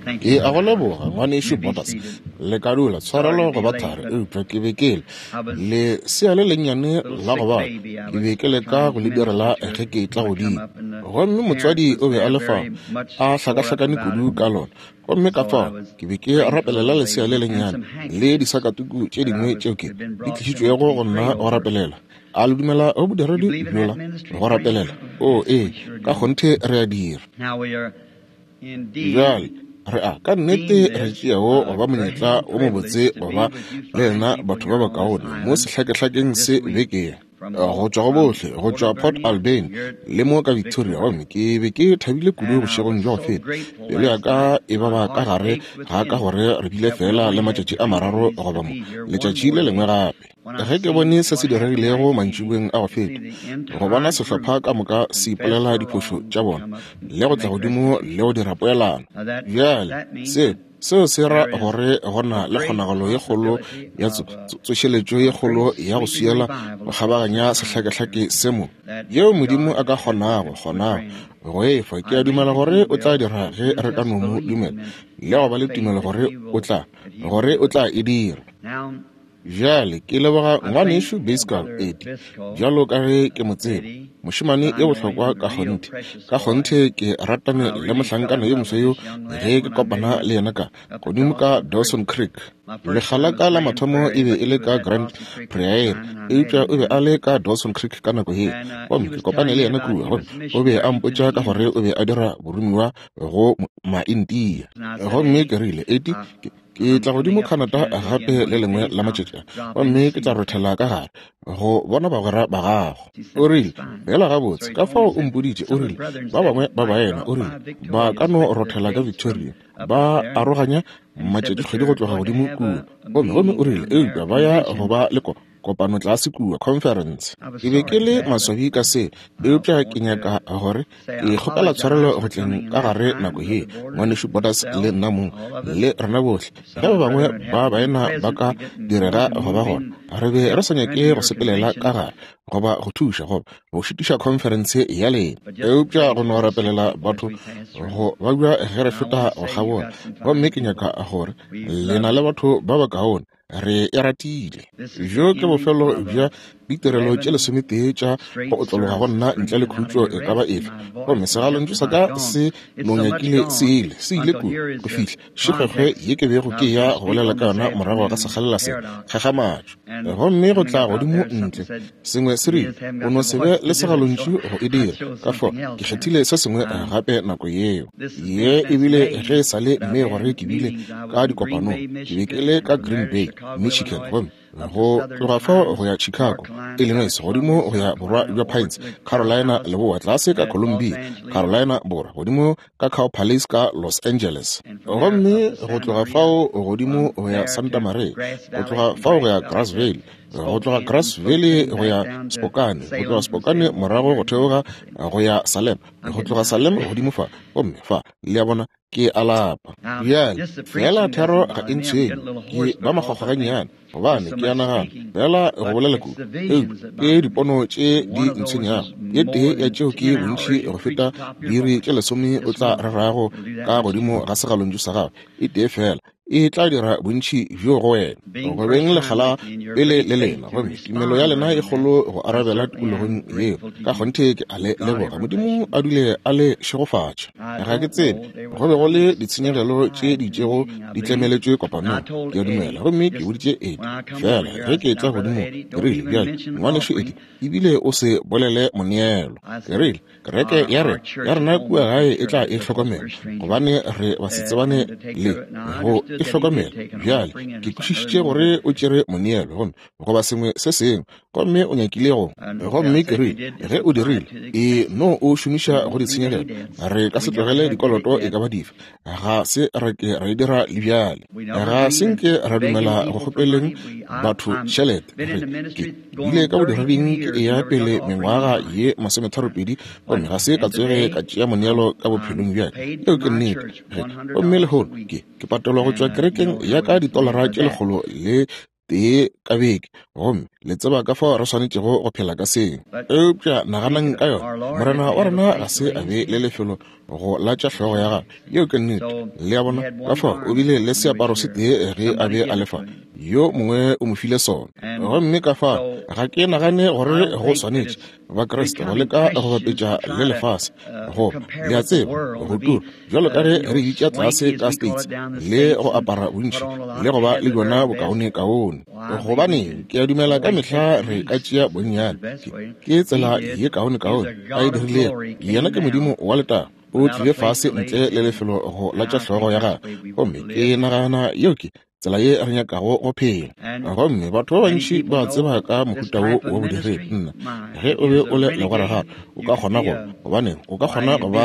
Ke a go leboga, Ngwanešu Borders. Le ka dula, tshwarelo go ba thari, eupša ke be ke le lesea le lennyane la go bala, ke be ke leka go le direla ge ke etla godimo. Gomme motswadi o be a le fao, a hlakahlakane kudu ka lona. Gomme ka fao ke be ke rapelela lesea le lennyane le disakatuku tše dingwe tšeo ke di tlišitšwego go nna go rapelela. A le dumela go bodiredi bjola go rapelela? Oo, ee, ka kgonthe re a dira. Bjale, re a ka nnete re tšeago go ba monyetla wo mobotse go ba le lena batho ba bakaone mo sehlakehlakeng se beke ye, go tšwa go bohle, go tšwa Port Alberni le mo ka Victoria. Gomme ke be ke thabile kudu bošegong bja go feta, pelo ya ka e baba ka gare ga ka gore re bile feela le matšatši a mararo goba mo letšatši le lengwe gape. Ge ke bone se se diregilego mantšiboeng a go feta, go bona sehlopha ka moka se ipolela diphošo tša bona le go tla godimo le go dira poelano. Bjale, se, seo se ra gore go na le kgonagalo ye kgolo ya tso, tso, tsošeletšo ye kgolo ya go swiela go kgabaganya sehlakehlake se mo, yeo Modimo a ka kgonago, kgonago go e fa. Ke a dumela gore O tla dira ge re ka no Mo dumela le go ba le tumelo gore O tla, gore O tla e dira. Bjale ke leboga Ngwanešu Byskal, Eddie, bjalo ka ge ke mo tseba, mošemane yo bohlokwa ka kgonthe. Ka kgonthe ke ratane le mohlankana yo moswa yo ge ke kopana le yena ka, godimo ka Dawson Creek. Lekga la ka la mathomo e be e le ka Grand Prairie, eupša o be a le ka Dawson Creek ka nako yeo. Gomme ke kopane le yena kua, gomme o be a mpotša ka gore o be a dira boromiwa go Maindia. Gomme ke rile, Eddie, ke, Ke tla godimo Canada gape le lengwe la matšatši a, gomme ke tla rothela ka gare go bona bagwera ba gago. O rile, Bjela gabotse, ka fao o mpoditše, o rile, ba bangwe ba baena, o rile, ba ka no rothela ka Victoria, ba aroganya matšatšikgwedi go tloga godimo kua. Gomme, gomme o rile, eupša ba ya go ba le ko, kopano tlase kua, conference. Ke be ke le maswabi ka se, eupša ke nyaka gore ke kgopela tshwarelo go tleng ka gare nako ye, Ngwanešu Borders le nna mong, le rena bohle. Ge ba bangwe ba baena ba ka direga go ba gona, re be re sa nyake go sepelela ka gare goba go thuša goba go šitiša khonferense ya lena, eupša go no rapelela batho go babja ge re feta go kgabola. Gomme ke nyaka gore le na le batho ba bakaone Re e ratile. Bjo ke bofelo bja ditirelo tše lesometee tša go otlologa go nna ntle le khutšo e ka ba efe. Gomme segalontšu sa ka se no nyakile se ile, se ile kua go fihla šikgwekgwe ye ke bego ke eya go bolela ka yona morago ga sekgalela se, kgakgamatšo. Gomme go tla godimo ntle, Sengwe se rile, O no se be le segalontšu go e dira. Ka fao ke kgethile se sengwe gape nako yeo. Ye e bile ge e sa le mme gore ke bile ka dikopanong. Ke be ke le ka Green Bay, Michigan, gomme go tloga fao go ya Chicago, Illinois, godimo go ya borwa bja Pines, Carolina Leboa, tlase ka Columbia, Carolina Borwa, godimo ka Cow Palace ka Los Angeles. Gomme go tloga fao godimo go ya Santa Maria, go tloga fao go ya Grass Valley, go tloga Grass Valley go ya Spokane, go tloga Spokane morago go theoga go ya Salem, go tloga Salem godimo fa, gomme fa, le a bona, ke a lapa. Bjale, feela thero ga e ntshwenye, ke ba makgwakgwa gannyane, gobane ke a nagana, feela go bolela kudu, eupša ke dipono tše di ntshwenyago. Ye tee ya tšeo ke bontši go feta diiri tše lesome o tla rerago ka godimo ga segalontšu sa gagwe, e tee feela e tla dira bontši bjo go wena. Go beng lekga la pele le lena, gomme tumelo ya lena e kgolo go arabela tikologong yeo. Ka kgonthe ke a le leboga. Modimo a dule a le šegofatša. Ga ke tsebe, go be go le ditshenyegelo tše di itšego di tlemeletšwe kopanong, ke a dumela. Gomme ke boditše Eddie, feela ge ke etla godimo, ke rile, Bjale, Ngwanešu Eddie, ebile o se bolele moneelo. Ke rile, Kereke ya rena, ya rena kua gae e tla e hlokomela, gobane re basetsebane le go e hlokomela. Bjale, ke kwešišitše gore o tšere moneelo, gomme, goba sengwe se sengwe, gomme o nyakile go. Gomme ke rile, Ge o dirile, e no o šomiša go ditshenyegelo. Re ka se tlogele dikoloto e ka ba dife. Ga se ra ke ra e dira le bjale. Ga se nke ra dumela go kgopeleng batho tšhelete. Re, ke bile ka bodireding ke eya pele mengwaga ye masometharopedi, gomme ga se ka tsoge ka tšea moneelo ka bophelong bja ka. Yeo ke nnete. Ge, gomme lehono ke, ke patelwa go tšwa kerekeng ya ka ditolara tše lekgolo le. tee ka beke, gomme le tseba ka fao re swanetšego go phela ka seo. Eupša naganang ka yona, Morena wa rena ga se a be le lefelo go latša hlogo ya gagwe. Yeo ke nnete. Le a bona? Ka fao o bile le seaparo se tee ge a be a le fa, yo mongwe o mo file sona. Gomme ka fao ga ke nagane gore go swanetše Bakriste go leka go bapetša le lefase, go, le a tseba, go tura bjalo ka ge re bitša tlase ka States, le go apara bontši le go ba le bjona bokaonekaone. Gobaneng, ke a dumela ka mehla re ka tšea bonnyane. Ke tsela ye kaonekaone a e dirilego. Yena ke Modimo wa letago. O tlile fase ntle le lefelo go latša hlogo ya gagwe. Gomme ke nagana yeo ke tsela ye re nyakago go phela. Gomme batho ba bantši ba tseba ka mohuta wo wa bodiredi. Nna, ge o be o le legora gape, o ka kgona go, gobaneng, o ka kgona go ba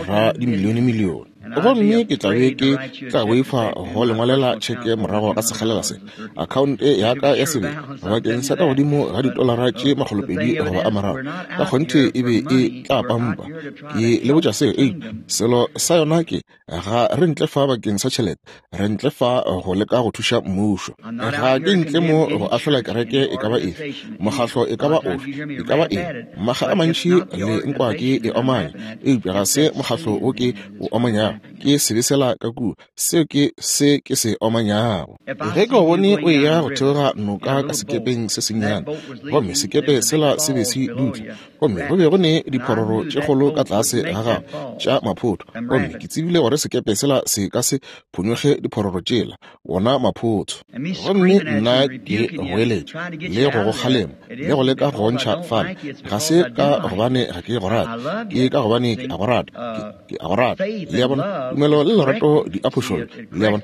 ra dimilionemilione. Gomme ke tla be ke tla boifa go le ngwalela tšheke morago ga sekgalela se, akhaonte ya ka ya sebele bakeng sa ka godimo ga ditolara tše 200 goba a mararo, ka kgonthe e be e tla pampa. Ke le botša seo, eupša selo sa yona ke, Ga re ntle fa bakeng sa tšhelete, re ntle fa go leka go thuša mmušo. Ga ke ntle mo go ahlola kereke e ka ba efe, mokgahlo e ka ba ofe, e ka ba eng. Makga a mantši le nkwa ke e omanya, eupša ga se mokgahlo wo ke o omanyago, ke sebe sela ka kua, seo ke se ke se omanyago. Ge ke go bone o eya go theoga noka ka sekepeng se sennyane, gomme sekepe sela se be se dutla, gomme go be go ne diphororo tše kgolo ka tlase ga gagwe tša maphotho, gomme ke tsebile gore sekepe sela se ka se phonyokge diphororo tšela, wona maphotho. Gomme nna ke goeletša le go go kgalema le go leka go ntšha fale, ga se ka gobane ga ke go rate, ke ka gobane ke a go rata, ke a go rata. Le a bona, tumelo le lerato di a phošolla, le a bona.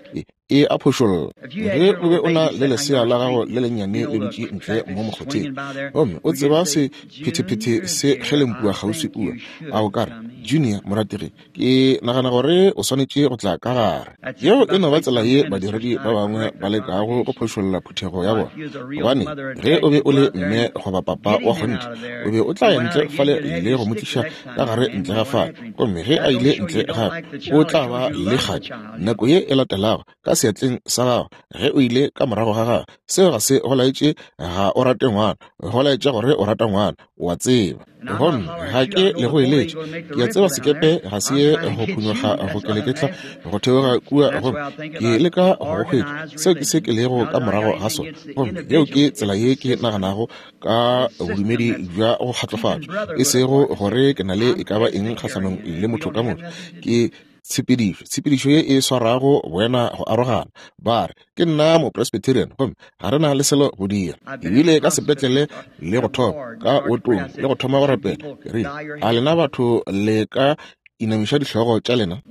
E a phošolla. Ge o be o na le lesea la gago le lennyane le dutše ntle mo mokgotheng, gomme o tseba se phethephethe se kgelempua kgauswi kua, a o ka re, Junior, morategi, ke nagana gore o swanetše go tla ka gare. Yeo e no ba tsela ye badiredi ba bangwe ba lekago go phošolla phuthego ya bona. Gobane, ge o be o le mme goba papa wa kgonthe, o be o tla ya ntle fale le go mo tliša ka gare ntle ga fale. Gomme ge a ile ntle gape, o tla ba le kgadi nako ye e latelago ka seatleng sa gago ge o ile ka morago ga gagwe. Seo ga se go laetše ga o rate ngwana, go laetša gore o rata ngwana, o a tseba. Gomme ga ke le go eletše, ke a tseba sekepe ga se ye go phunyoga go keleketla go theoga kua, gomme ke leka go go hwetša. Seo ke se ke lego ka morago ga sona. Gomme yeo ke tsela ye ke naganago ka bodumedi bja go kgatlofatšwa, e sego gore ke na le e ka ba eng kgahlanong le motho ka motho. Ke tshepedišo, tshepedišo ye e swarago boena go arogana. Ba re, Ke nna Mopresbyterian, gomme ga re na le selo go dira. Ebile ka sepetlele le go thoma ka wotong le go thoma go rapela, ke rile, A lena batho le ka inamiša dihlogo tša lena?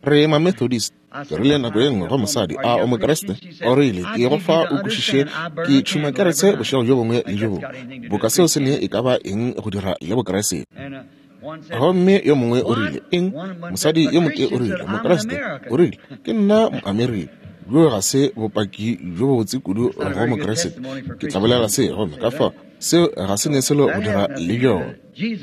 Re Mamethodist. Ke rile nako ye nngwe go mosadi, A o Mokriste? O rile, Ke go fa o kwešiše, ke tšhuma kerese bošego bjo bongwe le bjo bongwe. Boka seo se ne e ka ba eng go dira le Bokriste? Gomme yo mongwe o rile, Eng? Mosadi yo motee o rile, Mokriste, o rile, Ke nna Moamerika. Bjoo ga se bopaki bjo bobotse kudu go Mokriste. Ke tla bolela se, gomme ka fao seo ga se ne selo go dira le bjona.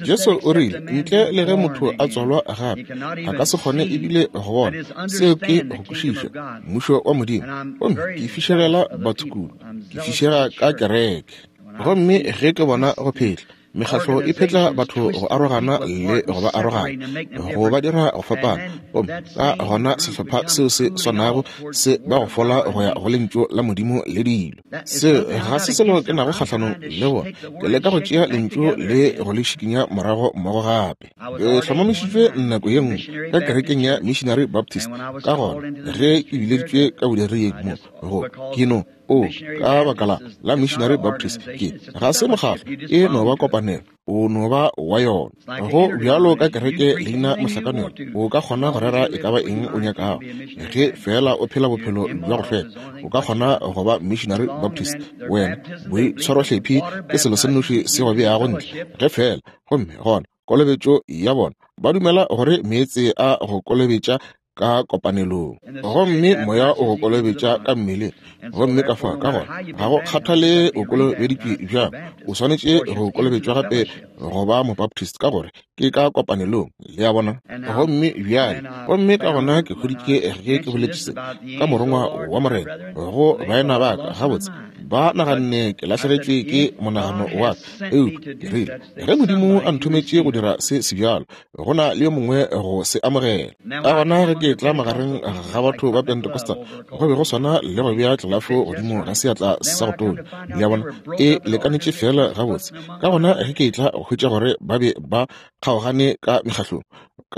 Jesu o rile, Ntle le ge motho a tswalwa gape, a ka se kgone ebile go bona. Seo ke go kwešiša Mmušo wa Modimo. Gomme ke fišegela batho kudu. Ke fišega ka kereke. Gomme ge ke bona go phetla, Mekgatlo e phetla batho go arogana le go ba aroganya, go ba dira go fapana, gomme ka gona sehlopha seo se swanago se ba go fola go ya go Lentšu la Modimo le dilo. Seo ga se selo ke nago kgahlanong le bona. Ke leka go tšea Lentšu le go le šikinya morago mmogo gape. Ke hlomamišitšwe nako ye nngwe ka kerekeng ya Missionary Baptist, ka gona ge ke bileditšwe ka bodireding mo, go, ke no O, ka baka la, la Missionary Baptist, ke, ga se mokgatlo, e no ba kopanelo, o no ba wa yona. Go bjalo ka kereke leina mohlakanelo, o ka kgona go rera e ka ba eng o nyakago, ge feela o phela bophelo bja go hlweka, o ka kgona go ba Missionary Baptist. Wena, boitshwarohlephi ke selo se nnoši se go beago ntle, ge feela, gomme gona kolobetšo ya bona, ba dumela gore meetse a go kolobetša. ka kopanelong. Gomme Moya o go kolobetša ka mmeleng. Gomme ka fa, ka gona, ga go kgathale o kolobeditšwe bjang, o swanetše go kolobetšwa gape go ba Mobaptist, ka gore ke ka kopanelong. Le a bona? Gomme bjale, gomme ka gona ke hweditše ge ke boletše se ka morongwa wa Morena go baena ba ka, gabotse ba naganne ke lahlegetšwe ke monagano wa ka. Eupša ke rile, ge Modimo a nthometše go dira se sebjalo, go na le yo mongwe go se amogela. Ka gona ge ke tla magareng ga batho ba Pentecostal, go be go swana le go bea tlelafo godimo ga seatla sa go tonya. Le a bona, e lekanetše feela gabotse. Ka gona ge ke tla go hwetša gore ba be ba kgaogane ka mekgahlong,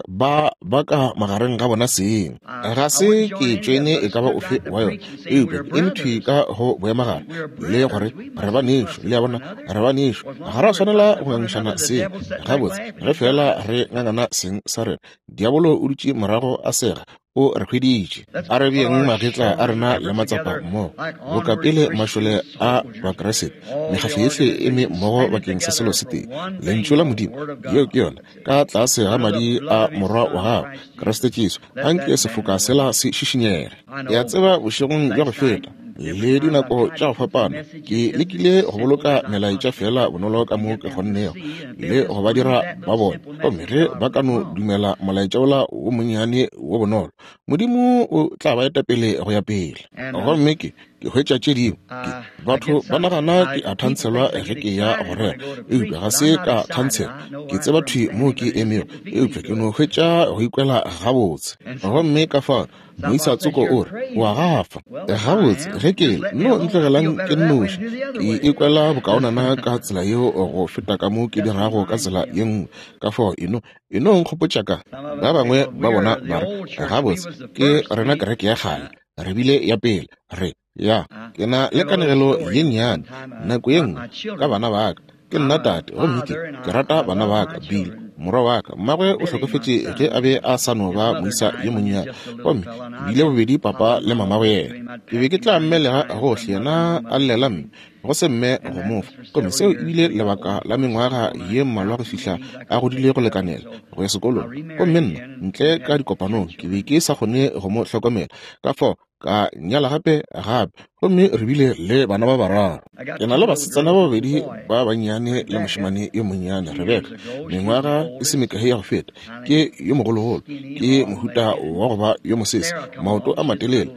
ba ba ka magareng ga bona seng. Ga se ke tšoene e ka ba ofe wa yona, eupša ke eme thwi ka go boemagare le gore re banešo. Le a bona, re banešo, ga ra swanela go ngangišana seng. Gabotse, ge feela re ngangana seng sa rena, diabolo o dutše morago a sega, o re hweditše. A re beeng magetla a rena le matsapa mmogo, boka pele mašole a Bakriste, mekgatlo yohle e eme mmogo bakeng sa selo se tee, Lentšu la Modimo. Yeo ke yona, ka tlase ga madi a Morwa wa gagwe, Kriste Jesu, anke sefoka sela se šišinyege. Ke a tseba bošegong bja go feta le dinako tša go fapana ke lekile go boloka melaetša feela bonolo ka mo ke kgonnego le go ba dira ba bone, gomme ge ba ka no dumela molaetša wola wo monnyane wo bonolo, Modimo o tla ba eta pele go ya pele. Gomme ke hwetša tše dingwe, ke batho ba nagana ke a thantshelwa ge ke ya go rera, eupša ga se ka thantshelwa. Ke tseba thwi moo ke emego, eupša ke no hwetša go ikwela gabotse. Gomme ka fao moisa tsoko o re, o a gafa. Gabotse, ge ke le, no ntlogelang ke nnoši. Ke ikwela bokaonana ka tsela yeo go feta ka mo ke dirago ka tsela ye nngwe. Ka fao eno, eno nkgopotša ka ba bangwe ba bona ba re, gabotse, ke rena kereke ya kgale, re bile ya pele, re ya. Ke na le kanegelo ye nnyane nako ye nngwe ka bana ba ka. Ke nna tate, gomme ke, ke rata bana ba ka. Bill, morwa wa ka, mmagwe o hlokofetše ge a be a sa no ba moisa yo monnyane, gomme ke bile bobedi papa le mama go yena. Ke be ke tla mmelega gohle, yena a llela mme, go se mme go mo fa. Gomme seo e bile lebaka la mengwaga ye mmalwa go fihla a godile go lekanela go ya sekolong. Gomme nna, ntle ka dikopanong, ke be ke sa kgone go mo hlokomela. Ka fao ka nyala gape gape, gomme re bile le bana ba bararo. Ke na le basetsana ba babedi ba bannyane le mošemane yo monnyane, Rebeka, mengwaga e se mekae ya go feta. Ke yo mogologolo, ke mohuta wa go ba yo mosese, maoto a matelele.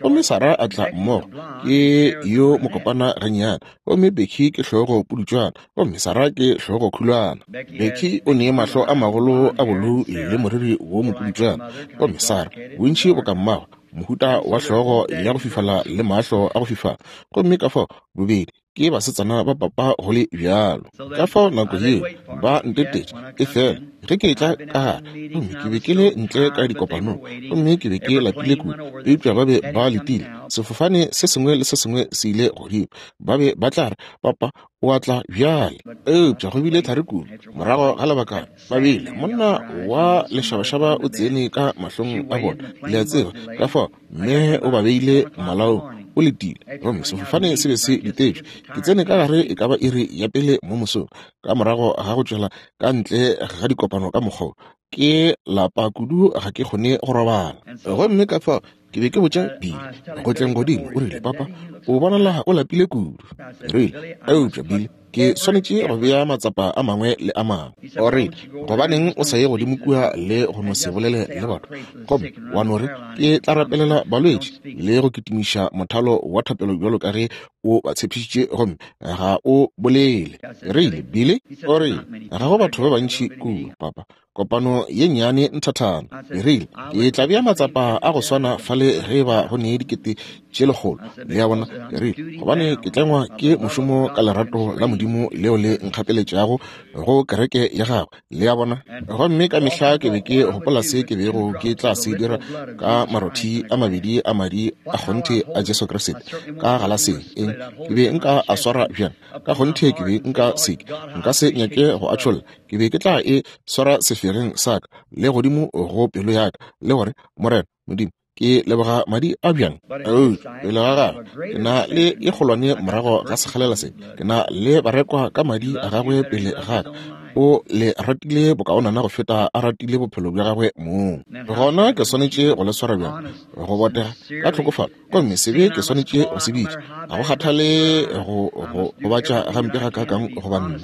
Gomme Sarah a tla mmogo, ke yo mokopana gannyane. Gomme Becky ke hlogo pudutšwana, gomme Sarah ke hlogo khulwana. Becky o ne mahlo a magolo a bolou le moriri wo mopudutšwana, gomme Sarah bontši boka mmagwe, mohuta wa hlogo ya go fifala le mahlo a go fifala. Gomme ka fao bobedi ke basetsana ba papa go le bjalo. Ka fao nako yeo ba ntetetše, efela ge ke etla ka gare, gomme ke be ke le ntle ka dikopanong, gomme ke be ke lapile kudu, eupša ba be ba letile. Sefofane se sengwe le se sengwe se ile godimo. Ba be ba tla re, Papa o a tla bjale. Eupša go bile thari kudu. Morago ga lebakana ba bile, monna wa lešabašaba o tsene ka mahlong a bona, le a tseba, ka fao mme o ba beile malaong, o letile. Gomme sefofane se be se letetšwe. Ke tsene ka gare e ka ba iri ya pele mo mosong, ka morago ga go tšwela ka ntle ga dikopano ka mokgwa wo. Ke lapa kudu, ga ke kgone go robala. Gomme ka fao ke be ke botša Billy go tleng godimo, o rile, Papa, o bonala o lapile kudu. Ke rile, Eupša Billy, ke swanetše go bea matsapa a mangwe le a mangwe. O rile, Gobaneng o sa ye godimo kua le go no se bolele le batho, gomme wa no re, Ke tla rapelela balwetši le go kitimiša mothalo wa thapelo bjalo ka ge o ba tshepišitše, gomme ga o bolele. Ke rile, Billy, o rile, ga go batho ba bantši kua, Papa. Kopano ye nnyane nthathana. Ke rile, Ke tla bea matsapa a go swana fale ge eba go ne 100,000. Le a bona? Ke rile, Gobane ke tlengwa ke mošomo ka lerato la Modimo leo le nkgapeletšago go kereke ya Gagwe. Le a bona? Gomme ka mehla ke be ke gopola se ke bego ke tla se dira ka marothi a mabedi a madi a kgonthe a Jesu Kriste ka galaseng. Eng? Ke be nka a swara bjang? Ka kgonthe ke be nka se ke. Nka se nyake go a tšholla. Ke be ke tla e swara sefereng sa ka le godimo go pelo ya ka, le gore, Morena Modimo, ke leboga madi a bjang. Eupša pele ga gagwe ke na le e kgolwane morago ga sekgalela se, ke na le barekwa ka madi a gagwe pele ga ka. O le ratile bokaonana go feta a ratile bophelo bja gagwe mong. Gona ke swanetše go le swara bjang? Go botega, ka tlhokofalo. Gomme sebe ke swanetše go se bitša. Ga go kgathale go go gobatša gampe gakaakang goba nna.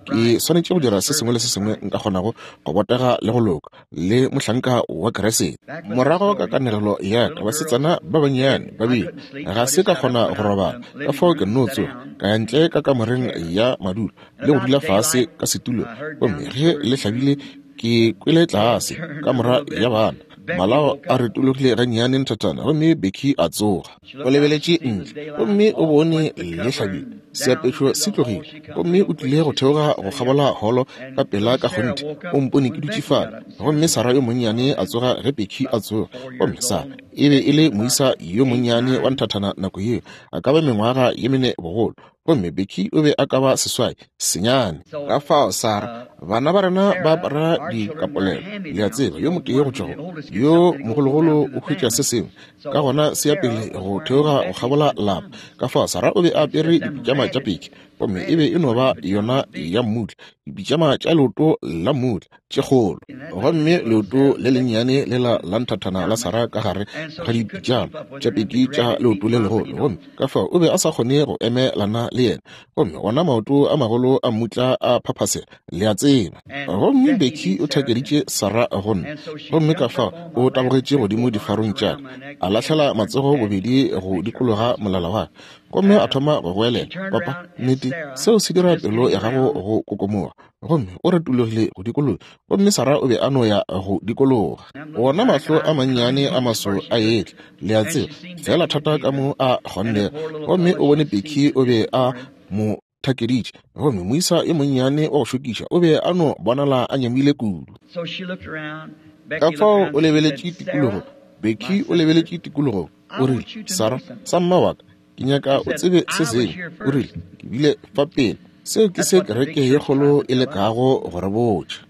Ke swanetše go dira se sengwe le se sengwe nka kgonago go botega le go loka, le mohlanka wa Kriste. Morago ka kanegelo ya ka, basetsana ba bannyane ba bile, ga se ka kgona go robala, ka fao ke nno tsoga, ka ya ntle ka kamoreng ya madulo le go dula fase ka setulong. Gomme ge le hlabile, ke kwele tlase kamora ya bana, malao a retologile gannyane nthathana, gomme Becky a tsoga. O lebeletše ntle gomme o bone le hlabile, seapešo se tlogile, gomme o tlile go theoga go kgabola holo ka pela ka kgonthe. O mpone ke dutše fale, gomme Sarah yo monnyane a tsoga ge Becky a tsoga. Gomme Sarah e be e le moisa yo monnyane wa nthathana nako yeo, a ka ba mengwaga ye mene bogolo, gomme Becky o be a ka ba 8, senyane. Ka fao Sarah, bana ba rena ba apara dikapolelo, le a tseba, yo motee go tšwa go yo mogologolo o hwetša se sengwe, ka gona se ya pele go theoga go kgabola lapa. Ka fao Sarah o be a apere dipitšama tša Becky, gomme e be e no ba yona ya mmutla, dipitšama tša leoto la mmutla tše kgolo, gomme leoto le lennyane lela la nthathana la Sarah ka gare ga dipitšama tša Becky tša leoto le legolo, gomme ka fao o be a sa kgone go emelana le yena, gomme ona maoto a magolo a mmutla a phaphasela, le a tseba. Gomme Becky o thakeditše Sarah go nna, gomme ka fao o tabogetše godimo difarong tša ka, a lahlela matsogo bobedi go dikologa molala wa ka, gomme a thoma go goelela, Papa, nnete, seo se dira pelo ya gago go kokomoga. Gomme o retologile go dikologa, gomme Sarah o be a no ya go dikologa. Wona mahlo a mannyane a maso a etla, le a tseba, feela thata ka mo a kgonnego. Gomme o bone Becky o be a mo thakeditše, gomme moisa yo monnyane wa go šokiša o be a no bonala a nyamile kudu. Ka fao o lebeletše tikologong, Becky o lebeletše tikologong, o rile, Sarah, sa mma wa ka, ke nyaka o tsebe se sengwe. O rile, ke bile fa pele. Seo ke se kereke ye kgolo e lekago go re botša.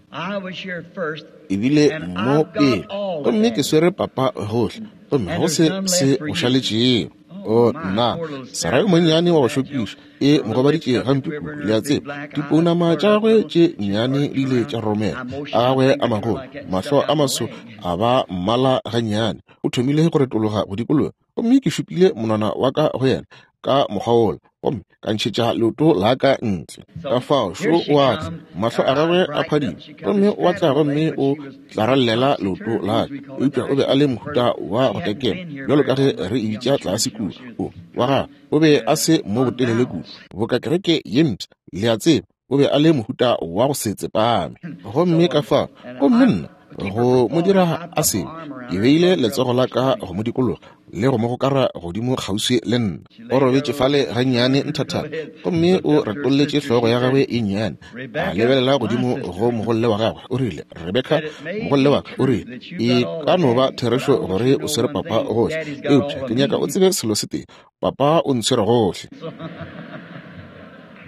E bile mo pele, gomme ke swere papa gohle, gomme go se se go šaletšego. O nna, Sarah yo monnyane wa go šokiša, e mo gobaditše gampe kudu, le a tseba. Dipounama tša gagwe tše nnyane di ile tša romela, a gagwe a magolo, mahlo a maso a ba mmala gannyane. O thomile go retologa go dikologa, gomme ke šupile monwana wa ka go yena ka mokgwa wola, gomme ka ntšhetša leoto la ka ntle. Ka fao šo o a tla, mahlo a gagwe a phadima, gomme o a tla gomme o tlarallela leoto la ka. Eupša o be a le mohuta wa go tekema, bjalo ka ge re e bitša tlase kua. O wa gagwe o be a se mo botelele kudu, boka kereke ye mpsha, le a tseba, o be a le mohuta wa go se tsepame. Gomme ka fao, gomme nna, go mo dira a sebe, ke beile letsogo la ka go mo dikologa le go mo gokara godimo kgauswi le nna. O robetše fale gannyane nthathana, gomme o retolletše hlogo ya gagwe e nnyane, a lebelela godimo go mogolle wa gagwe. O rile, Rebeka, mogolle wa ka, o rile, e ka no ba therešo gore o swere papa gohle, eupša ke nyaka o tsebe selo se tee, papa o ntshwere gohle.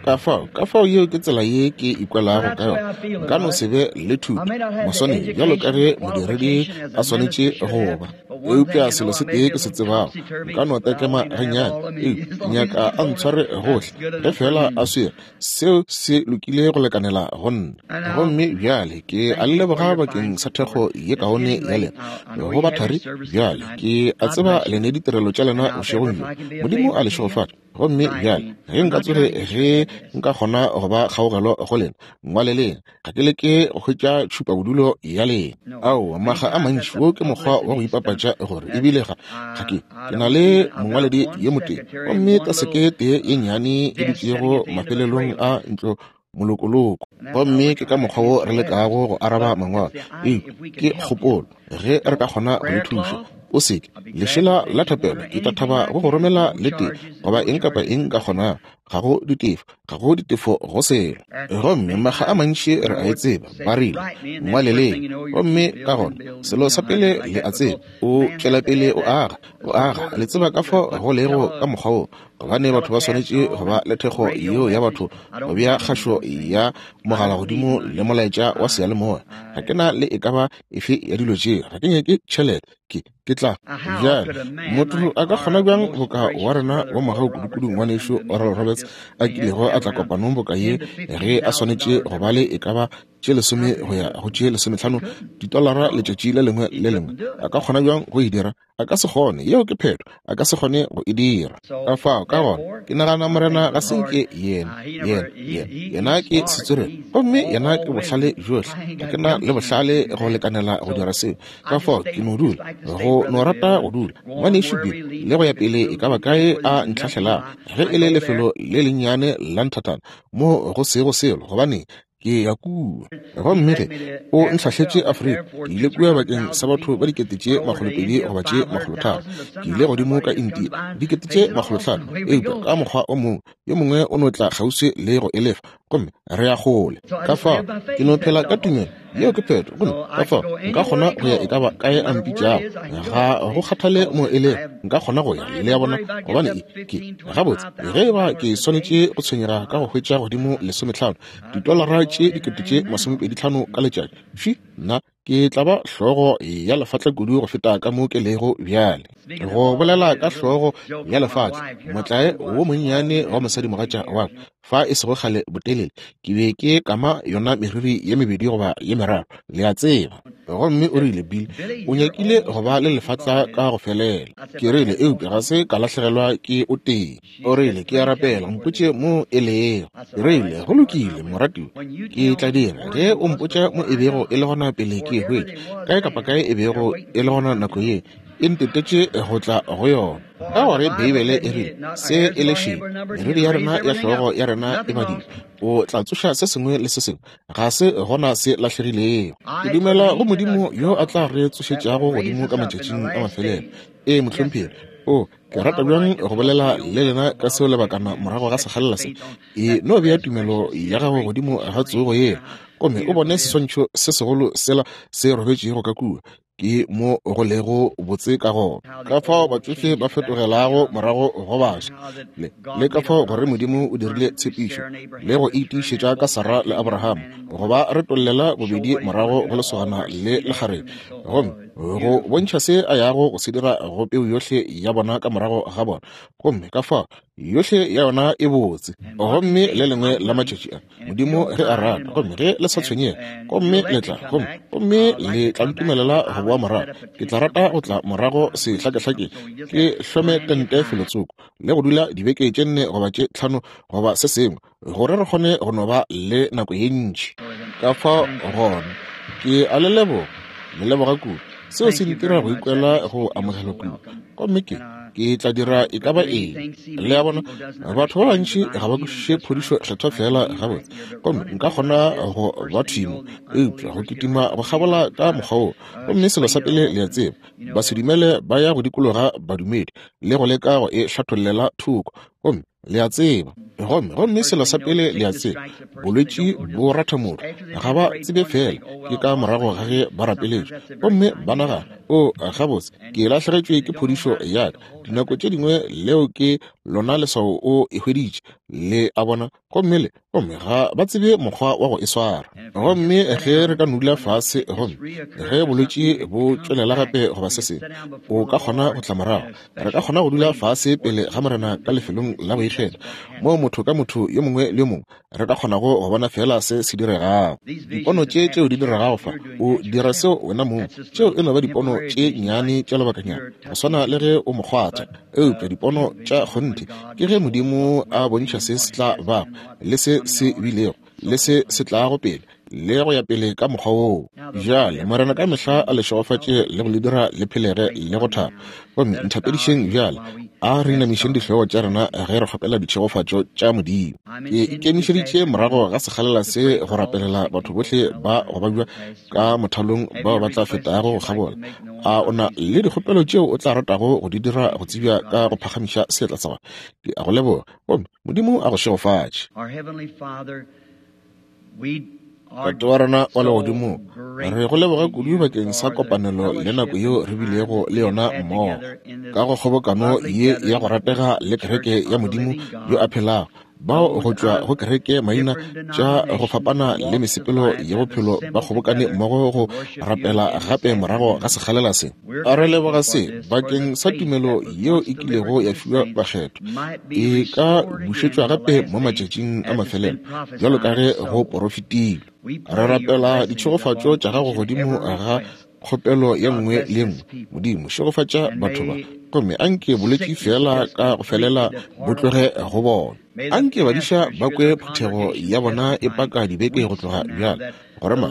Ka fao, ka fao yeo ke tsela ye ke ikwelago ka yona. Nka no se be le thuto, moswanedi, bjalo ka ge modiredi a swanetše go ba. Eupša selo se tee ke se tsebago, nka no tekema gannyane, eupša ke nyaka a ntshware gohle. Ge feela a swere, seo se lokile go lekanela go nna. Gomme bjale ke a le leboga bakeng sa thekgo ye kaone ya lena go bathari. Bjale ke a tseba le ne ditirelo tša lena bošegong bjo. Modimo a le šegofatše. Gomme bjale ge nka tsoge ge nka kgona go ba kgaogelo go lena, ngwaleleng. Ga ke leke go hwetša tšhupabodulo ya lena. Aowa, makga a mantši wo ke mokgwa wa go ipapatša gore ebile ga, ga ke, ke na le mongwaledi yo motee, gomme taseke tee ye nnyane e dutšego mafelelong a ntlo molokoloko. Gomme ke ka mokgwa wo re lekago go araba mangwalo. Eupša ke kgopolo, ge re ka kgona go le thuša. O se ke, lešela la thapelo, ke tla thaba go go romela le tee, goba eng kapa eng nka kgonago. Ga go ditefo, ga go ditefo go selo. Gomme makga a mantši re a e tseba, ba rile, Ngwaleleng. Gomme ka gona, selo sa pele le a tseba, o tšwelapele o aga, o aga. Le tseba ka fao go lego ka mokgwa wo. Gobane batho ba swanetše go ba le thekgo yeo ya batho go bea kgašo ya mogala godimo le molaetša wa seyalemoya. Ga ke na le e ka ba efe ya dilo tšeo. Ga ke nyake tšhelete. Ke, ke tla. Bjale, motho a ka kgona bjang boka wa rena wa mogau kudukudu, Ngwanešu Oral Roberts? Roberts a kilego a tla kopanong boka ye, ge a swanetše go ba le e ka ba tše lesome go ya go tše lesometlhano ditolara letšatši le lengwe le lengwe, a ka kgona bjang go e dira? A ka se kgone. Yeo ke phetho. A ka se kgone go e dira. Ka fao, ka gona, ke nagana Morena ga se nke yena, yena, yena, yena ke setswerere, gomme yena ke bohlale bjohle. Ga ke na le bohlale go lekanela go dira seo. Ka fao ke no dula, go no rata go dula, Ngwanešu Bill, le go ya pele e ka ba kae a ntlhahlelago, ge e le lefelo le lennyane la nthathana mo go sego selo, gobaneng, ke ya kua. Gomme ge o ntlhahletše Afrika, ke ile kua bakeng sa batho ba 200,000 goba tše 300. Ke ile godimo ka India, 500,000, eupša ka mokgwa o mongwe, yo mongwe o no tla kgauswi le go e lefa, gomme re ya kgole. Ka fao ke no phela ka tumelo, yeo ke phetho. Gomme ka fao nka kgona go ya e ka ba kae a mpitšago, ga go kgathale mo e lego, nka kgona go ya, le a bona, gobane e, ke, gabotse, ge e ba ke swanetše go tshwenyega ka go hwetša godimo lesometlhano, ditolara tše 25,000 ka letšatši, fi, nna ke tla ba hlogo ya lefatla kudu go feta ka mo ke lego bjale. Go bolela ka hlogo ya lefatla, motlae wo monnyane wa mosadimogatša wa ka, fa e sego kgale botelele, ke be ke kama yona meriri ye mebedi goba ye meraro, le a tseba. Gomme o rile, Bill, o nyakile go ba le lefatla ka go felela. Ke rile, Eupša ga se ka lahlegelwa ke o tee. O rile, Ke a rapela, mpotše mo e lego. Ke rile, Go lokile, moratiwa, ke tla dira. Ge o mpotša mo e bego e le gona pele ke e hwetša, kae kapa kae e bego e le gona nako ye, e ntetetše go tla go yona. Ka gore Beibele e rile, Se e le šedi, meriri ya rena ya hlogo ya rena e badilwe. O tla tsoša se sengwe le se sengwe, ga se gona se lahlegilego. Ke dumela go Modimo yo a tla re tsošetšago godimo ka matšatšing a mafelelo. Ee, mohlomphegi. O, Ke rata bjang go bolela le lena ka seo lebakana morago ga sekgalela se. E no bea tumelo ya gago godimo ga tsogo yela, gomme o bone seswantšho se segolo sela se robetšego ka kua. Ke mo go lego botse ka gona. Ka fao batšofe ba fetogelago morago go baswa, le, le ka fao gore Modimo o dirile tshepišo le go e tiišetša ka Sarah le Abraham, go ba retollela bobedi morago go lesogana le lekgarebe. Gomme go bontšha se a yago go se dira go peu yohle ya bona ka morago ga bona, gomme ka fao yohle ya yona e botse. Gomme le lengwe la matšatši a, Modimo ge a rata, gomme ge le sa tshwenyege, gomme le tla, gomme, gomme le tla ntumelela go boa morago, ke tla rata go tla morago sehlakehlakeng, ke hlome tente felotsoko, le go dula dibeke tše nne goba tše tlhano goba se sengwe, gore re kgone go no ba le nako ye ntši. Ka fao gona, ke a le leboga, le leboga kudu. Seo se ntira go ikwela go amogelwa kudu. Gomme ke, ke tla dira e ka ba eng. Le a bona, batho ba bantši ga ba kwešiše phodišo Kgethwa feela gabotse. Gomme nka kgona go ba thwi mo, eupša go kitima go kgabola ka mokgwa woo. Gomme selo sa pele le a tseba, basedumele ba ya go dikologa badumedi le go leka go e hlathollela thoko. Gomme le a tseba, gomme, gomme selo sa pele le a tseba, bolwetši bo ratha motho, ga ba tsebe feela ke ka morago ga ge ba rapeletšwe, gomme ba nagana, O, gabotse, ke lahlegetšwe ke phodišo ya ka. Dinako tše dingwe leo ke lona leswao o e hweditše, le a bona, gomme le, gomme ga ba tsebe mokgwa wa go e swara. Gomme ge re ka nula fase, gomme ge bolwetši bo tšwelela gape goba se sengwe, o ka kgona go tla morago. Re ka kgona go dula fase pele ga Morena ka lefelong la go ikgetha, moo motho ka motho yo mongwe le yo mongwe re ka kgonago go bona feela se se diregago. Dipono tše tšeo di diregago fa, o dira seo wena mong. Tšeo e no ba dipono tše nnyane tša lebakanyana, go swana le ge o mo kgwatha. Eupša dipono tša kgonthe ke ge Modimo a bontšha se se tla bago, le se se bilego, le se se tlago pele, le go ya pele ka mokgwa woo. Bjale, Morena ka mehla a le šegofatše le go le dira le phelege le go thaba. Gomme nthapedišeng bjale, a re inamišeng dihlogo tša rena ge re kgopela ditšhegofatšo tša Modimo. Ke ikemišeditše morago ga sekgalela se go rapelela batho bohle ba go babja ka mothalong bao ba tla fetago go kgabola. A o na le dikgopelo tšeo o tla ratago go di dira go tsebja ka go phagamiša seatla sa gago? Ke a go leboga, gomme Modimo a go šegofatše. Tate wa rena wa legodimo, re go leboga kudu bakeng sa kopanelo le nako yeo re bilego le yona mmogo ka go kgobokano ye ya go ratega le kereke ya Modimo yo a phelago. Bao go tšwa go kereke maina tša go fapana le mesepelo ya bophelo ba kgobokane mmogo go rapela gape morago ga sekgalela se. A re leboga se bakeng sa tumelo yeo e kilego ya fiwa bakgethwa, e ka bušetšwa gape mo matšatšing a mafelelo bjalo ka ge go porofetilwe. Re rapela ditšhegofatšo tša gago godimo ga kgopelo ye nngwe le ye nngwe. Modimo, šegofatša batho ba, gomme anke bolwetši feela ka go felela bo tloge go bona. Anke badiša ba kwe phuthego ya bona e paka dibeke go tloga bjale, gore ma,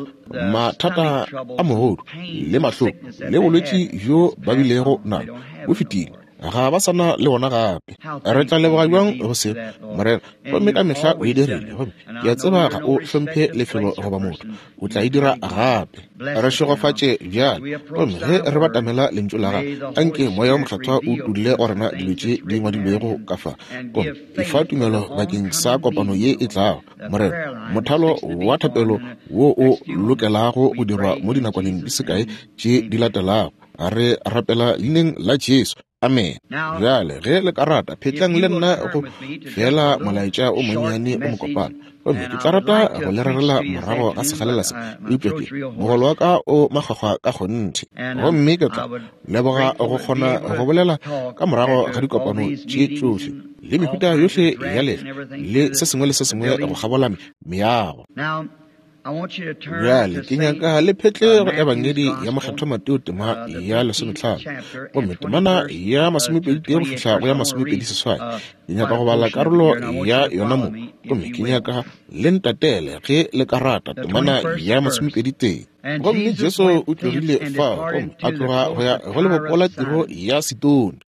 mathata a mogodu le mahloko le bolwetši bjo ba bilego nabo bo fetile. Ga ba sa na le ona gape. Re tla leboga bjang go se, Morena. Gomme ka mehla o e dirile, gomme ke a tseba ga o hlomphe lefelo goba motho. O tla e dira gape. Re šegofatše bjale. Gomme ge re batamela Lentšu la Gago, anke Moya wo Mokgethwa o utolle go rena dilo tše di ngwadilwego ka fa. Gomme efa tumelo bakeng sa kopano ye e tlago, Morena, mothalo wa thapelo wo o lokelago go dirwa mo dinakwaneng di se kae tše di latelago. Re rapela Leineng la Jesu. Amene. Bjale, ge le ka rata, phetlang le nna go feela molaetša o monnyane o mokopana. Gomme ke tla rata go le rerela morago ga segalela se, eupša ke, mogolo wa ka o makgwakgwa ka kgonthe. Gomme ke tla leboga go kgona go bolela ka morago ga dikopano tše tšohle, le mehuta yohle ya lefa, le se sengwe le se sengwe go kgabola meago. Bjale ke nyaka le phetle go Ebangedi ya Mokgethwa Mateo tema ya lesometlhano, gomme temana ya masomepeditee go fihla go ya masomepediseswai. Ke nyaka go bala karolo ya yona mo, gomme ke nyaka le ntatele ge le ka rata, temana ya masomepeditee. Gomme Jesu o tlogile fao gomme a tloga go ya go lebopo la Tiro ya Sidone.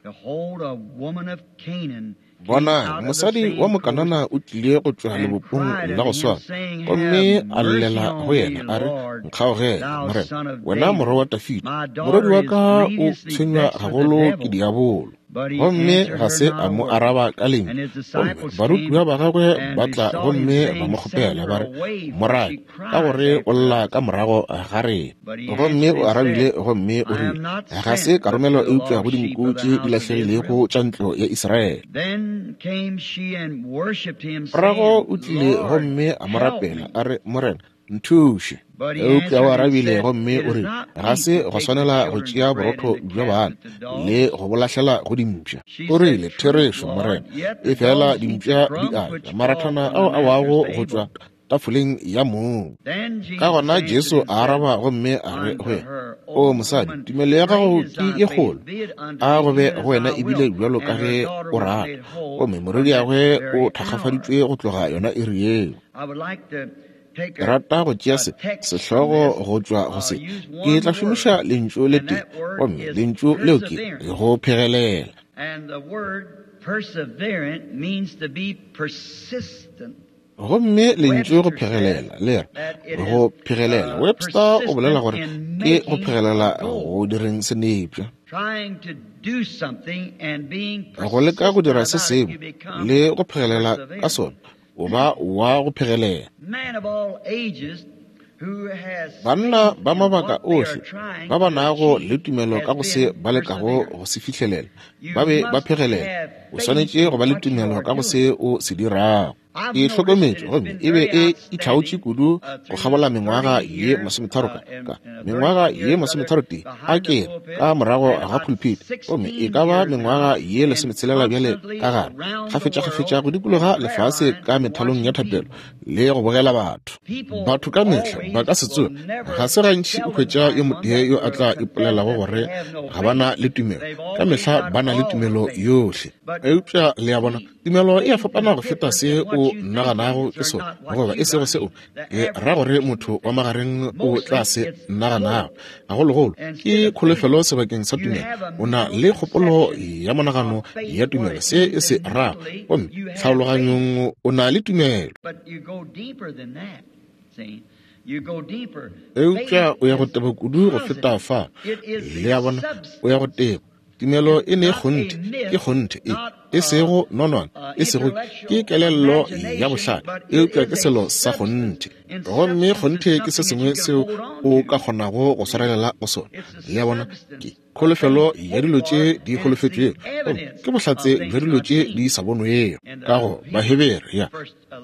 Bonang, mosadi wa Mokanana o tlile go tšwa lebopong la go swana, gomme a llela go yena a re, Nkgaogele, Morena, wena morwa wa Dafida, morwedi wa ka o tshwenywa gagolo ke diabolo. Gomme ga se a mo araba ka lentšu. Gomme barutiwa ba gagwe ba tla gomme ba mo kgopela ba re, Morake, ka gore o lla ka morago ga rena. Gomme o arabile gomme o rile, Ga se ka romelwa eupša go dinku tše di lahlegilego tša ntlo ya Israele. Morago o tlile gomme a mo rapela, a re, Morena, nthuše. Eupša o arabile gomme o rile, Ga se gwa swanela go tšea borotho bja bana le go bo lahlela go dimpša. O rile, Therešo, Morena, efela dimpša di a ja marathana ao a wago go tšwa tafoleng ya mong. Ka gona Jesu a araba gomme a re go yena, O mosadi, tumelo ya gago ke ye kgolo, a go be go wena ebile bjalo ka ge o rata. Gomme morwediagwe o thakgafaditšwe go tloga yona iri yeo. Ke rata go tšea se, sehlogo go tšwa go se. Ke tla šomiša lentšu le tee, gomme lentšu leo ke, go phegelela. Perseverant means to be persistent. Gomme lentšu go phegelela le re go phegelela. Webster o bolela gore ke go phegelela go direng senepša. Go leka go dira se sengwe le go phegelela ka sona, o ba wa go phegelela. Banna ba mabaka ohle ba ba nago le tumelo ka go se ba lekago go se fihlelela ba be ba phegelela. O swanetše go ba le tumelo ka go se o se dirago. Ke hlokometše gomme e be e itlhaotše kudu go kgabola mengwaga ye masometharo ka, ka mengwaga ye masometharotee a ke re ka morago ga pulpit, gomme e ka ba mengwaga ye lesometshelela bjale ka gare, kgafetšakgafetša go dikologa lefase ka methalong ya thapelo le go bogela batho. Batho ka mehla ba ka se tsoge, ga se gantši o hwetša yo motee yo a tla ipolelago gore ga ba na le tumelo. Ka mehla ba na le tumelo yohle. Eupša le a bona, tumelo e a fapana go feta se o naganago ke sona, goba e sego seo ke ra gore motho wa magareng o tla se naganago. Gagologolo ke kholofelo sebakeng sa tumelo. O na le kgopolo ya monagano ya tumelo, se e se rago, gomme tlhaologanyong o na le tumelo. Eupša o ya go teba kudu go feta fa. Le a bona, o ya go teba. Tumelo e ne kgonthe, ke kgonthe e, e sego nonwane, e sego ke kelello ya bohlale, eupša ke selo sa kgonthe. Gomme kgonthe ke se sengwe seo o ka kgonago go swarelela go sona. Le a bona, ke kholofelo ya dilo tše di holofetšwego, gomme ke bohlatse bja dilo tše di sa bonwego. Ka go Bahebere ya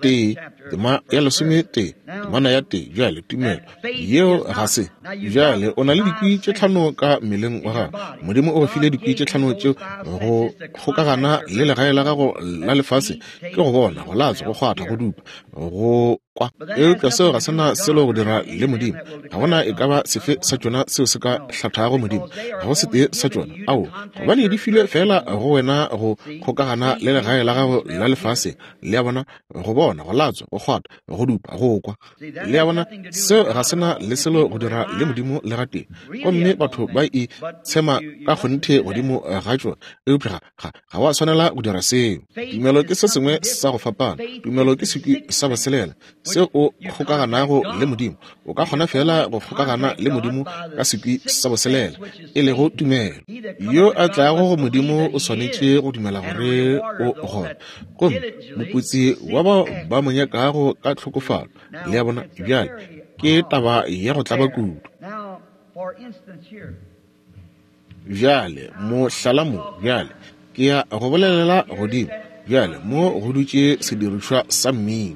1, tema ya 11, temana ya 1. Bjale, tumelo yeo ga se. Bjale, o na le dikwi tše tlhano ka mmeleng wa gago. Modimo o go file dikwi tše tlhano tšeo go kgokagana le legae la gago la lefase, ke go bona, go latswa, go kgwatha, go dupa, go kwa. Eupša seo ga se na selo go dira le Modimo. Ga gona e ka ba sefe sa tšona seo se ka hlathago Modimo. Ga go setee sa tšona. Ao, gobane di filwe feela go wena go kgokagana le legae la gago la lefase. Le a bona? Go bona, go latswa, go kgwatha, go dupa, go kwa. Le a bona? Seo ga se na le selo go dira le Modimo le gatee. Gomme batho ba e tshema ka kgonthe godimo ga tšona. Eupša ga, ga wa swanela go dira seo. Tumelo ke se sengwe sa go fapana. Tumelo ke sekwi sa boselela seo o kgokaganago le Modimo. O ka kgona feela go kgokagana le Modimo ka sekwi sa boselela, e lego tumelo. Yo a tlago go Modimo o swanetše go dumela gore o gona, gomme moputsi wa bao ba mo nyakago ka tlhokofalo. Le a bona? Bjale ke taba ya go tlaba kudu. Bjale, mohlala mo, bjale, ke ya go bolelela godimo. Bjale, mo go dutše sedirišwa sa mmino.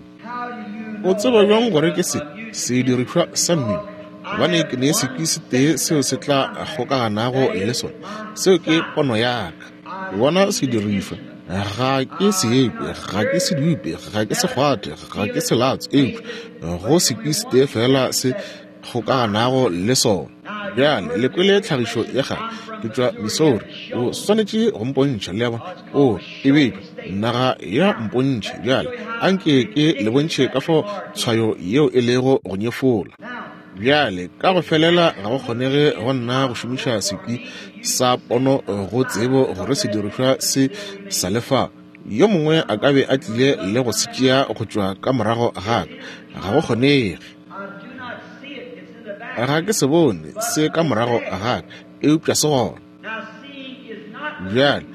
O tseba bjang gore ke se sedirišwa sa mmino? Gobane ke ne sekwi setee seo se tla kgokaganago le sona. Seo ke pono ya ka. Ke bona sedirišwa. Ga ke se ekwe, ga ke se dupe, ga ke se kgwathe, ga ke se latswe, eupša go sekwi setee feela se kgokaganago le sona. Bjale, le kwele tlhagišo ya gagwe. Ke tšwa Missouri. O swanetše go mpontšha, le a bona. O, e beilwe. Naga ya mpontšhe. Bjale, anke ke le bontšhe ka fao tshwayo yeo e lego go nyefola. Bjale, ka go felela ga go kgonege go nna go šomiša sekwi sa pono go tsebo gore sedirišwa se sa le fa. Yo mongwe a ka be a tlile le go se tšea go tšwa ka morago ga ka. Ga go kgonege. Ga ke se bone se ka morago ga ka, eupša se gona. Bjale,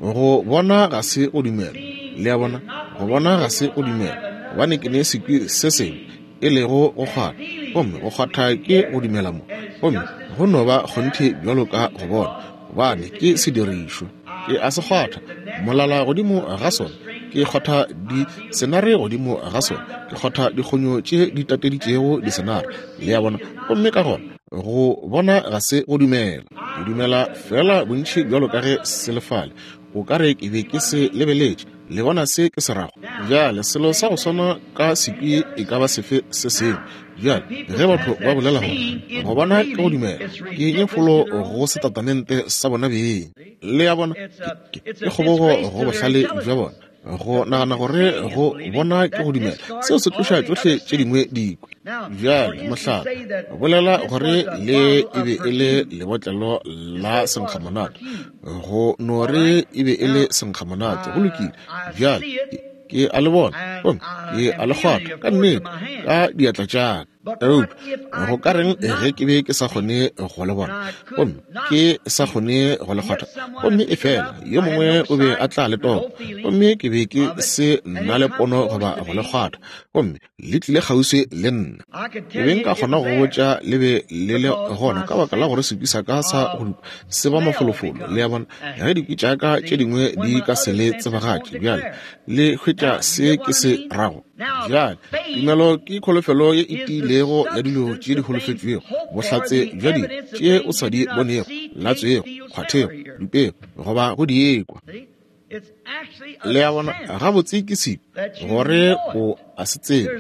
go bona ga se go dumela. Le a bona? Go bona ga se go dumela, gobane ke ne sekwi se sengwe, e lego go kgwatha. Gomme go kgwatha ke go dumela mo, gomme go no ba kgonthe bjalo ka go bona, gobane ke sedirišwa. Ke a se kgwatha, molala godimo ga sona, ke kgwatha disenare godimo ga sona, ke kgwatha dikgonyo tše di tateditšego disenare, le a bona. Gomme ka gona go bona ga se go dumela. Ke dumela feela bontši bjalo ka ge se le fale. O ka re ke be ke se lebeletše. Le bona se ke se rago? Bjale, selo sa go swana ka sekwi e ka ba sefe se sengwe. Bjale, ge batho ba bolela gore go bona ke go dumela, ke nyefolo go setatamente sa bona beng. Le a bona, ke, ke kgobogo go bohlale bja bona go nagana gore go bona ke go dumela. Seo se tloša tšohle tše dingwe dikwi. Bjale, mohlala, bolela gore le e be e le lebotlelo la senkgamonate, go no re e be e le senkgamonate. Go lokile. Bjale, ke a le bona gomme ke a le kgwatha ka nnete ka diatla tša ka. Eupša go ka reng ge ke be ke sa kgone go le bona gomme ke sa kgone go le kgwatha, gomme efela yo mongwe o be a tla le topa, gomme ke be ke se nna le pono goba go le kgwatha, gomme le tlile kgauswi le nna. Ke be nka kgona go botša le be le le gona ka baka la gore sekwi sa ka sa go dupa se ba mafolofolo. Le a bona? Ge dikwi tša ka tše dingwe di ka se le tsebagatše, bjale le hwetša se ke se rago. Bjale, tumelo ke kholofelo ye e tiilego ya dilo tše di holofetšwego, bohlatse bja dilo tše o sa di bonego, latswego, kgwathego, dupego goba go di ekwa. Le a bona? Gabotse ke sekwi gore o a se tseba,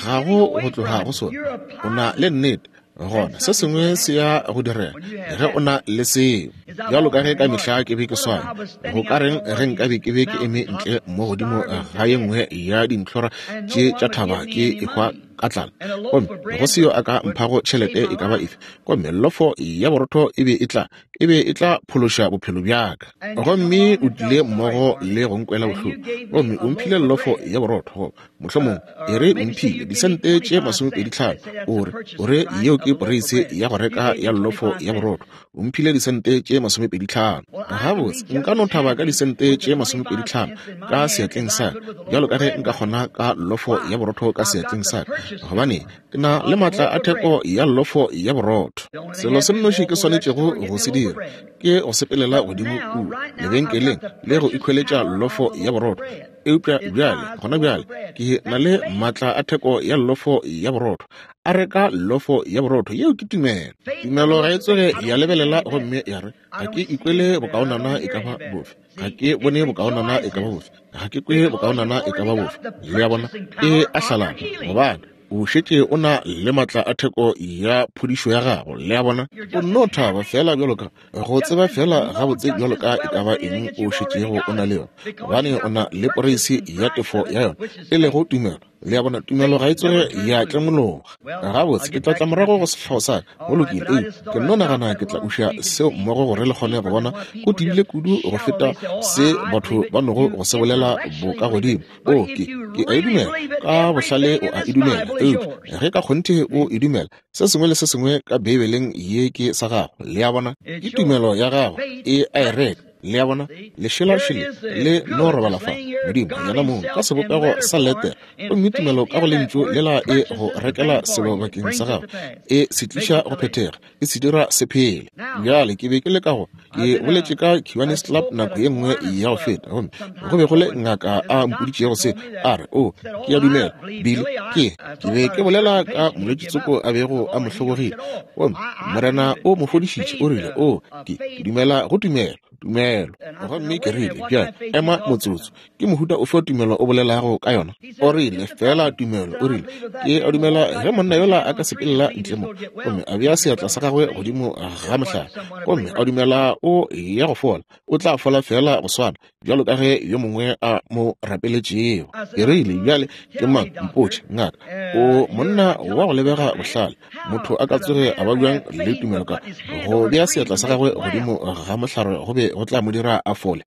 ga go go tloga go sona. O na le nnete gona se sengwe se ya go direga ge o na le seo. Bjalo ka ge ka mehla ke be ke swana, go ka reng ge nka be ke be ke eme ntle mo godimo ga ye nngwe ya dintlhora tše tša thaba ke ehwa ka tlala, gomme go se yo a ka mphago tšhelete e ka ba efe, gomme lofo ya borotho e be e tla e be e tla phološa bophelo bja ka. Gomme o tlile mmogo le go nkwela bohloko, gomme o mphile llofo ya borotho, goba mohlomong e re o mphile disente tše 25, o re, o re yeo ke poreise ya go reka ya llofo ya borotho. O mphile disente tše 25. Gabotse, nka no thaba ka disente tše 25 ka seatleng sa ka, bjalo ka ge nka kgona ka llofo ya borotho ka seatleng sa ka, gobane Ke na le maatla a theko ya llofo ya borotho. Selo se nnoši ke swanetšego go se dira ke go sepelela godimo kua lebenkeleng le go ikhweletša llofo ya borotho. Eupša bjale, gona bjale, ke na le maatla a theko ya llofo ya borotho. A reka llofo ya borotho. Yeo ke tumelo. Tumelo ga e tsoge ya lebelela gomme ya re, Ga ke ikwele bokaonana e ka ba bofe. Ga ke bone bokaonana e ka ba bofe. Ga ke kwe bokaonana e ka ba bofe. Le a bona? E a hlalana, gobane o šetše o na le matla a theko ya phodišo ya gago. Le a bona? O nno thaba feela bjalo ka go tseba feela gabotse bjalo ka e ka ba eng o šetšego o na le yona, gobane o na le poreisi ya tefo ya yona, e lego tumelo. Le a bona, tumelo ga e tsoge ya tlemologa. Gabotse, ke tla tla morago go sehlogo sa ka. Go lokile. Ee, ke nno nagana ke tla uša seo mmogo gore le kgone go bona go tebile kudu go feta se batho ba nogo go se bolela bokagodimo. O, ke, ke a e dumela. Ka bohlale o a e dumela. Eupša ge ka kgonthe o e dumela, se sengwe le se sengwe ka Beibeleng ye ke sa gago. Le a bona? Ke tumelo ya gago e a e reka. Le a bona? Lešelašele le no robala fa. Modimo, yena mong, ka sebopego sa letere, gomme tumelo ka go Lentšu lela e go rekela selo bakeng sa gago, e se tliša go phethega. e se dira se phele. Bjale ke be ke le ka go, ke boletše ka Kiwanis Club nako ye nngwe ya go feta, gomme go be go le ngaka a mpoditšego se, a re, O, ke a dumela, Billy, ke, ke be ke bolela ka molwetši tsoko a bego a mo hlobogile, gomme Morena o mo fodišitše, o rile, O, ke, ke dumela go tumelo, tumelo. Gomme ke rile, Bjale, ema motsotso, Ke mohuta ofe wa tumelo o bolelago ka yona? O rile, Feela tumelo. O rile, Ke a dumela ge monna yola a ka sepelela ntle mo gomme a bea seatla sa gagwe godimo ga mohlare, gomme a dumela o ya go fola, o tla fola feela go swana bjalo ka ge yo mongwe a mo rapeletšego. Ke rile, Bjale ke mang? Mpotše, ngaka. O monna wa go lebega bohlale. Motho a ka tsoge a ba bjang le tumelo ka go bea seatla sa gagwe godimo ga mohlare go be go tla mo dira a fole?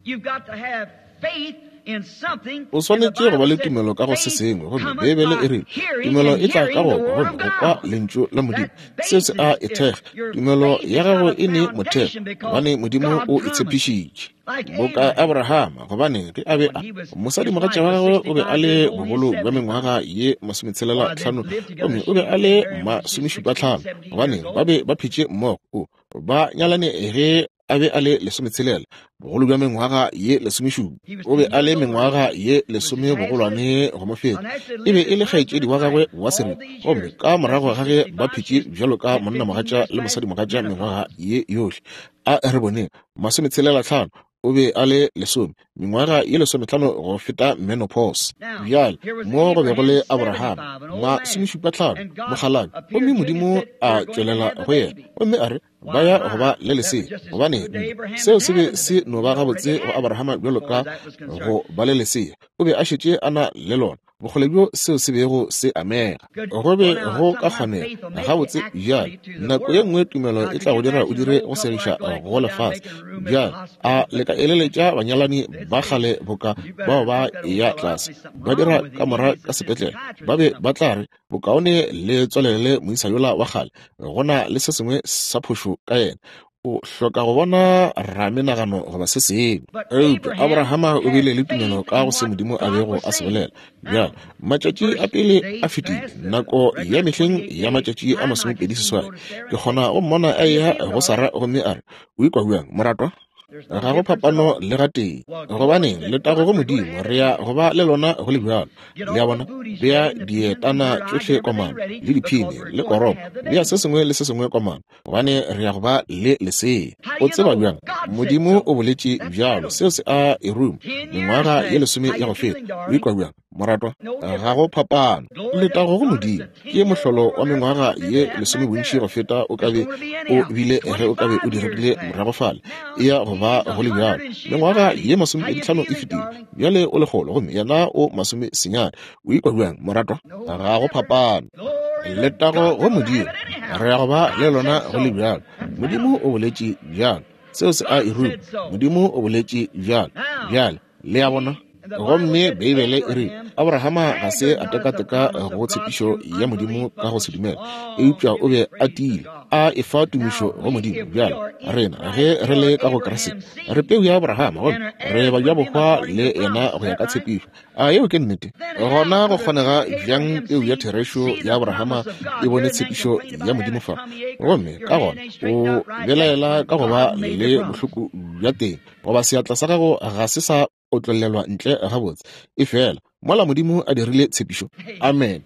O swanetše go ba le tumelo ka go se sengwe, gomme Beibele e rile, Tumelo e tla ka go kwa, gomme go kwa Lentšu la Modimo. Seo se a e thekga. Tumelo ya gago e ne motheo, gobane Modimo o e tshepišitše. Boka Abrahama, gobane ge a be a, mosadimogatša wa gagwe o be a le bogolo bja mengwaga ye masometshelela tlhano, gomme o be a le masomešupa tlhano, gobane ba be ba phetše mmogo, o, ba nyalane ge a be a le lesometshelela, bogolo bja mengwaga ye lesomešupa. O be a le mengwaga ye lesome bogolwane go mo feta. E be e le kgaetšedi wa gagwe wa seripa. Gomme ka morago ga ge ba phetše bjalo ka monnamogatša le mosadimogatša mengwaga ye yohle, a re boneng, masometshelela tlhano, o be a le lesome, mengwaga ye lesometlhano go feta menopause. Bjale, mo go be go le Abraham, masomešupa tlhano, mokgalabje, gomme Modimo a tšwelela go yena, gomme a re, ba ya go ba le lesea. Gobane seo se be se no ba gabotse go Abrahama bjalo ka go ba le lesea. O be a šetše a na le lona, bokgole bjo seo se bego se amega. Go be go ka kgonega gabotse bjale. Nako ye nngwe tumelo e tla go dira o dire go segiša go lefase. Bjale, a le ka eleletša banyalani ba kgale boka bao ba eya tlase, ba dira kamora ka sepetlele, ba be ba tla re, Bokaone le tswalelele moisa yola wa kgale, go na le se sengwe sa phošo ka yena. O hloka go bona ramenagano goba se sengwe. Eupša Abrahama o bile le tumelo ka go se Modimo a bego a se bolela. Bjale, matšatši a pele a fetile, nako ya mehleng ya matšatši a masomepedi seswai. Ke kgona go mmona a eya go Sara gomme a re, O ikwa bjang, moratwa? Ga go phapano le gatee. Gobaneng, letago go Modimo, re ya go ba le lona go le bjalo. Le a bona? Bea dietana tšohle komano, le diphini, le koropo, bea se sengwe le se sengwe komano, gobane re ya go ba le lesea. O tseba bjang? Modimo o boletše bjalo. Seo se a e ruma. Mengwaga ye lesome ya go feta. O ikwa bjang, moratwa? Ga go phapano. Letago go Modimo. Ke mohlolo wa mengwaga ye lesome bontši go feta o ka be o bile ge o ka be o diregile morago fale. E ya go ba go le bjalo. Mengwaga ye masomepeditlhano e fetile. Bjale o lekgolo gomme yena o masomesenyane. O ikwa bjang, moratwa? Ga go phapano. Letago go Modimo. Re ya go ba le lona go le bjalo. Modimo o boletše bjalo. Seo se a e ruma. Modimo o boletše bjalo. Bjale, le a bona? Gomme Beibele e rile, Abrahama ga se a tekateka go tshepišo ya Modimo ka go se dumela, eupša o be a tiile, a efa tumišo go Modimo. Bjale, rena, ge re le ka go Kriste, re peu ya Abrahama, gomme re bajabohwa le yena go ya ka tshepišo. A yeo ke nnete? Gona go kgonega bjang peu ya therešo ya Abrahama e bone tshepišo ya Modimo fa, gomme ka gona o belaela ka go ba le bohloko bja teng, goba seatla sa gago ga se sa? Otlollelwa ntle gabotse. Efela mola Modimo a dirile tshepišo, amene,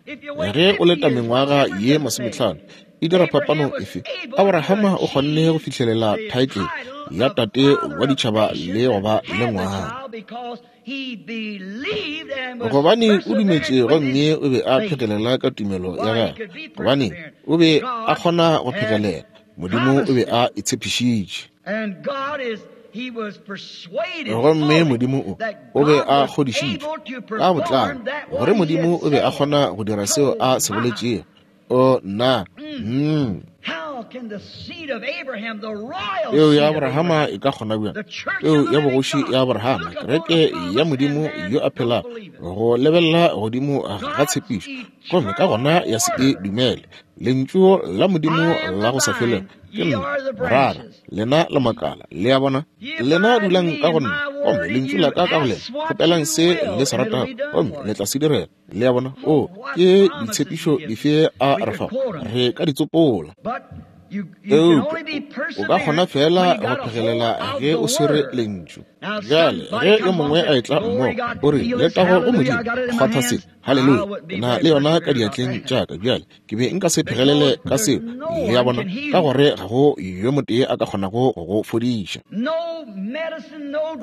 ge o leta mengwaga ye masometlhano, e dira phapano efe? Abrahama o kgonne go fihlelela thaetlele ya tate wa ditšhaba le go ba le ngwana, gobane o dumetše gomme o be a phegelela ka tumelo ya gagwe, gobane o be a kgona go phegelela. Modimo o be a e tshepišitše. Gomme Modimo o be a kgodišitšwe ka botlalo gore Modimo o be a kgona go dira seo a se boletšego. O nna! Mm. Peu ya Abrahama e ka kgona bjang, peu ya bogoši ya Abrahama, kereke ya Modimo yo a phelago, go lebelela godimo ga tshepišo gomme ka gona ya se e dumele? Lentšu la Modimo la go sa felego ke nna morara, lena le makala. Le a bona? Lena dulang ka go nna, gomme lentšu la ka ka go lena. Kgopelang se le se ratago, gomme le tla se direla. Le a bona? O, ke ditshepišo dife a re fago? Re ka di tsopola. Eupša o ka kgona feela go phegelela ge o swere Lentšu. Bjale, ge yo mongwe a etla mmogo, o re, Letago go Modimo, kgwatha se. Haleluya! Ke na le yona ka diatleng tša ka bjale. Ke be nka se phegelele ka seo, le a bona, ka gore ga go yo motee a ka kgonago go go fodiša.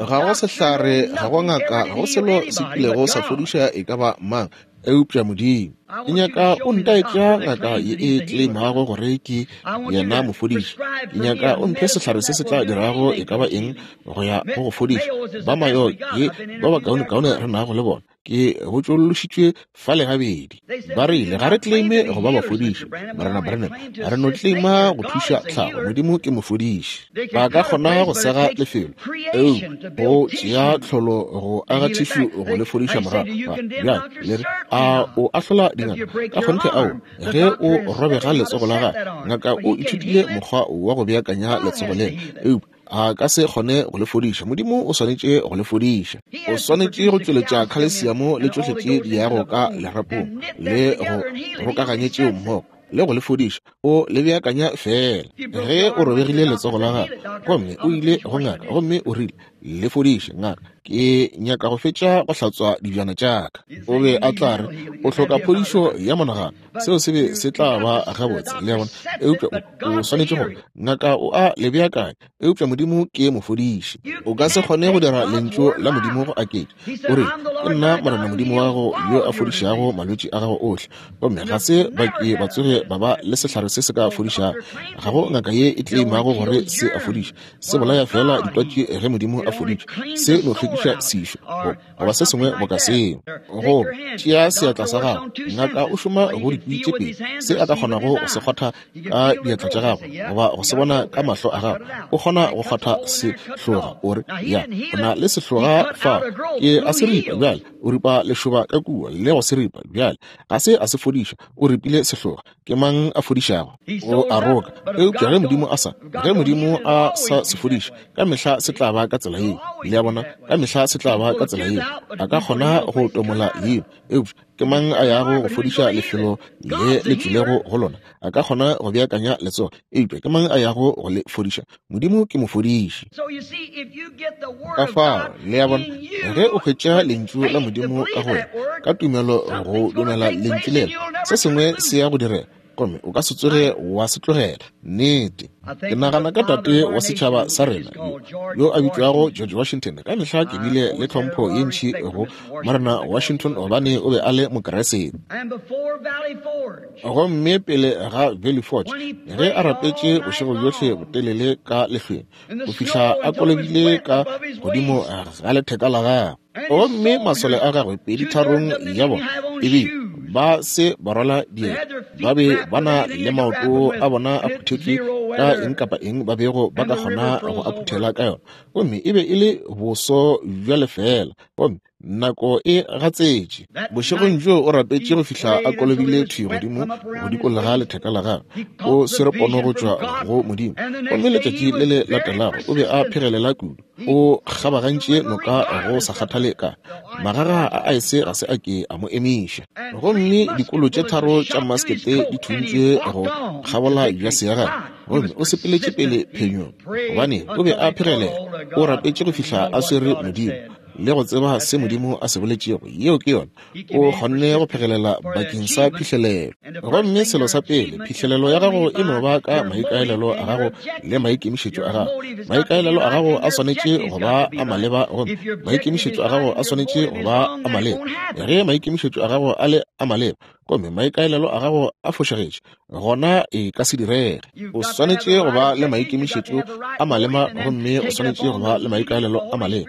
Ga go sehlare, ga go ngaka, ga go selo se kilego sa fodiša e ka ba mang eupša Modimo. Ke nyaka o ntaetša ngaka ye e tleimago gore ke yena mofodiši. Ke nyaka o mphe sehlare se se tla dirago e ka ba eng go ya go go fodiša. Ba Mayo ke ba bakaonekaone re nago le bona. Ke botšološitšwe fale gabedi. Ba rile, Ga re claime go ba bafodiši, Morena Branham. Re no claima go thuša tlhago. Modimo ke mofodiši. Ba ka kgona go sega lefelo, eupša go tšea tlholo go aga tšhišu go le fodiša morago. Bjale le re, A o ahlola dingaka? Ka kgonthe ao. Ge o robega letsogo la gago, ngaka o ithutile mokgwa wa go beakanya letsogo lela, eupša a ka se kgone go le fodiša. Modimo o swanetše go le fodiša. O swanetše go tšweletša khalesiamo le tšohle tše di yago ka lerapong, le go rokaganye tšeo mmogo, le go le fodiša. O le beakanya feela. Ge o robegile letsogo la gago, gomme o ile go ngaka, gomme o rile, Le fodiše, ngaka, ke nyaka go fetša go hlatswa dibjana tša ka. O be a tla re, O hloka phodišo ya monagano. Seo se be se tla ba gabotse, le a bona. Eupša o, o swanetše go, ngaka o a le beakanya, eupša Modimo ke mofodiši. O ka se kgone go dira Lentšu la Modimo go aketša. O re, Ke nna Morena Modimo wa gago yo a fodišago malwetši a gago ohle. Gomme ga se ba ke ba tsoge ba ba le sehlare se se ka fodišago. Ga go ngaka ye e tleimago gore se a fodiša. Se bolaya feela ditwatši ge Modimo a foditše. Se no hlwekiša sešo, goba se sengwe boka seo. Go tšea seatla sa gago, ngaka o šoma go dikwi tše pedi, se a ka kgonago go se kgwatha ka diatla tša gagwe goba go se bona ka mahlo a gagwe. O kgona go kgwatha sehloga, o re, Ya, o na le sehloga fa. Ke a se ripa bjale. O ripa lešoba ka kua le go se ripa bjale. Ga se a se fodiša, o ripile sehloga. Ke mang a fodišago? O a roka. Eupša ge Modimo a sa, ge Modimo a sa se fodiše, ka mehla se tla ba ka tsela yeo. Le a bona? Ka mehla se tla ba ka tsela yeo. A ka kgona go tomola yeo, eupša ke mang a yago go fodiša lefelo le le tšwilego go lona? A ka kgona go beakanya letsogo, eupša ke mang a yago go le fodiša? Modimo ke mofodiši. Ka fao, le a bona, ge o hwetša Lentšu la Modimo ka go wena, ka tumelo go dumela Lentšu lela, se sengwe se ya go direga, gomme o ka se tsoge wa se tlogela. Nnete. Ke nagana ka tate wa setšhaba sa rena, yo, yo a bitšwago George Washington. Ka mehla ke bile le tlhompho ye ntši go Morena Washington gobane o be a le Mokriste. Gomme pele ga Valley Forge, ge a rapetše bošego bjohle botelele ka lehlweng, go fihla a kolobile ka godimo ga letheka la gagwe, gomme masole a gagwe peditharong ya bona ebile ba se ba rwala dieta, ba be ba na le maoto a bona a phuthetšwe ka eng kapa eng ba bego ba ka kgona go a phuthela ka yona, gomme e be e le boso bja lefeela. Gomme Nako e gatsetše. Bošegong bjoo o rapetše go fihla a kolobile thwi godimo go dikologa letheka la gagwe. O swere pono go tšwa go Modimo. Gomme letšatši le le latelago o be a phegelela kudu. O kgabagantše noka go sa kgathale ka magaga a aese ga se a ke a mo emiša. Gomme dikolo tše tharo tša maskete di thuntšwe go kgabola jase ya gagwe. Gomme o sepeletše pele phenyong gobane o be a phegelela. O rapetše go fihla a swere Modimo. le go tseba se Modimo a se boletšego, yeo ke yona, o kgonne go phegelela bakeng sa phihlelelo. Gomme selo sa pele, phihlelelo ya gago e no ba ka maikaelelo a gago le maikemišetšo a gago. Maikaelelo a gago a swanetše go ba a maleba, gomme maikemišetšo a gago a swanetše go ba a maleba. Ge maikemišetšo a gago a le a maleba, gomme maikaelelo a gago a fošagetše, gona e ka se direge. O swanetše go ba le maikemišetšo a malema, gomme o swanetše go ba le maikaelelo a maleba,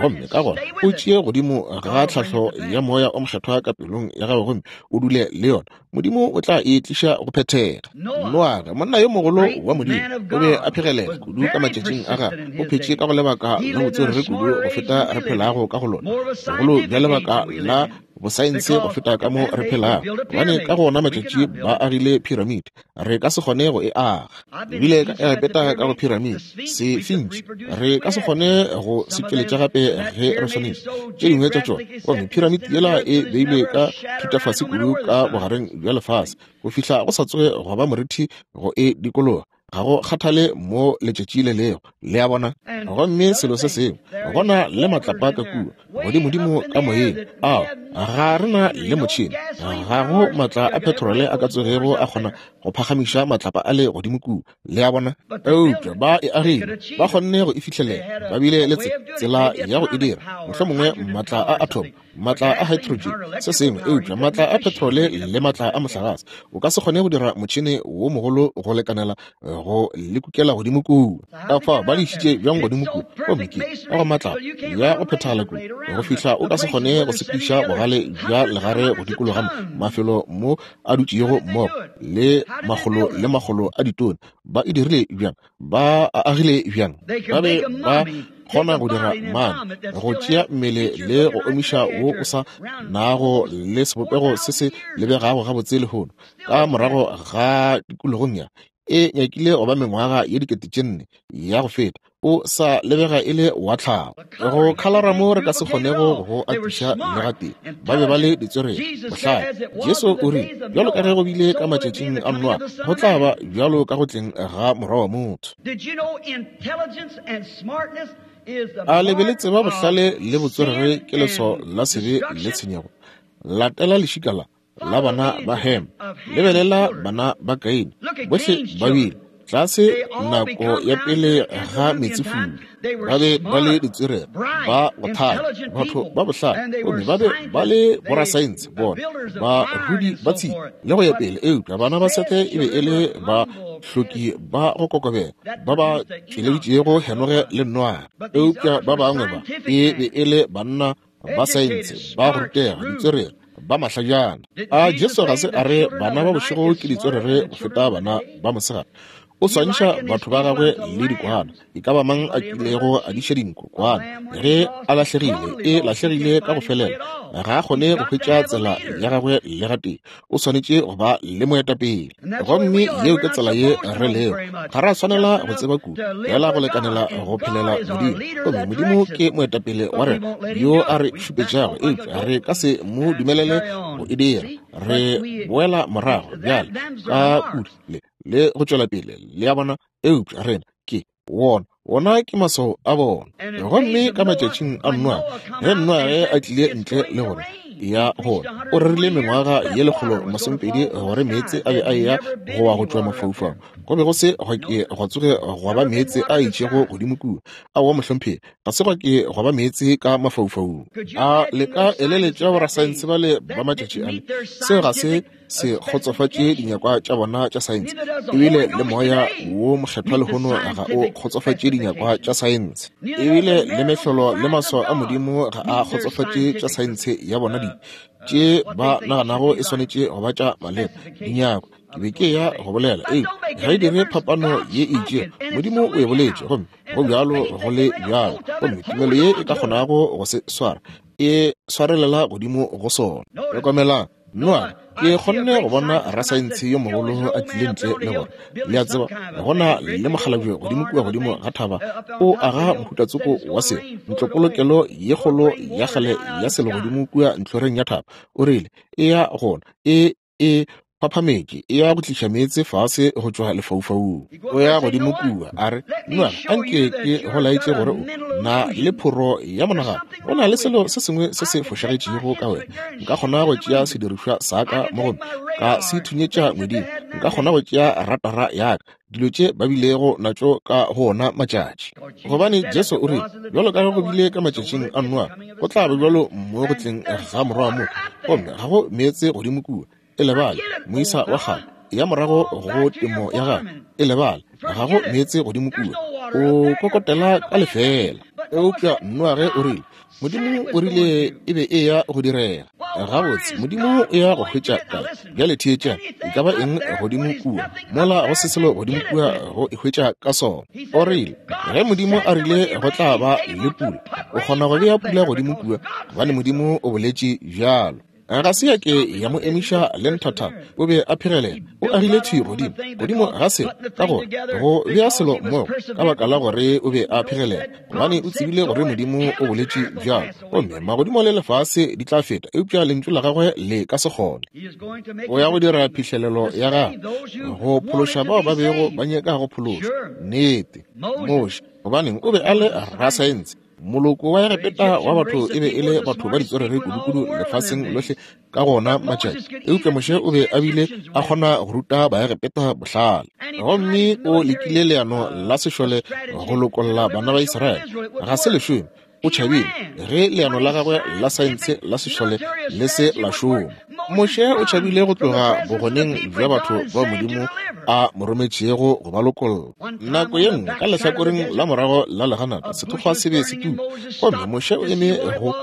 gomme ka gona o tšee godimo ga tlhahlo ya Moya o Mokgethwa ka pelong ya gago gomme o dule le yona. Modimo o tla e tliša go phethega. Noage, monna yo mogolo wa Modimo, o be a phegelela kudu ka matšatšing a gagwe. O phetše ka go lebaka la botswerere kudu go feta re phelago ka go lona, bogolo bja lebaka la bosaense go feta ka mo re phelago, gobane ka go ona matšatši ba agile phiramide. Re ka se kgone go e aga. Ebile ka Egepeta ka go phiramide, sefintši, re ka se kgone go se tšweletša gape ge re swanetše tše dingwe tša tšona. Gomme phiramide yela e beilwe ka thutafase kudu ka bogareng bja lefase, go fihla go sa tsoge gwa ba morithi go e dikologa, ga go kgathale mo letšatši le lego, le a bona. Gomme selo se sengwe, go na le matlapa ka kua godimodimo ka moyeng ao ga re na le motšhene, ga go maatla a petrole a ka tsogego a kgona go phagamiša matlapa a le godimo kua, le a bona. Eupša ba e agile, ba kgonne go e fihlelela, ba bile le tsela ya go e dira, mohlomongwe maatla a atom, maatla a hydrogen, se sengwe, eupša maatla a petrole le maatla a mohlagase, o ka se kgone go dira motšhene wo mogolo go lekanela go le kukela godimo kua. Ka fao ba le išitše bjang godimo kua, gomme ke ka go maatla ya go phethagala kua, go fihla o ka se kgone go sepediša bogale bja legare go dikologa mafelo mo a dutšego mmogo le makgolo le makgolo a ditone. Ba e dirile bjang? Ba a agile bjang? Ba be ba kgona go dira mane, go tšea mmele le go omiša wo o sa nago le sebopego se se lebegago gabotse lehono, ka morago ga tikologong ya e nyakile go ba mengwaga ye 4000 ya go feta, o sa lebega e le wa tlhago. Go khalara mo re ka se kgonego go atiša le gatee. Ba be ba le ditswerere, bohlale. Jesu o rile, bjalo ka ge go bile ka matšatšing a Noa, go tla ba bjalo ka go tleng ga Morwa wa motho. A le be le tseba bohlale le botswerere ke leswao la sebe le tshenyego? Latela lešika la la bana ba Hem, lebelela bana ba Kaine, bohle ba bile tlase nako ya pele ga meetsefula. Ba be ba le ditswerere, ba go thata, batho ba bohlale, gomme ba be ba le borasaense, bona barudi ba tshipi le go ya pele. Eupša bana ba Sethe e be e le bahloki ba go kokobela, ba ba tšweleditšego Henoge le Noage. Eupša ba bangwe ba e be e le banna ba saense, ba go rutega, ditswerere, ba mahlajana. A Jesu ga se a re bana ba bošego ke ditswerere go feta bana ba mosegare? O swantšha batho ba gagwe le dikwana. E ka ba mang a kilego a diša dinku kwana, ge a lahlegile, e lahlegile ka go felela, ga a kgone go hwetša tsela ya gagwe le gatee. O swanetše go ba le moetapele. Gomme yeo ke tsela ye re lego. Ga ra swanela go tseba kudu, fela go lekanela go phelela Modimo. Gomme Modimo ke moetapele wa rena yo a re šupetšago, eupša re ka se mo dumelele go e dira. Re boela morago bjale ka kudu le, le go tšwela pele, le a bona. Eupša rena ke wona, wona ke maswao a bona. Gomme ka matšatšing a Noa, ge Noage a tlile ntle le gore ya gona, o rerile mengwaga ye 120 gore meetse a be a eya go wa go tšwa mafaufaung. Go be go se gwa ke gwa tsoge gwa ba meetse a itšego godimo kua. Aowa, mohlomphegi, ga se gwa ke gwa ba meetse ka mafaufaung. A le ka eleletša borasaense bale ba matšatši ale? Seo ga se se kgotsofatše dinyakwa tša bona tša saense, ebile le Moya wo Mokgethwa lehono ga o kgotsofatše dinyakwa tša saense, ebile le mehlolo le maswao a Modimo ga a kgotsofatše tša saense ya bona, di tše ba naganago e swanetše go ba tša maleba dinyakwa. Ke be ke ya go bolela, ee, ga e dire phapano ye e itšego. Modimo o e boletše, gomme go bjalo go le bjalo, gomme tumelo ye e ka kgonago go se swara e swarelela godimo go sona. Hlokomelang, Noa, ke kgonne go bona rasaense yo mogolo a tlile ntle le gore, le a tseba, go na le mokgalabje godimo kua godimo ga thaba, o aga mohutatsoko wa selo, ntlopolokelo ye kgolo ya kgale ya selo godimo kua ntlhoreng ya thaba. O rile, E ya gona, e, e phaphametše, e ya go tliša meetse fase go tšwa lefaufaung. O ya godimo kua, a re, Noage, anke ke go laetše gore o na le phoro ya monagano. Go na le selo se sengwe se se fošagetšego ka wena. Nka kgona go tšea sedirišwa sa ka mo gomme ka se thunyetša ngweding. Nka kgona go tšea ratara ya ka, dilo tše ba bilego natšo ka go ona matšatši. Gobane Jesu o rile, bjalo ka ge go bile ka matšatšing a Noa, go tla ba bjalo mo go tleng ga Morwa wa motho. Gomme ga go meetse godimo kua. E lebale, moisa wa kgale, ya morago go temo ya gagwe. E lebale, ga go meetse godimo kua. O kokotela ka lefeela. Eupša Noage o rile, Modimo o rile e be e ya go direga. Gabotse, Modimo o ya go hwetša kae? Bjale theetšang, e ka ba eng godimo kua, mola go se selo godimo kua go e hwetša ka sona. O rile, ge Modimo a rile go tla ba le pula, o kgona go bea pula godimo kua, gobane Modimo o boletše bjalo. Ga se ya ke ya mo emiša le nthathana. O be a phegelela. O agile thwi godimo, godimo ga selo, ka gore go bea selo mmogo, ka baka la gore o be a phegelela, gobane o tsebile gore Modimo o boletše bjalo. Gomme magodimo le lefase di tla feta, eupša Lentšu la Gagwe le ka se kgone. O ya go dira phihlelelo ya gagwe, go phološa bao ba bego ba nyaka go phološwa. Nnete. Moshe, gobaneng, o be a le rasaense. Moloko wa Egepeta wa batho e be e le batho ba ditswerere kudukudu lefaseng lohle ka gona matšatši. Eupša Moshe o be a bile a kgona go ruta Baegepeta bohlale. Gomme o lekile leano la sešole go lokolla bana ba Israele. Ga se le šome. O tšhabile ge leano la gagwe la saense la sešole le se la šoma. Moshe o tšhabile go tloga bogoneng bja batho bao Modimo a mo rometšego go ba lokolla. Nako ye nngwe ka lehlakoreng la morago la leganata sethokgwa se be se tuka, gomme Moshe o eme go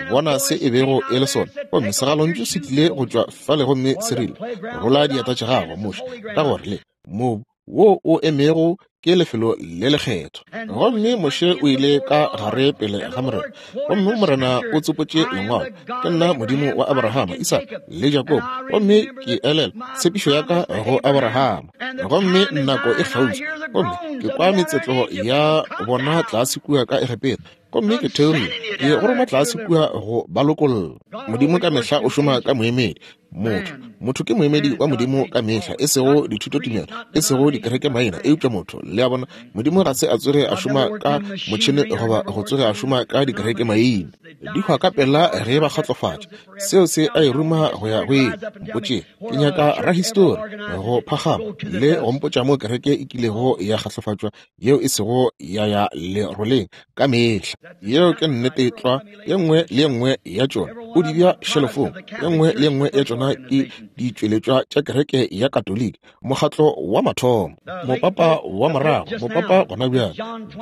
bona se e bego e le sona. Gomme segalontšu se tlile go tšwa fale gomme se rile, Rola dieta tša gago, Moshe, ka gore le mobu wo o emego ke lefelo le lekgethwa. Gomme Moshe o ile ka gare pele ga Morena, gomme Morena o tsopotše lengwalo, Ke nna Modimo wa Abrahama, Isaka le Jakobo, gomme ke elelwa tshepišo ya ka go Abrahama. Gomme nako e kgauswi, gomme ke kwa metsetlo ya bona tlase kua ka Egepeta, gomme ke theogile ke go roma tlase kua go ba lokolla. Modimo ka mehla o šoma ka moemedi, motho. Motho ke moemedi wa Modimo ka mehla, e sego dithutotumelo, e sego dikerekemaina, eupša motho. Le a bona, Modimo ga se a tsoge a šoma ka motšhene goba go tsoge a šoma ka dikerekemaina. Di hwa ka pela ge ba kgatlofatša. Seo se a e ruma go ya go ile. Mpotše, ke nyaka rahistori go phagama le go mpotša mo kereke e kilego ya kgatlofatšwa yeo e sego ya ya leroleng ka mehla. Yeo ke nnete tlwa. Ye nngwe le ye nngwe ya tšona o di bea šelofong. Ye nngwe le ye nngwe ya tšona ke ditšweletšwa tša kereke ya Katoliki, mokgatlo wa mathomo, mopapa wa morago, mopapa gona bjale,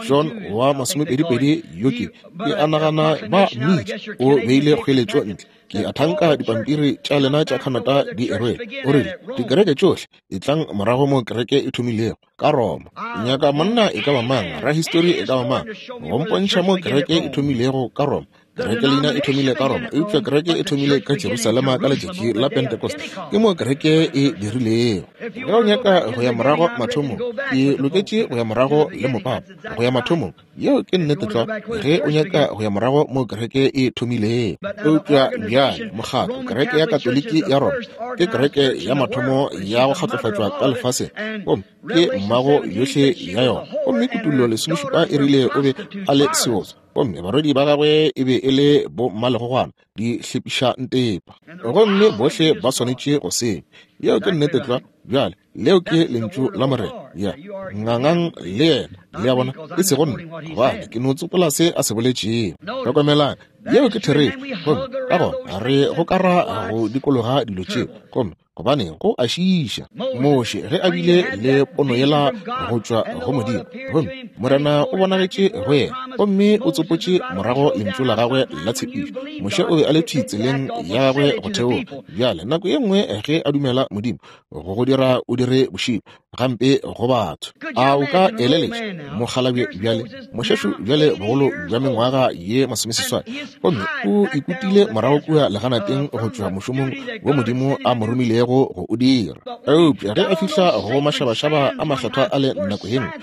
John wa masomepedipedi yo ke, ke a nagana ba mmitša, o beile kgoeletšo ntle. Ke a thanka dipampiri tša lena tša Canada di e rwele. O rile, Dikereke tšohle, etlang morago mo kereke e thomilego, ka Roma. Nyaka monna e ka ba mang, rahistori e ka ba mang, go mpontšha mo kereke e thomilego ka Roma. Kereke leina e thomile ka Roma, eupša kereke e thomile ka Jerusalema ka letšatši la Pentecost. Ke mo kereke e dirilego. Ge o nyaka go ya morago mathomong, ke loketše go ya morago le mopapa, go ya mathomong. Yeo ke nnete tlwa, ge o nyaka go ya morago mo kereke e thomilego. Eupša bjale mokgatlo, kereke ya Katoliki ya Roma, ke kereke ya mathomo ya go kgatlofatšwa ka lefaseng, gomme ke mmago yohle ya yona. Gomme Kutullo lesomešupa e rile o be a le seotswa, gomme barwedi ba gagwe e be e le bommalegogwana, di hlepiša ntepa. Gomme bohle ba swanetše go senya. Yeo ke nnete tlwa. Bjale, leo ke Lentšu la Morena. Ya, ngangang le yena, le a bona, e sego nna, gobane ke no tsopola se a se boletšego. Hlokomelang, yeo ke therešo. Gomme ka gona re gokara go dikologa dilo tšeo, gomme gobane go a šiiša. Moshe ge a bile le pono yela go tšwa go Modimo, gomme Morena o bonagetše go yena, gomme o tsopotše morago Lentšu la gagwe la tshepišo. Moshe o be a le thwi tseleng ya gagwe go theoga. Bjale, nako ye nngwe ge a dumela Modimo go go dira o dire bošilo gampe go batho, a o ka eleletša mokgalabje bjale, mošešo bjale bogolo bja mengwaga ye masomeseswai, gomme o ikutile morago kua leganateng go tšwa mošomong wo Modimo a mo romilego go o dira. Eupša ge a fihla go mašabašaba a makgethwa a le nako ye nngwe,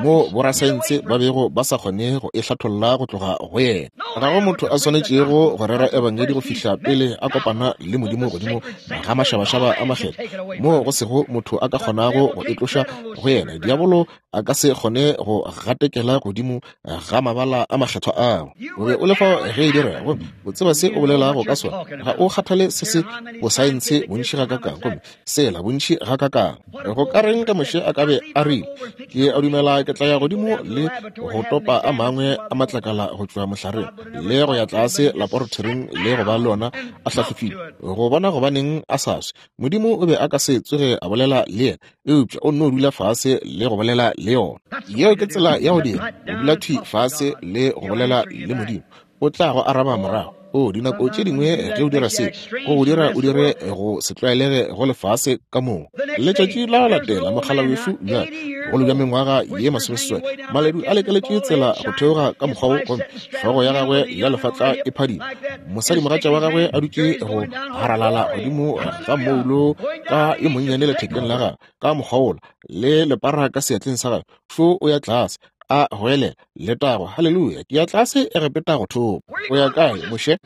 mo borasaense ba bego ba sa kgone go e hlatholla go tloga go yena, ga go motho a swanetšego go rera ebangedi. Ebangedi go fihla pele a kopana le Modimo godimo ga mašabašaba a makgethwa, moo go sego motho a ka kgonago go e tloša go yena. Diabolo a ka se kgone go gatekela godimo ga mabala a makgethwa ao. O be o le fao ge e direga, gomme o tseba se o bolelago ka sona. Ga o kgathale se se bosaense bontši gakakang, gomme sela bontši gakakang. Go ka reng ge Moshe a ka be a rile, Ke a dumela ke tla ya godimo le go topa a mangwe a matlakala go tšwa mohlareng, le go ya tlase laporatoring le go ba le ona a hlahlofile, go bona gobaneng a sa swe. Modimo o be a ka se tsoge a bolela le yena, eupša o nno dula fase le go bolela le yona. Yeo ke tsela ya go dira, go dula thwi fase le go bolela le Modimo. O tla go araba morago. O, dinako tše dingwe ge o dira se, go go dira o dire go se tlwaelege go lefase ka moka. Letšatši la go latela, mokgala wešu bjale, bogolo bja mengwaga ye masomeseswai, maledu a lekeletše tsela go theoga ka mokgwa wo, gomme hlogo ya gagwe ya lefatla e phadima. Mosadimogatša wa gagwe a dutše go haralala godimo ga mmoulo ka yo monnyane lethekeng la gagwe, ka mokgwa wola, le lepara ka seatleng sa gagwe. Šo o ya tlase, a goelela, Letago, haleluya, ke ya tlase Egepeta go thopa. O ya kae, Moshe?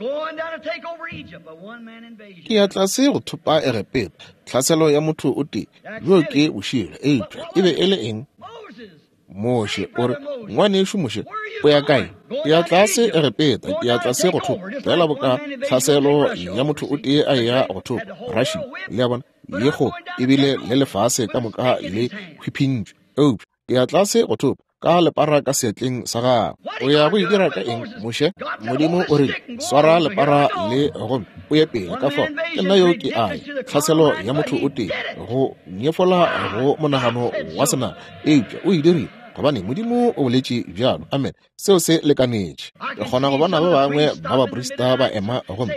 Ke ya tlase go thopa Egepeta. Tlhaselo ya motho o tee. Bjoo ke bošilo. Eupša e be e le eng? Moshe o re, Ngwanešu Moshe, o ya kae? Ke ya tlase Egepeta, ke ya tlase go thopa. Feela boka tlhaselo ya motho o tee a eya go thopa Russia. Le a bona? Ye kgolo ebile le lefase ka moka le hwiphintšwe. Eupša ke ya tlase go thopa ka lepara ka seatleng sa gago. O ya go e dira ka eng, Moshe? Modimo o rile, Swara lepara le gomme o ye pele. Ka fao ke nna yo ke a ya. Tlhaselo ya motho o tee, go nyefola go monagano wa senama, eupša o e dirile gobane Modimo o boletše bjalo. Amen. Seo se lekanetše. Ke kgona go bona ba bangwe ba baprista ba ema gomme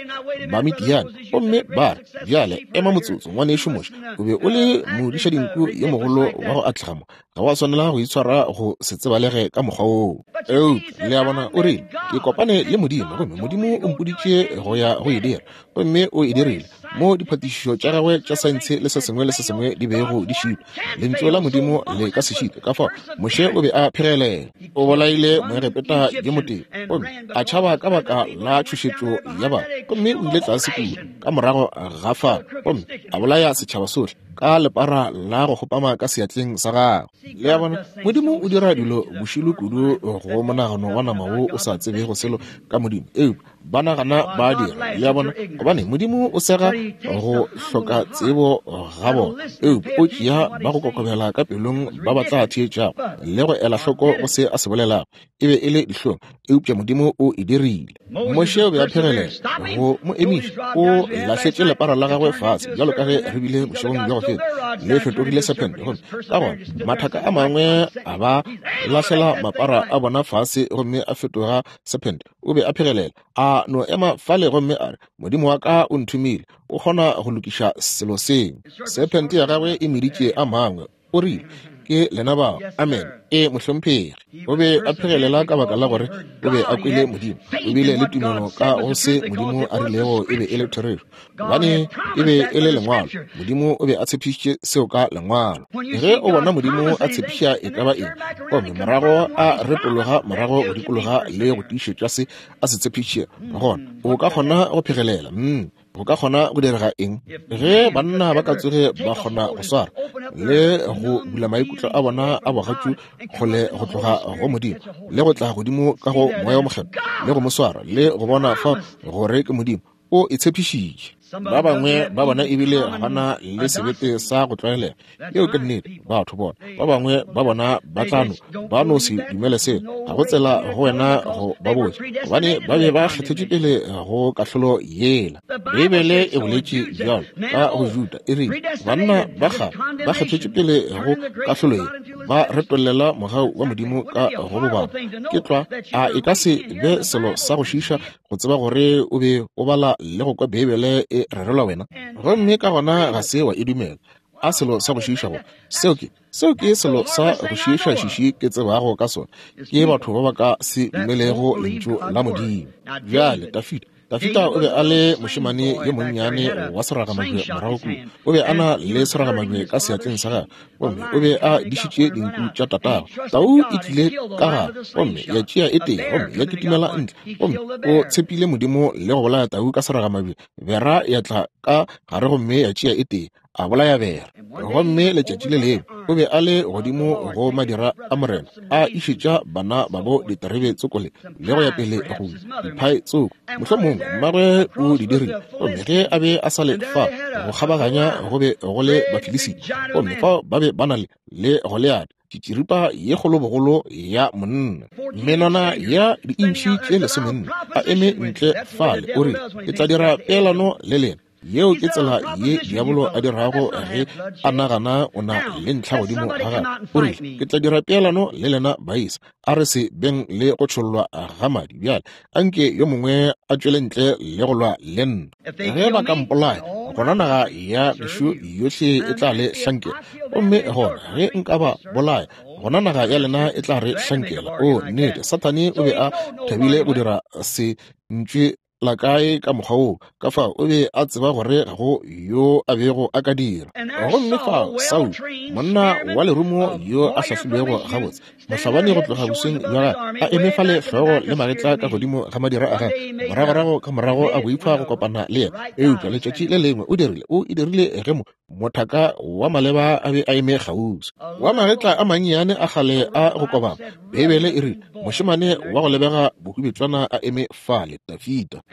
ba Midiane gomme ba re, Bjale ema motsotso, ngwanešu Moshe, o be o le modišadinku yo mogolo wa go atlega mo. Ga wa swanela go itshwara go se tsebalege ka mokgwa woo. Eupša, le a bona, o rile, Ke kopane le Modimo, gomme Modimo o mpoditše go ya go e dira, gomme o e dirile. Mo diphatišišo tša gagwe tša saense le se sengwe le se sengwe di bego di šitwa, Lentšu la Modimo le ka se šitwe. Ka fao Moshe o be a phegelela. O bolaile Moegepeta yo motee, gomme a tšhaba ka baka la tšhošetšo ya batho, gomme o ile tlase kua ka morago ga fao gomme a bolaya setšhaba sohle ka lepara la go kgopama ka seatleng sa gagwe. Le a bona, Modimo o dira dilo bošilo kudu go monagano wa nama wo o sa tsebego selo ka Modimo, eupša ba nagana ba dira. Le a bona, gobane Modimo o sega go hloka tsebo ga bona, eupša o tšea ba go kokobela ka pelong ba ba tla theetšago le go ela hloko go se a se bolelago. E be e le dihlong, eupša Modimo o e dirile. Moshe o be a phegelela go mo emiša. O lahletše lepara la gagwe fase, bjalo ka ge re bile bošegong bja go feta, le fetogile sephente. Gomme ka gona mathaka a mangwe a ba lahlela mapara a bona fase gomme a fetoga sephente. O be a phegelela, a no ema fale gomme a re, Modimo wa ka o nthomile, o kgona go lokiša selo seo. Sephente ya gagwe e meditše a mangwe. O rile, Ke lena bao. Amen. Ee, mohlomphegi. O be a phegelela ka baka la gore o be a kwele Modimo. O bile le tumelo ka go se Modimo a rilego e be e le therešo, gobane e be e le Lengwalo. Modimo o be a tshepišitše seo ka Lengwalo. Ge o bona Modimo a tshepiša e ka ba eng, gomme morago a retologa morago go dikologa le go tiišetša se a se tshepišitšego, gona o ka kgona go phegelela. Mm. Go ka kgona go direga eng ge banna ba ka tsoge ba kgona go swara le go bula maikutlo a bona a bogatšu kgole go tloga go Modimo le go tla godimo ka go Moya wo Mokgethwa le go mo swara le go bona fa gore ke Modimo o e tshepišitše? Ba bangwe ba bona ebile ga ba na le sebete sa go tlwaelega. Yeo ke nnete. Batho bona, ba bangwe ba bona ba tla no, ba no se dumele seo. Ga go tsela go wena go ba botša, gobane ba be ba kgethetšwe pele go kahlolo yela. Beibele e boletše bjalo ka go Juda, e rile, Banna ba kgale ba kgethetšwe pele go kahlolo ye, ba retollela mogau wa Modimo ka go bobaba. Ke tlwa, a e ka se be selo sa go šiiša go tseba gore o be o bala le go kwa Beibele e rerelwa wena, gomme ka gona ga se wa e dumela? A selo sa go šiiša go seo ke seo ke selo sa go šiiša šiši ke tsebago ka sona, ke batho ba ba ka se dumelego lentšu la Modimo. Bjale Dafida Dafida o be a le mošemane yo monnyane wa seragamabje morago kua. O be a na le seragamabje ka seatleng sa gagwe, gomme o be a dišitše dinku tša tatagwe. Tau e tlile ka gare gomme ya tšea e tee, gomme ya kitimela ntle, gomme o tshepile Modimo le go bolaya tau ka seragamabje. Bera ya tla ka gare gomme ya tšea e tee, a bolaya bera. Gomme letšatši le lengwe o be a le godimo go madira a morena, a išetša bana babo diterebe tsokole le go ya pele go diphae tsoko, mohlomongwe mmagwe o di dirile. Gomme ge a be a sa le fa go kgabaganya, go be go le Bafilisita, gomme fao ba be ba na le Goliate, tšitširipa ye kgolo bogolo ya monna, menwana ya diintšhi tše 14, a eme ntle fale, o rile, Ke tla dira peelano le lena. Yeo ke tsela ye diabolo a dirago ge a nagana o na le ntlha godimo ga gagwe. O rile, Ke tla dira peelano le lena baisa, a re se beng le go tšhollwa ga madi. Bjale a nke yo mongwe a tšwele ntle le go lwa le nna. Ge ba ka mpolaya, gona naga ya gešo yohle e tla le hlankela. Gomme gona ge nka ba bolaya, gona naga ya lena e tla re hlankela. O, nnete, Sathane o be a thabile go dira se ntšwe la kae ka mokgwa woo, ka fao o be a tseba gore ga go yo a bego a ka dira. Gomme fao Saulo, monna wa lerumo yo a hlahlilwego gabotse, mohlabani go tloga bosweng bja gagwe, a eme fale hlogo le magetla ka godimo ga madira a gagwe, moragorago ka morago a boifa go kopana le yena. Eupša letšatši le lengwe o dirile, o e dirile ge mo mothaka wa maleba a be a eme kgauswi, wa magetla a mannyane a kgale a go kobama. Beibele e rile, mošemane wa go lebega bohubetšwana a eme fale, Dafida.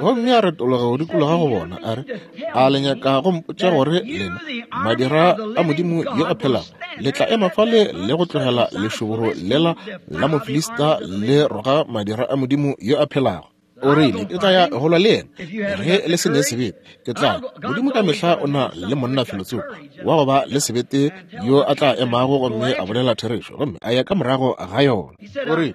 Gomme a retologa go dikologa go bona, a re, A le nyaka go mpotša gore lena, madira a Modimo yo a phelago, le tla ema fale le go tlogela lešoboro lela la Mofilista le roga madira a Modimo yo a phelago? O rile, Ke tla ya go lwa le yena. Ge le se ne sebete, ke tla. Modimo ka mehla o na le monna felotsoko wa go ba le sebete yo a tla emago gomme a bolela therešo gomme a ya ka morago ga yona. O rile,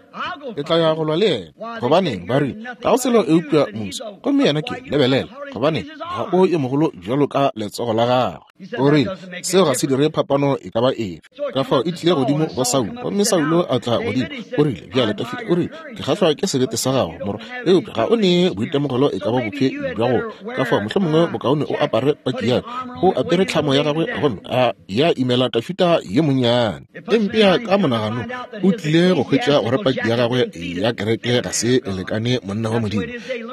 Ke tla ya go lwa le yena. Gobaneng, ba rile, ga o selo eupša musi, gomme yena ke, lebelela, gobaneng, ga o yo mogolo bjalo ka letsogo la gagwe. O rile, Seo ga se dire phapano e ka ba efe. Ka fao e tlile godimo go Saulo, gomme Saulo a tla godimo. O rile, Bjale, Dafida, o rile, ke kgahlwa ke sebete sa gago, morwa, eupša ga o ne boitemogelo e ka ba bofe bja go. Ka fao mohlomongwe bokaone o apare paki ya ka. O apere tlhamo ya gagwe gomme a ya imela Dafida yo monnyane. E mpea ka monaganong, o tlile go hwetša gore paki ya gagwe ya kereke ga se e lekane monna wa Modimo.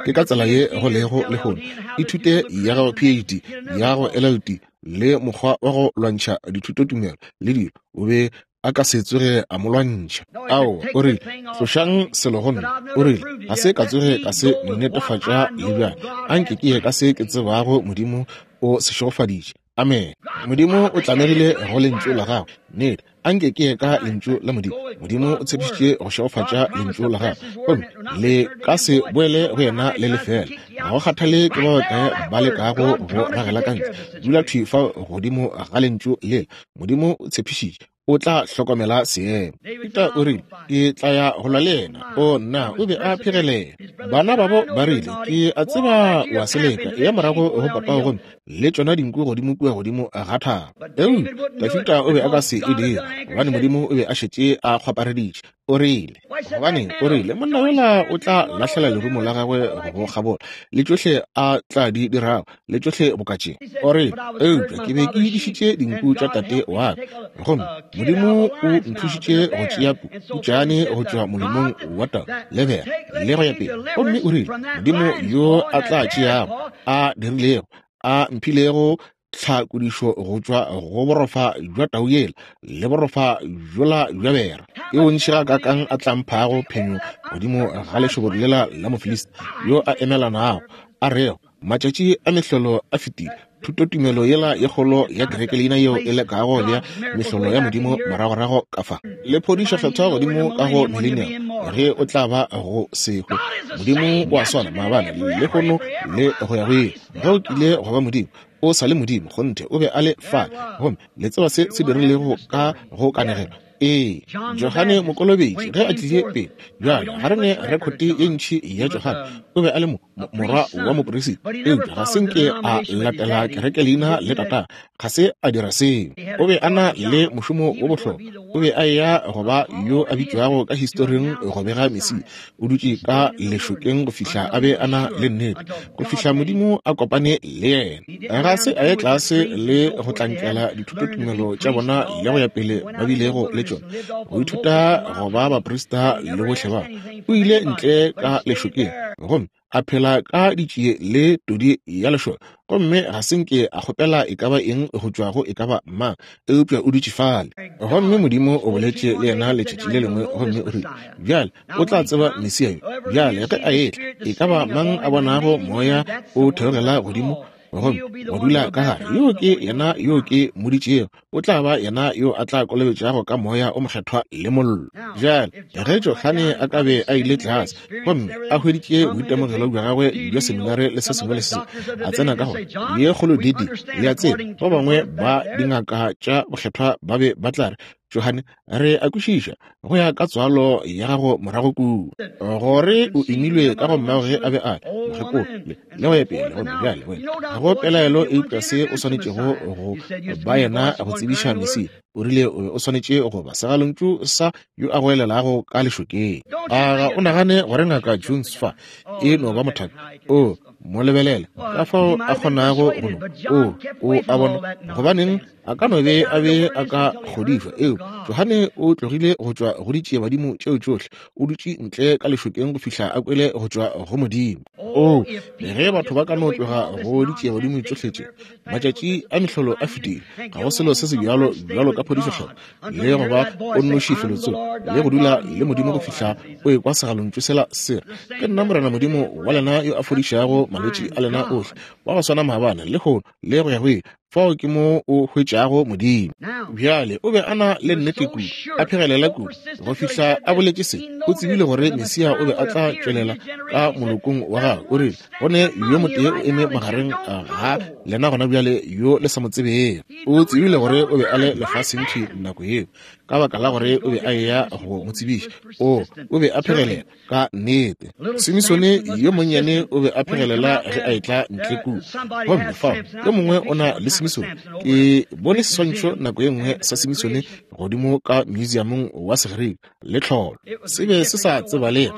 Ke ka tsela ye go lego lehono. Ithute ya gago PhD, ya gago LLD, le mokgwa wa go lwantšha dithutotumelo le dilo, o be a ka se tsoge a mo lwantšha. Ao, o rile, tlošang selo go nna. O rile, ga se ka tsoge ka se netefatša le bjale. Anke ke ye ka se ke tsebago Modimo o se šegofaditše. Amene. Modimo o tlamegile go Lentšu la Gagwe. Nnete. A nke ke ye ka Lentšu la Modimo. Modimo o tshepišitše go šegofatša Lentšu la Gagwe, gomme le ka se boele go yena le lefeela. Ga go kgathale ke ba bakae ba lekago go ragela ka ntle, dula thwi fa godimo ga Lentšu lela. Modimo o tshepišitše o tla hlokomela seemo. Peter o rile, Ke tla ya go lwa le yena. O nna, o be a phegelela. Bana babo ba rile, Ke a tseba wa seleka, eya morago go papago gomme le tšona dinku godimo kua godimo ga thaba. Eupša Dafida o be a ka se e dire, gobane Modimo o be a šetše a kgwapareditše. O rile, gobaneng, o rile, monna yola o tla lahlela lerumo la gagwe go kgabola, le tšohle a tla di dirago, le tšohle boka tše. O rile, eupša ke be ke dišitše dinku tša tate wa ka, gomme Modimo o nthušitše go tšea putšane go tšwa molomong wa tau le bera, le go ya pele. Gomme o rile, Modimo yo a tla tšeago, a dirilego, a mphilego tlhakodišo go tšwa go borofa bja tau yela le borofa bjola bja bera, ke bontši gakaakang a tla mphago phenyo godimo ga lešoboro lela la Mofilista yo a emelanago, a rego, Matšatši a mehlolo a fetile. Thutotumelo yela ye kgolo ya kerekeleina yeo e lekago bea mehlolo ya Modimo moragorago ka fa, le phodišo kgethwa godimo ka go millennium, ge o tla ba go se hwe. Modimo o a swana maabane, lehono, le go ya go ile. Ge o kile go ba Modimo, o sa le Modimo. Kgonthe, o be a le fale. Gomme le tseba se se dirilego ka go kanegelo? Ee, Johane Mokolobetši ge a tlile pele. Bjale, ga re ne rekhote ye ntši ya Johane. O be a le mo, morwa wa moperisita, eupša ga se nke a latela kerekeleina le tatagwe. Ga se a dira seo. O be a na le mošomo wo bohlokwa. O be a eya go ba yo a bitšwago ka historing go bega Mesia. O dutše ka lešokeng go fihla a be a na le nnete, go fihla Modimo a kopane le yena. Ga se a ye tlase le go tlankela dithutotumelo tša bona le go ya pele ba bilego le tšona, go ithuta go ba baprista le bohle ba. O ile ntle ka lešokeng gomme a phela ka ditšie le todi ya lešoka, gomme ga se nke a kgopela e ka ba eng go tšwa go e ka ba mang, eupša o dutše fale. Gomme Modimo o boletše le yena letšatši le lengwe, gomme o rile, Bjale o tla tseba Mesia yo. Bjale ge a etla, e ka ba mang a bonago Moya o theogela godimo gomme wa dula ka gare, yoo ke yena yo ke mmoditšego, o tla ba yena yo a tla kolobetšago ka Moya o Mokgethwa le mollo. Bjale, ge Johane a ka be a ile tlase gomme a hweditše boitemogelo bja gagwe bja seminare le se sengwe le se sengwe, a tsena ka go ye kgolo didi, le a tseba, ba bangwe ba dingaka tša bokgethwa ba be ba tla re, Johane, re a kwešiša go ya ka tswalo ya gago morago kua gore o imilwe ka go mmago ge a be a mokgekolo le le go ya pele. Gomme bjale wena, ga go pelaelo eupša se o swanetšego go ba yena go tsebiša Mesia. O rile o be o swanetše go ba segalontšu sa yo a goelelago ka lešokeng. A ga o nagane gore Ngaka Jones fa e no ba mothaka? O mo lebelela ka fao a kgonago go no o o a bona gobaneng a ka no be a be a ka kgodišwa. Eo Johane o tlogile go tšwa go ditšiebadimo tšeo tšohle, o dutše ntle ka lešokeng go fihla a kwele go tšwa go Modimo. O ge batho ba ka no tloga go ditšiebadimo tšohle tše, matšatši a mehlolo a fetile, ga go selo se se bjalo bjalo ka phodišo kgethwa le go ba o nnoši felotsoko le go dula le Modimo go fihla o ekwa segalontšu sela se re, Ke nna Morena Modimo wa lena yo a fodišago malwetši a lena ohle, wa go swana maabane, lehono le go ya go ile. Fao ke mo o hwetšago Modimo. Bjale o be a na le nnete kudu, a phegelela kudu, go fihla a boletše se. O tsebile gore Mesia o be a tla tšwelela ka molokong wa gagwe. O rile, Go ne yo motee o eme magareng ga lena gona bjale yo le sa mo tsebego. O tsebile gore o be a le lefaseng thwi nako yeo, ka baka la gore o be a eya go mo tsebiša. O, o be a phegelela ka nnete. Simisone yo monnyane o be a phegelela ge a etla ntle kua. Gomme fao yo mongwe o na le Simisone. Ke bone seswantšho nako ye nngwe sa Simisone godimo ka museumong wa Segerika, le tlholo. Se be se sa tsebalege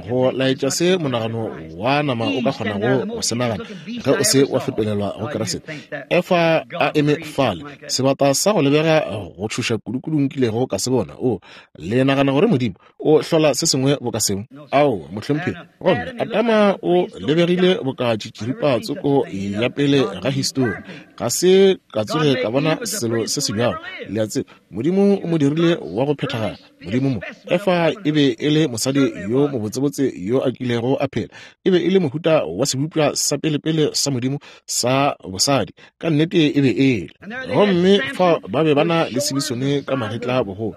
go laetša se monagano wa nama o ka kgonago go se nagana ge o se wa fetolelwa go Keresete. Efa a eme fale, sebata sa go lebega go tšhoša kudukudu nkilego ka se bona. O, le nagana gore Modimo o hlola se sengwe boka seo? Aowa, mohlomphegi. Gomme Adama o lebegile boka tšitširipa tsoko ya pele ga histori. Ga se ka tsoge ka bona selo se se bjalo. Le a tseba, Modimo o mo dirile wa go phethagala. Modimo mo. Efa e be e le mosadi yo mobotsebotse yo a kilego a phela. E be e le mohuta wa sebopša sa pelepele sa Modimo sa bosadi. Ka nnete e be e le. Gomme fa ba be ba na le Simisone ka magetla bogolo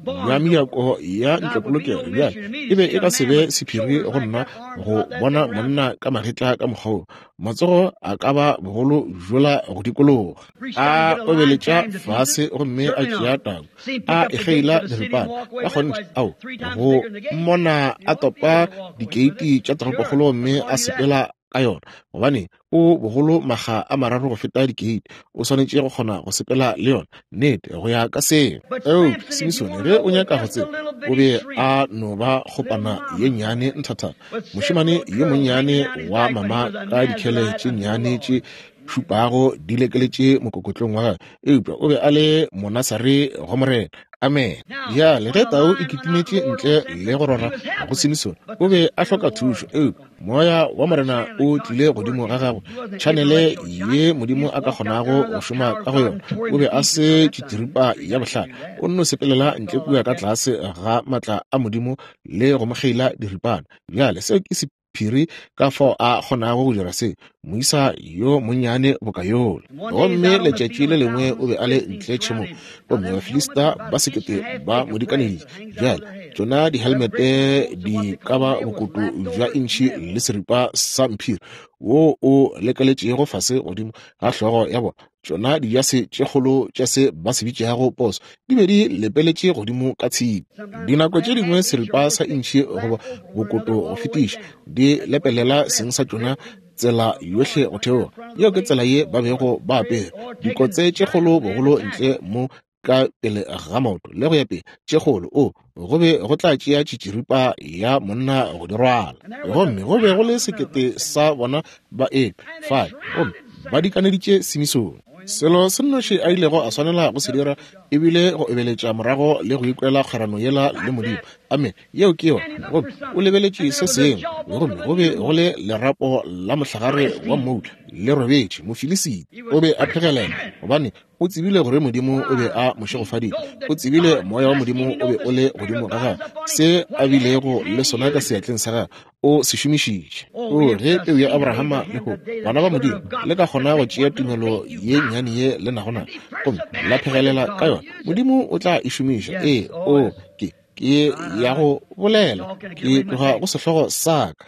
bja mejako ya ntlopolokelo. Bjale e be e ka se be sephiri go nna go bona monna ka magetla ka mokgwa wo. Matsogo a ka ba bogolo bjola go dikologa. A obeletša fase gomme a tšea tau, a e kgeila diripana. Ka kgonthe, ao, go mmona a topa dikeiti tša toropokgolo gomme a sepela ka yona, gobane o bogolo makga a mararo go feta dikeiti, o swanetše go kgona go sepela le yona. Nnete, go ya ka seo. Eupša Simisone, ge o nyaka go tseba, o be a no ba kgopana ye nnyane nthathana, mošemane yo monnyane wa mama ka dikhele tše nnyane tše šupago di lekeletše mokokotlong wa gagwe, eupša o be a le Monasare go Morena. Amen. Bjale ge tau e kitimetše ntle le go rora go Simisone, o be a hloka thušo, eupša Moya wa Morena o tlile godimo ga gagwe, tšhanele ye Modimo a ka kgonago go šoma ka go yona. O be a se tšitširipa ya bohlale, o nno sepelela ntle kua ka tlase ga maatla a Modimo le go mo kgeila diripana. Bjale seo ke sephiri ka fao a kgonago go dira se, moisa yo monnyane boka yola. Gomme letšatši le lengwe o be a le ntle tšhemong, gomme Bafilista ba sekete ba mo dikaneditše. Bjale tšona dihelmete di ka ba bokoto bja intšhi le seripa sa mphiri wo o lekeletšego fase godimo ga hlogo ya bona. Tšona dijase tše kgolo tša se ba se bitšago poso di be di lepeletše godimo ka tshipi. Dinako tše dingwe seripa sa intšhi goba bokoto go fetiša di lepelela seng sa tšona tsela yohle go theoga. Yeo ke tsela ye ba bego ba apere dikotse tše kgolo bogolo ntle mo. ka pele ga maoto le go ya pele, tše kgolo, o, go be go tla tšea tšitširipa ya monna go di rwala. Gomme go be go le 1000 sa bona ba eme fale, gomme ba dikaneditše Simisone. Selo se nnoši a ilego a swanela go se dira e bile go ebeletša morago le go ikwela kgwerano yela le Modimo. Amene. Yeo ke yona. Gomme o lebeletše se sengwe, gomme go be go le lerapo la mohlagare wa mmoula le robetše. Mofilisita o be a phegelela, gobane o tsebile gore Modimo o be a mo šegofaditše. O tsebile moya wa Modimo o be o le godimo ga gagwe. Se a bilego le sona ka seatleng sa gagwe, o se šomišitše. O, ge peu ya Abrahama lehono, bana ba Modimo, le ka kgona go tšea tumelo ye nnyane ye le nago nayo, gomme la phegelela ka yona, Modimo o tla e šomiša. Ee, o, ke, ke ya go bolela, ke tloga go sehlogo sa ka.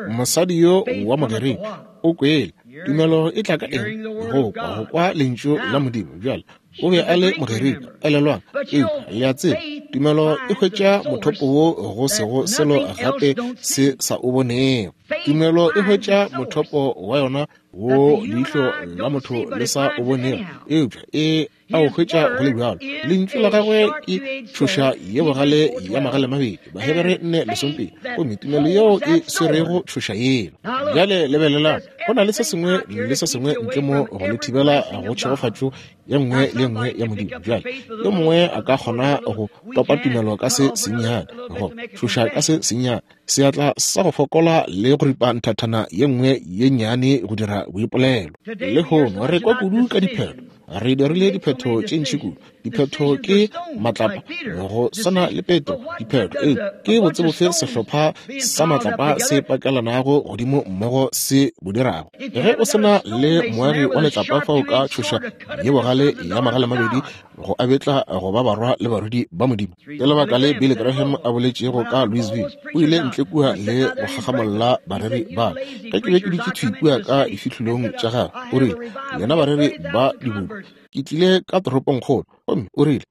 Mosadi yo wa Mogerika o kwele. Tumelo e tla ka eng? Go kwa, go kwa lentšu la Modimo. Bjale, o be a le Mogerika, elelwang. Eupša, le a tseba, tumelo e hwetša mothopo wo go sego selo gape se sa o bonego. Tumelo e hwetša mothopo wa yona wo leihlo la motho le sa o bonego, eupša e a o hwetša go le bjalo. Lentšu la gagwe ke tšhoša ye bogale ya magale mabedi, Bahebere 4:12, gomme tumelo yeo e swerego tšhoša yela. Bjale lebelelang, go na le se sengwe le se sengwe ntle mo go le thibela go tšhegofatšo ye nngwe le nngwe ya Modimo. Bjale yo mongwe a ka kgona go topa tumelo ka se sennyane, go tšhoša ka se sennyane, seatla sa go fokola le go ripa nthathana ye nngwe ye nnyane go dira boipolelo. Lehono re kwa kudu ka diphetho. Re dirile diphetho tše ntši kudu. Diphetho ke matlapa, go swana le Petro. Diphetho ee ke botsebofe sehlopha sa matlapa se pakelanago godimo mmogo se bo dirago. Ge o se na le moagi wa letlapa fao ka tšhoša ye bogale ya magale mabedi go a betla go ba barwa le barwedi ba Modimo. Ke lebaka le Billy Graham a boletšego ka Louisville. O ile ntle kua le go gagamolla bareri ba. Ge ke be ke dutše thwi kua ka difihlolong tša gagwe, o rile, Lena bareri ba dibodu, ke tlile ka toropongkgolo, gomme o rile,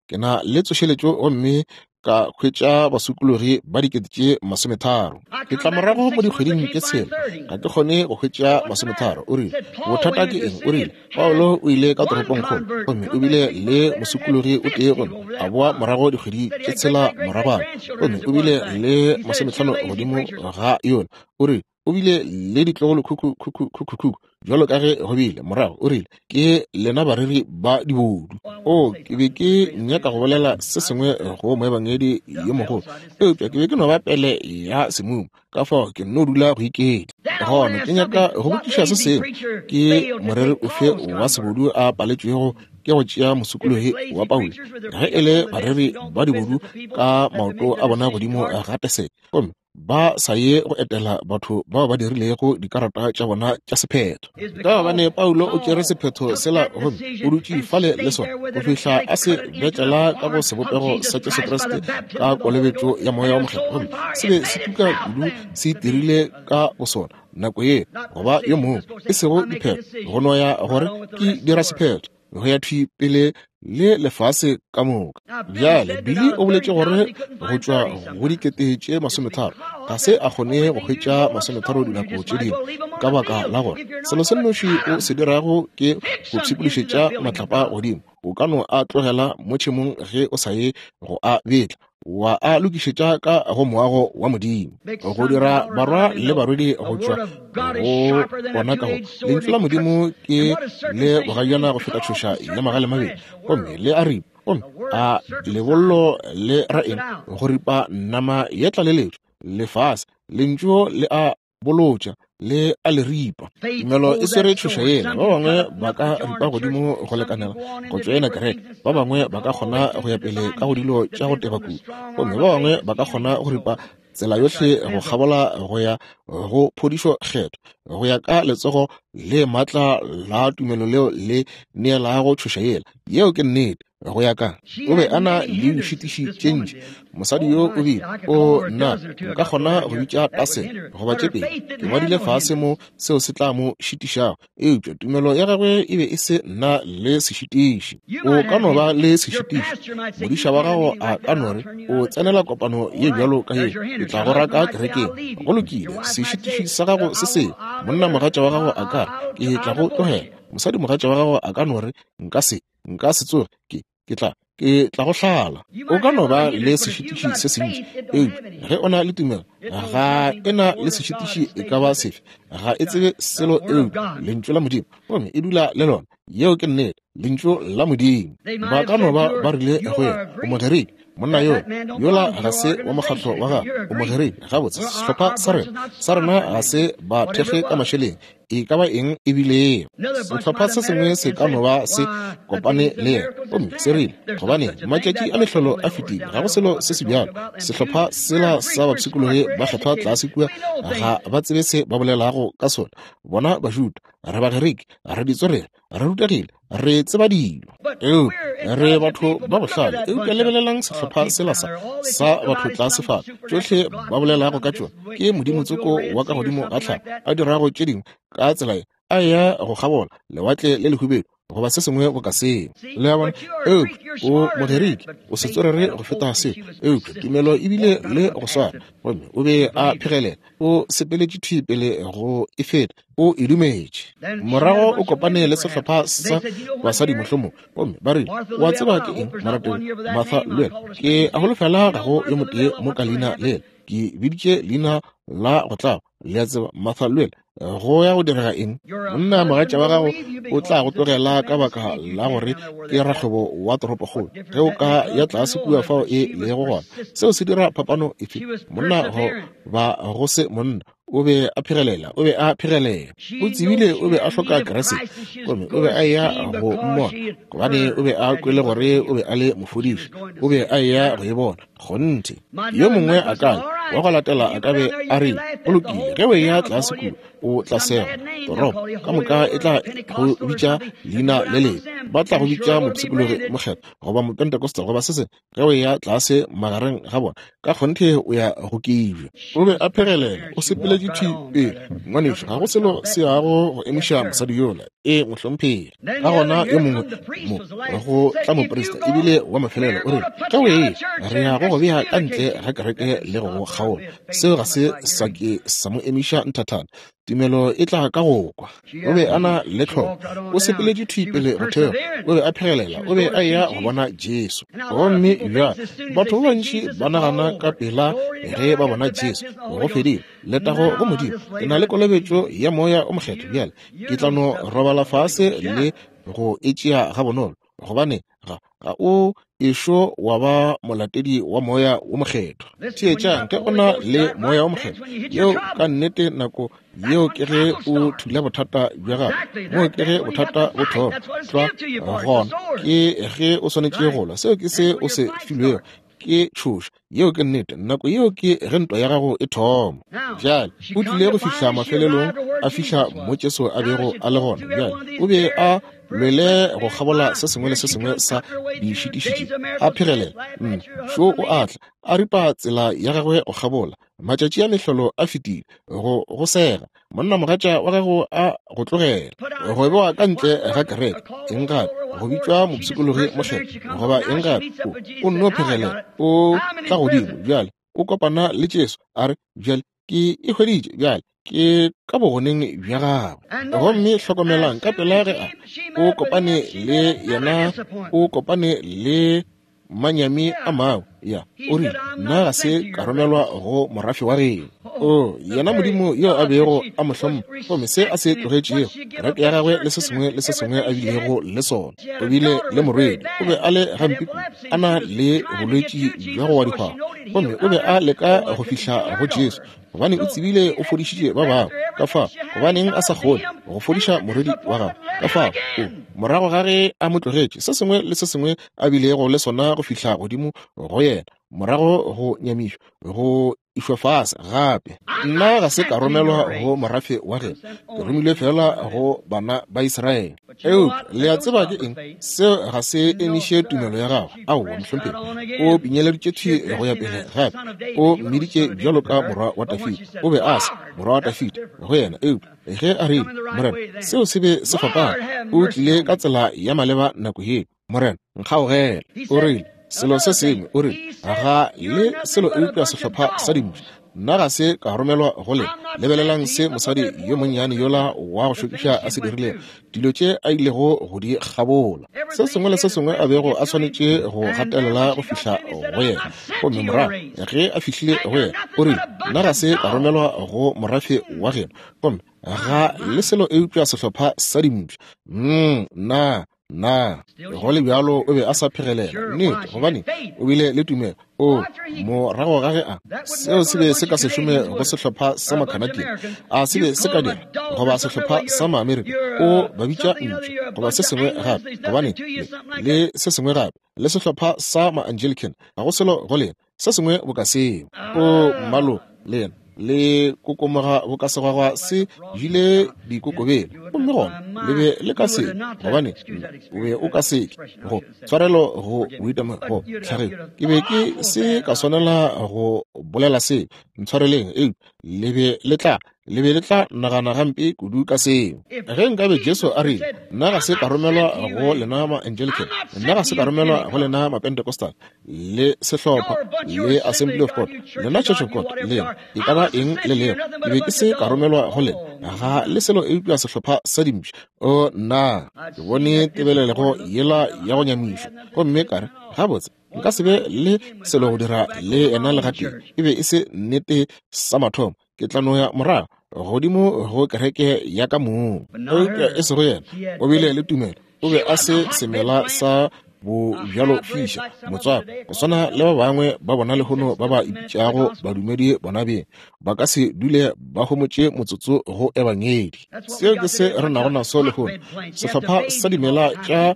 ke na le tsošeletšo gomme ka hwetša basokologi ba 30,000. Ke tla morago mo dikgweding tše 6, ga ke kgone go hwetša 30. O rile, bothata ke eng? O rile, Paulo o ile ka toropongkgolo gomme o bile le mosokologi o tee, gomme a boa morago dikgwedi tše 6 moragwana, gomme o bile le 50 godimo ga yola. O rile, o bile le ditlogolo khukhu khukhu khukhu khukhu bjalo ka ge go bile morago. O rile, ke lena bareri ba dibodu. O, ke be ke nyaka go bolela se sengwe go moebangedi yo mogolo, eupša ke be ke no ba pele ya semumu, ka fao ke nno dula go iketla. Gona ke nyaka go botšiša se sengwe, ke moreri ofe wa sebodu a paletšwego ke go tšea mosokologi wa Paulo? Ge e le bareri ba dibodu ka maoto a bona godimo ga teseke, gomme ba sa ye go etela batho bao ba dirilego dikarata tša bona tša sephetho, ka gobane Paulo o tšere sephetho sela gomme o dutše fale le sona go fihla a se betlela ka go sebopego sa Jesu Kriste ka kolobetšo ya Moya wa Mokgethwa, gomme se be se tuka kudu se itirile ka bosona nako ye goba yo mongwe, e sego diphetho go no ya gore ke dira sephetho go ya thwi pele le lefase ka moka. Bjale Billy o boletše gore go tšwa go 30,000 ga se a kgone go hwetša 30 dinako tše dingwe, ka baka la gore selo se nnoši o se dirago ke go pshikološetša matlapa godimo. O ka no a tlogela mo tšhemong ge o sa ye go a betla, wa a lokišetša ka go moago wa Modimo, go dira barwa le barwedi go tšwa go ona. Ka go lentšu la Modimo ke le bogajana go feta tšhoša ya magale mabedi, gomme le a ripa, gomme a lebollo le ra eng? Go ripa nama ya tlaleletšo, lefase. Lentšu le a bolotša le a le ripa. Tumelo e swere tšhoša yela. Ba bangwe ba ka ripa godimo go lekanela go tšoena kereke, ba bangwe ba ka kgona go ya pele ka go dilo tša go teba kudu, gomme ba bangwe ba ka kgona go ripa tsela yohle go kgabola go ya go phodišo kgetho, go ya ka letsogo le maatla la tumelo leo le neelago tšhoša yela. Yeo ke nnete. Go ya ka, o be a na le dišitiši tše ntši. Mosadi yo o bile, o nna, nka kgona go bitša tasene goba tše pedi, ke ngwadile fase mo seo se tla mo šitišago, eupša tumelo ya gagwe e be e se nna le sešitiši. O ka no ba le sešitiši. Modiša wa gago a ka no re, o tsenela kopano ye bjalo ka ye, ke tla go raka kerekeng. Go lokile, sešitiši sa gago se sengwe. Monna mogatša wa gago a ka re, ke tla go tlogela. Mosadi mogatša wa gago a ka no re, nka se, nka se tsoge, ke, ke tla, ke tla go hlala. O ka no ba le sešitiši se sentši, eupša ge o na le tumelo, ga e na le sešitiši e ka ba sefe. Ga e tsebe selo eupša Lentšu la Modimo, gomme e dula le lona. Yeo ke nnete, Lentšu la Modimo. Ba ka no ba ba rile go yena, o Mogerike, monna yo, yola ga se wa mokgatlo wa gago, o Mogerike. Gabotse, sehlopha sa rena, sa rena ga se ba thekge ka mašeleng, e ka ba eng e bilego. Sehlopha se sengwe se ka no ba se kopane le yena gomme se rile, gobane matšatši a mehlolo a fetile, ga go selo se se bjalo. Sehlopha sela sa bapshikologi ba kgethwa tlase kua ga ba tsebe se ba bolelago ka sona. Bona Bajuda, re Bagerike, re ditswerere, re rutegile, re tseba dilo, eupša re batho ba bohlale. Eupša lebelelang sehlopha sela sa sa batho tlase fa, tšohle ba bolelago ka tšona ke modimo tsoko wa ka godimo ga tlhago a dirago tše dingwe ka tsela ye, a eya go kgabola lewatle le lehubedu goba se sengwe boka seo. Le a bona? Eupša o Mogerike, o setswerere go feta seo, eupša tumelo e bile le go swana, gomme o be a phegelela, o sepeletše thwi pele go e feta, o e dumetše. Morago o kopane le sehlopha sa basadi mohlomong, gomme ba rile, wa tseba ke eng, morategi Martha, le wena, ke a holofela ga go yo motee mo ka leina lela. Ke biditše leina la go tlaba, le a tseba, Martha, le wena, go ya go direga eng? Monna mogatša wa gago o tla go tlogela ka baka la gore ke rakgwebo wa toropokgolo. Ge o ka ya tlase kua fao e lego gona, seo se dira phapano efe? Monna go ba go se monna, o be a phegelela, o be a phegelela. O tsebile o be a hloka Kriste, gomme o be a eya go mmona, gobane o be a kwele gore o be a le mofodiši. O be a eya go e bona. Kgonthe. Yo mongwe a ka wa go latela a ka be a rile, go lokile, ge o eya tlase kua, o tla sega. Toropo ka moka e tla go bitša leina le lebe. Ba tla go bitša mopshikologi mokgethwa goba mopentecostal goba se sengwe. Ge o eya tlase magareng ga bona, ka kgonthe o ya go kibja. O be a phegelela, o sepeletše thwi pele. Ngwanešu, ga go selo se yago go emiša mosadi yola. Ee, mohlomphegi. Ka gona yo mongwe mo go tla moprista, ebile wa mafelelo, o rile, Ge o eya, re ya go go bea ka ntle ga kereke le go go kgaola. Seo ga se sa ke sa mo emiša nthathana. Tumelo e tla ka go kwa. O be a na le tlhoko. O sepeletše thwi pele go theoga. O be a phegelela. O be a eya go bona Jesu. Gomme bjale batho ba bantši ba nagana ka pela ge ba bona Jesu, go fedile. Letago go Modimo, ke na le kolobetšo ya Moya o Mokgethwa bjale. Ke tla no robala fase le go e tšea gabonolo, gobane ga, ga o ešo wa ba molatedi wa Moya wo Mokgethwa. Theetšang, ge o na le Moya wo Mokgethwa, yeo ka nnete nako yeo ke ge o thula bothata bja gago. Moo ke ge bothata bo thoma. Tlwa gona ke ge o swanetše go lwa. Seo ke se o se filwego. Ke tšhoša. Yeo ke nnete. Nako yeo ke ge ntwa ya gago e thoma. Bjale o tlile go fihla mafelelong, a fihla mo Jesu a bego a le gona. Bjale o be a lwele go kgabola se sengwe le se sengwe sa dišitišitši, a phegelela. Šo o a tla, a ripa tsela ya gagwe go kgabola. Matšatši a mehlolo a fetile, go go sega. Monnamogatša wa gago a go tlogela, go bewa ka ntle ga kereke, eng gape, go bitšwa mopshikologi mokgethwa, goba eng gape, o, o nno phegelela, o tla godimo bjale, o kopana le Jesu, a re, Bjale ke e hweditše, bjale ke ka bogoneng bja gagwe. Gomme hlokomelang, ka pela ge a, o kopane le yena, o kopane le manyami a mangwe. Ya, o rile, Nna ga se ka romelwa go morafe wa geno. O, yena Modimo yo a bego a mo hlompha, gomme se a se tlogetšego, kereke ya gagwe le se sengwe le se sengwe a bilego le sona. O bile le morwedi, o be a le gampe kudu, a na le bolwetši bja go wa dikgwao, gomme o be a leka go fihla go Jesu, gobane o tsebile o fodišitše ba bangwe. Ka fao, gobaneng a sa kgone go fodiša morwedi wa gagwe? Ka fao, o, morago ga ge a mo tlogetše, se sengwe le se sengwe a bilego le sona go fihla godimo go yena, morago go nyamišwa, go Išwa fase gape. Nna ga se ka romelwa go morafe wa geno, ke romilwe fela go bana ba Israele. Eupša le a tseba ke eng? Seo ga se emiše tumelo ya gagwe. Aowa, mohlomphegi. O pinyeleditše thwi go ya pele gape. O mmiditše bjalo ka morwa wa Dafida. O be a se morwa wa Dafida go yena, eupša ge a rile, Morena, seo se be se fapana. O tlile ka tsela ya maleba nako yeo. Morena, nkgaogele. O rile, selo se sengwe, o rile, ga le selo eupša sehlopha sa dimpša. Nna ga se ka romelwa go lena. Lebelelang se mosadi yo monnyane yola wa go šokiša a se dirilego, dilo tše a ilego go di kgabola, se sengwe le se sengwe a bego a swanetše go gatelela go fihla go yena. Gomme morago ge a fihlile go yena, o rile, Nna ga se ka romelwa go morafe wa geno, gomme ga le selo eupša sehlopha sa dimpša. Nna Na go le bjalo o be a sa phegelela? Nnete, gobane o bile le tumelo. O morago ga ge a seo se be se ka se šome go sehlopha sa Macanadian, a se be se ka dira, goba sehlopha sa Maamerika, o ba bitša ntšu goba se sengwe gape, gobane le se sengwe gape, le sehlopha sa Maanglican, ga go selo go lena. Se sengwe boka seo. O mmalo le yena le kokomoga boka segwagwa se jile dikokobele, gomme gona le be le ka se, gobane o be o ka se ke go tshwarelo go boitamo go tlhageng. Ke be ke se ka swanela go bolela se, ntshwareleng, eupša le be le tla Le be le tla nagana gampe kudu ka seo. Ge nkabe Jesu a rile, Nna ga se ka romelwa go lena ma-Anglican, nna ga se ka romelwa go lena ma-Pentecostal, le sehlopha, le Assembly of God, lena Church of God, lena, e ka ba eng le lego, ke be ke se ka romelwa go lena, ga le selo eupša sehlopha sa dimpša. O, nna, ke bone tebelelego yela ya go nyamišwa, gomme ka re, Gabotse, nka se be le selo go dira le yena le gatee. E be e se nnete sa mathomo. Ke tla no ya morago godimo go kereke ya ka mong. Eupša e sego yena, o bile le tumelo. O be a se semela sa bobjalo fiša motswako go swana le ba bangwe ba bona lehono ba ba ipitšago badumedi bona beng, ba ka se dule ba homotše motsotso go ebangedi. Seo ke se re nago naso lehono, sehlopha sa dimela tša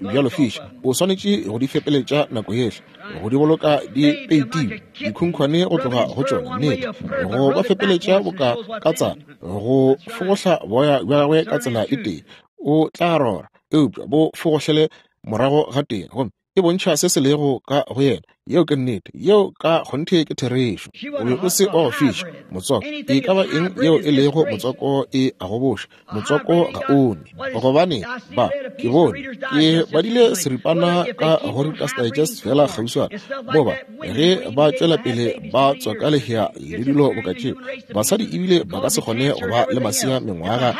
bobjalo fiša. O swanetše go di fepeletša nako yehle, go di boloka di peitilwe, dikhunkhwane go tloga go tšona, nnete, go ba fepeletša boka katsana, go fogohla boya bja gagwe ka tsela e tee, o tla rora, eupša bo fogohlele morago ga tee, gomme e bontšha se se lego ka go yena. Yeo ke nnete. Yeo ka kgonthe ke therešo. O be o se wa go fiša motswako. E ka ba eng yeo e lego motswako e a go boša. Motswako ga o ne. Gobane ba, ke bone, ke badile seripana ka go Reader's Digest feela kgauswana, mo ba, ge ba tšwela pele ba tswaka lehea le dilo boka tšeo, basadi ebile ba ka se kgone go ba le masea mengwaga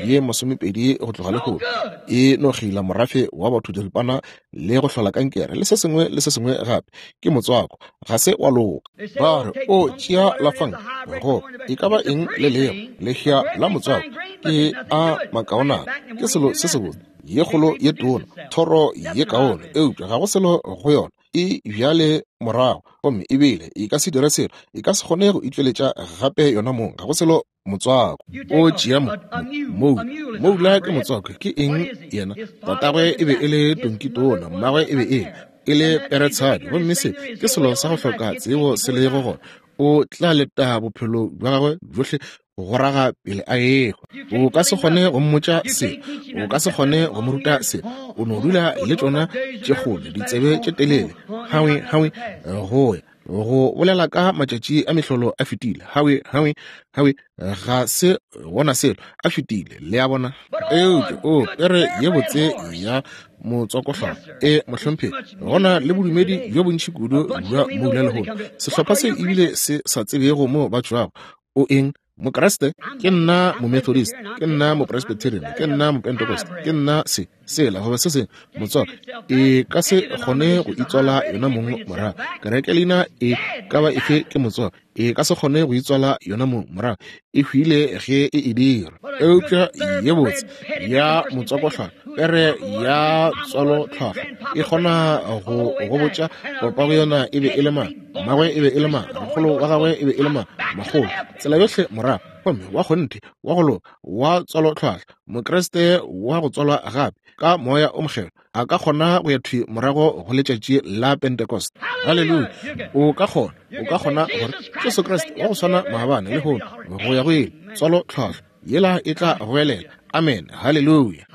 ye masomepedi go tloga lehono. E no kgeila morafe wa batho diripana le go hlola kankere le se sengwe le se sengwe gape. Ke motswako, ga se wa loka. Ba re, O tšea la fang go e ka ba eng le lego lehea la motswako ke a makaonana, ke selo se sebotse, ye kgolo ye tona, thoro ye kaone, eupša ga go selo go yona. E bjale morago, gomme ebile e ka se dire selo, e ka se kgone go itšweletša gape yona mong, ga go selo motswako. O tšea mo, moula. Moula ke motswako. Ke eng yena? Tatagwe e be e le tonkitona, mmagwe e be e e le peretshadi, gomme se ke selo sa go hloka tsebo se lego gona. O tla leta bophelo bja gagwe bjohle go raga pele a ehwa. O ka se kgone go mmotša se, o ka se kgone go mo ruta se. O no dula le tšona tše kgolo ditsebe tše telele, hawe hawe go ya go bolela ka matšatši a mehlolo a fetile. Hawe hawe hawe, ga se gona selo, a fetile, le a bona. Eupša o pere ye botse ya motswakohlwahlwa, e mohlomphegi, gona le bodumedi bjo bontši kudu bja moula lehono, sehlopha se ebile se sa tsebego mo ba tšwago. O eng? Mokriste? Ke nna Momethodist, ke nna Mopresbyterian, ke nna Mopentecost, ke nna se, sela, goba se sengwe. Motswako e ka se kgone go itswala yona mong morago. Kereke leina e ka ba efe ke motswako, e ka se kgone go itswala yona mong morago. E hwile ge e e dira. Eupša ye botse ya motswakohlwahlwa, pere ya tswalotlhwahlwa, e kgona go go botša papago yona e be e le mang, mmagwe e be e le mang, rakgolo wa gagwe e be e le mang, makgolo, tsela yohle morago. Gomme wa kgonthe, wa go loka, wa tswalotlhwahlwa, Mokriste wa go tswalwa gape ka Moya o Mokgethwa, a ka kgona go ya thwi morago go letšatši la Pentecost. Haleluya! O ka kgona, o ka kgona gore Jesu Kriste wa go swana maabane, lehono, go ya go ile, tswalotlhwahlwa yela e tla goelela amen, haleluya.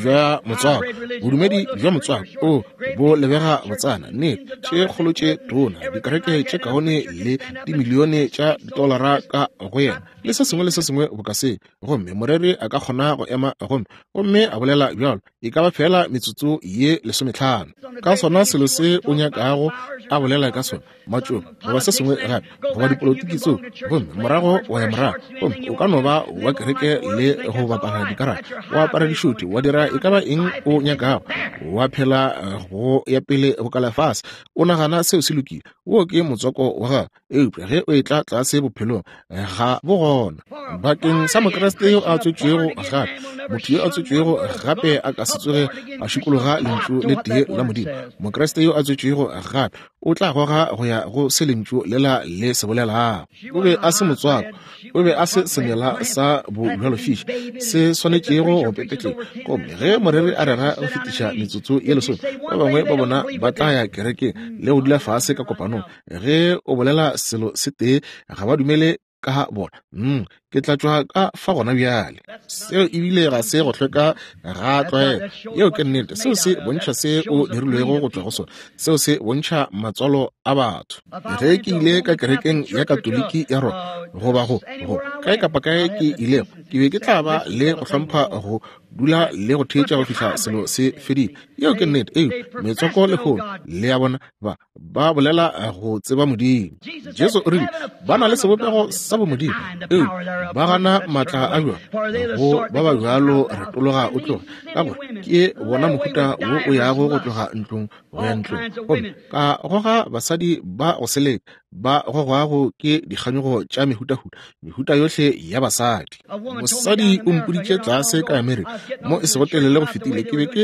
Bja motswako, bodumedi bja motswako o bo lebega botsana, nnete, tše kgolo tše tona, dikereke tše kaone le dimilione tša ditolara ka go yena, le se sengwe le se sengwe boka se. Gomme moreri a ka kgona go ema gomme, gomme a bolela bjalo e ka ba feela metsotso ye 15 ka sona selo se o nyakago a bolela ka sona, matšoba goba se sengwe gape, goba dipolotiki tseo, gomme morago wa ya morago, gomme o ka no ba wa kereke le go bapala dikarata, wa apara dišuti, wa dira e ka ba eng o nyakago, wa phela go ya pele boka lefase, o nagana seo se lokile. Wo ke motswako wa gago. Eupša ge o etla tlase bophelong, ga bo gona. Bakeng sa Mokriste yo a tswetšwego gape, motho yo a tswetšwego gape a ka se tsoge a šikologa lentšu le tee la Modimo. Mokriste yo a tswetšwego gape o tla goga go ya go se lentšu lela le se bolelago. O be a se motswako, o be a se semela sa bobjalofiši se swanetšego go pepetleng. Gomme ge moreri a rera go fetiša metsotso ye lesome, ba bangwe ba bona ba tla ya kerekeng le go dula fase ka kopanong. Ge o bolela selo se tee, ga ba dumele ka bona. Ke tla tšwa ka fa gona bjale. Seo ebile ga se go hlweka ga tlwaelo. Yeo ke nnete. Seo se bontšha se o dirilwego go tšwa go sona. Seo se bontšha matswalo a batho. Ge ke ile ka kerekeng ya Katoliki ya Roma, goba go, go kae kapa kae ke ilego, ke be ke tla ba le go hlompha go dula le go theetša go fihla selo se fedile. Yeo ke nnete. Eo metswako lehono, le a bona, ba ba bolela go tseba Modimo. Jesu o rile ba na le sebopego sa bomodimo, eupša ba gana maatla a bjona. Go ba ba bjalo retologa o tloge, ka gore ke bona mohuta wo o yago go tloga ntlong go ya ntlong, gomme ka goga basadi ba go seleka ba gogwago ke dikganyogo tša mehutahuta, mehuta yohle ya basadi. Mosadi o mpoditše tlase ka Amerika mo e sego telele go fetile, ke be ke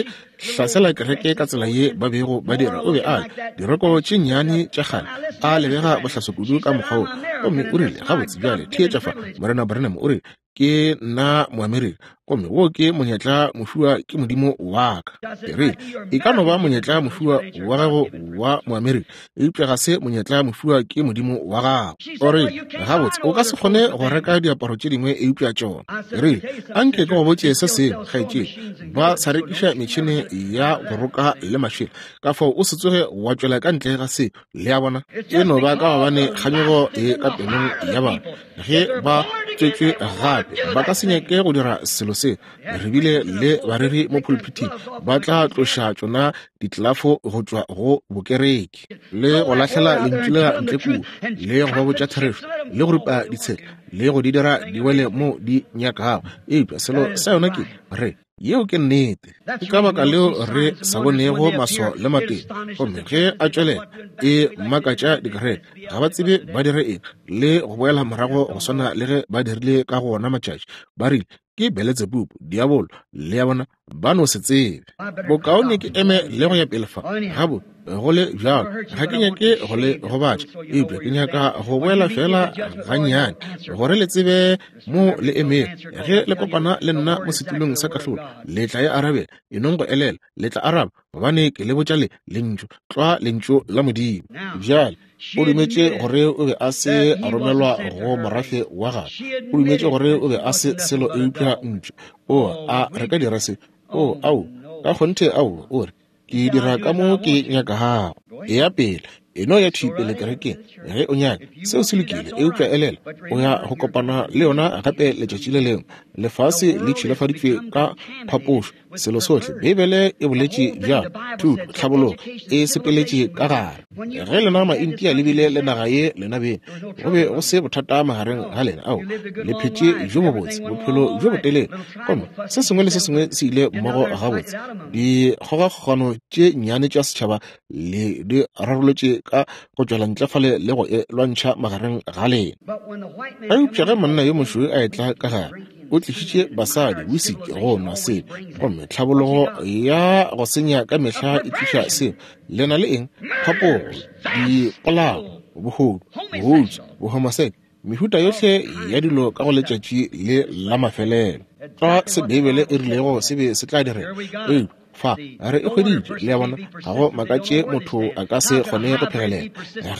hlasela kereke ka tsela ye ba bego ba dira. O be a le diroko tše nnyane tša kgale, a lebega bohlaso kudu ka mokgwa wo. Gomme o rile, Gabotse bjale, theetša fa, Morena Branham o rile, Ke nna Moamerika, gomme wo ke monyetla mofiwa ke Modimo wa ka. Ke rile, E ka no ba monyetla mofiwa wa gago wa Moamerika, eupša ga se monyetla mofiwa ke Modimo wa gago. O rile, Gabotse, o ka se kgone go reka diaparo tše dingwe eupša tšona. Ke rile, Anke ke go botše se sengwe, kgaetšedi. Ba sa rekiša metšhene ya go roka le mašela, ka fao o se tsoge wa tšwela ka ntle ga seo. Le a bona? E no ba ka gobane kganyogo e ka pelong ya batho. Ge ba tswetšwe gape, ba ka se nyake go dira selo se. Re bile le bareri mo pulpithing ba tla tloša tšona ditlelafo go tšwa go bokereke le go lahlela lentšu lela ntle kua, le go ba botša therešo, le go ripa ditshela le go di dira di wele mo di nyakago. Eupša selo sa yona ke re yeo ke nnete. Ke ka baka leo re sa bonego maswao le matete. Gomme ge a tšwelela e makatša dikereke, ga ba tsebe ba dire eng, le go boela morago go swana le ge ba dirile ka go ona matšatši. Ba rile ke Beletsebubu, diabolo, le ya bona, ba no se tsebe. Bokaone ke eme le go ya pele fa. Gabo, go le bjalo, ga ke nyake go le gobatša, eupša ke nyaka go boela feela gannyane gore le tsebe mo le emego. Ge le kopana le nna mo setulong sa kahlolo, le tla e arabela. E nong go elela, le tla araba, gobane ke le botša le lentšu, tlwa lentšu la Modimo. Bjale, o dumetše gore o be a se a romelwa go morafe wa gagwe. O dumetše gore o be a se selo eupša ntšu. O, a re ka dira se? O, ao, ka kgonthe ao. O re, Ke dira ka mo ke nyakago. Eya pele, e no ya thwi pele kerekeng ge o nyaka. Seo se lokile, eupša elela, o ya go kopana le yona gape letšatši le lengwe. Lefase le tšhilafaditšwe ka phapošo, selo sohle. Beibele e boletše bjalo, thuto, tlhabologo e sepeletše ka gare. Ge lena Maintia le bile le naga ye lena beng, go be go se bothata magareng ga lena. Ao, le phetše bjo bobotse, bophelo bjo botelele, gomme se sengwe le se sengwe se ile mmogo gabotse. Dikgogakgogano tše nnyane tša setšhaba le di rarolotše ka go tšwela ntle fale le go e lwantšha magareng ga lena. Eupša ge monna yo mošweu a etla ka gare, o tlišitše basadi, wisiki, go nwa seo, gomme tlhabologo ya go senya ka mehla e tliša seo. Le na le eng? Phapogo, dipolao, bohodu, bohutsu, bohomoseke. Mehuta yohle ya dilo ka go letšatši le la mafelelo. Tlwa se Beibele e rilego se be se tla direga. Eupša fa re e hweditše, le a bona, ga go makatše motho a ka se kgone go phegelela.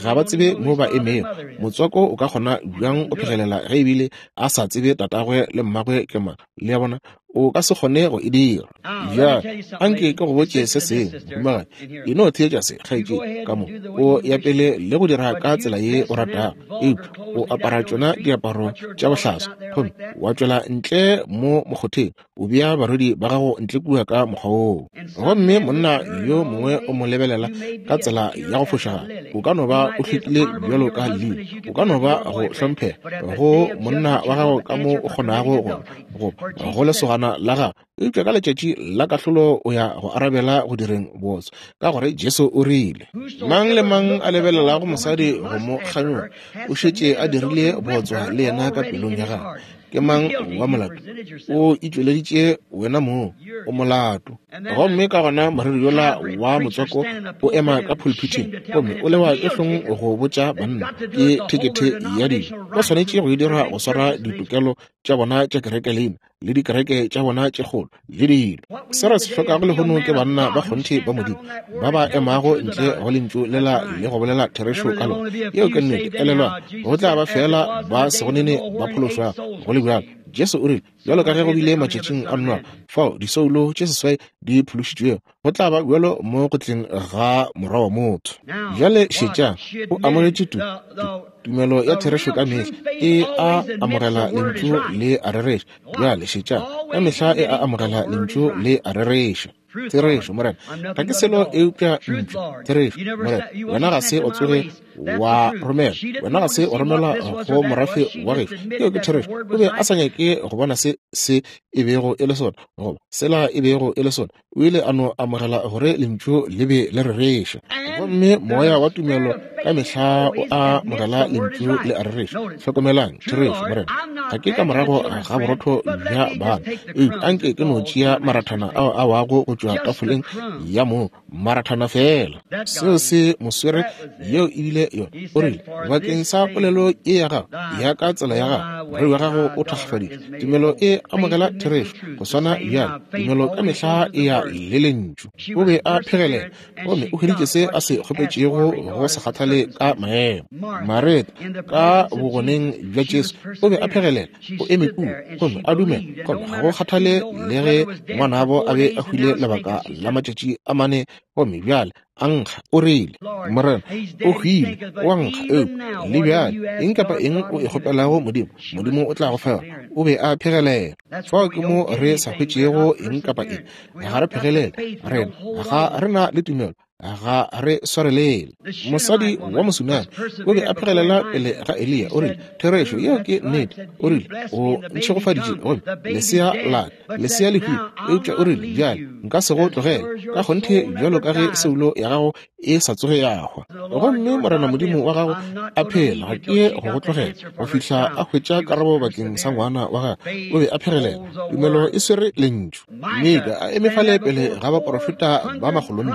Ga ba tsebe mo ba emego. Motswako o ka kgona bjang go phegelela ge ebile a sa tsebe tatagwe le mmagwe ke mang? Le a bona, o ka se kgone go e dira. Bjale, anke ke go botše se sengwe, mohumagadi. E no theetša se, kgaetšedi, ka mo. O ya pele le go dira ka tsela ye o ratago, eupša o apara tšona diaparo tša bohlaswa gomme wa tšwela ntle mo mokgotheng, o bea barwedi ba gago ntle kua ka mokgwa woo. Gomme monna yo mongwe o mo lebelela ka tsela ya go fošagala. O ka no ba o hlwekile bjalo ka lili, o ka no ba go hlomphega go monna wa gago ka mo o kgonago go goba go lesogana la gago, eupša ka letšatši la kahlolo o ya go arabela go direng bootswa, ka gore Jesu o rile, Mang le mang a lebelelago mosadi go mo kganyoga o šetše a dirile bootswa le yena ka pelong ya gagwe. Ke mang wa molato? O itšweleditše wena mong, o molato. Gomme ka gona moreri yola wa motswako o ema ka phulphithing gomme o lewa ke hlong go botša banna ke thekethe ya dilo. Ba swanetše go e dira go swara ditokelo tša bona tša kereke leina le dikereke tša bona tše kgolo le dilo. Se re se hlokago lehono ke banna ba kgonthe ba Modimo ba ba emago ntle go lentšu lela le go bolela therešo ka lona. Yeo ke nnete. Elelwang, go tla ba feela ba sego nene ba phološwago go le bjalo. Jesu o rile, Bjalo ka ge go bile matšatšing a Noa, fao disoulo tše seswai di phološitšwego, go tla ba bjalo mo go tleng ga Morwa wa motho. Bjale šetšang, o amogetše tu, tu, tumelo ya therešo ka mehla e a amogela Lentšu le a rereša. Bjale šetšang, ka mehla e a amogela Lentšu le a rereša. Therešo, Morena, ga ke selo eupša ntšu. Therešo, Morena, wena ga se o tsoge wa romela, wena ga se o romela go morafe wa gešo. Yeo ke therešo. O be a sa nyake go bona se se e bego e le sona, goba sela e bego e le sona. O ile a no amogela gore lentšu le be le rereša. Gomme moya wa tumelo ka mehla o amogela lentšu le a rereša. Hlokomelang, therešo, Morena, ga ke ka morago ga borotho bja bana, eupša anke ke no tšea marathana ao a wago go tšwa tafoleng ya moo, marathana feela. Seo se mo swere, yeo e bile yona. O rile, Bakeng sa polelo ye ya gago, ya ka tsela ya gago, morwedi wa gago o thakgafaditšwe. Tumelo e amogela therešo, go swana bjalo. Tumelo ka mehla e ya le Lentšu. O be a phegelela, gomme o hweditše se a se kgopetšego go sa kgathale ka maemo. Mareta, ka bogoneng bja Jesu, o be a phegelela, o eme kua gomme a dumela, gomme ga go kgathale le ge ngwanabo a be a hwile lebaka la matšatši a mane, gomme bjale a nkga, o rile, Morena, o hwile, o a nkga, eupša le bjale eng kapa eng o e kgopelago Modimo, Modimo o tla go fa yona. O be a phegelela. Fao ke mo re sa hwetšego eng kapa eng. Ga re phegelele, rena ga re na le tumelo, ga re swarelele. Mosadi wa Mosunami o be a phegelela pele ga Eliya, o rile, Therešo, yeo ke nnete. O rile, O ntšhegofaditše, gomme lesea la ka, lesea le hwile. Eupša o rile, Bjale nka se go tlogele, ka kgonthe bjalo ka ge soulo ya gago e sa tsoge ya hwa. Gomme Morena Modimo wa gago a phela, ga ke ye go go tlogela go fihla a hwetša karabo bakeng sa ngwana wa gagwe. O be a phegelela. Tumelo e swere Lentšu. Mika a eme fale pele ga baporofeta ba makgolonne,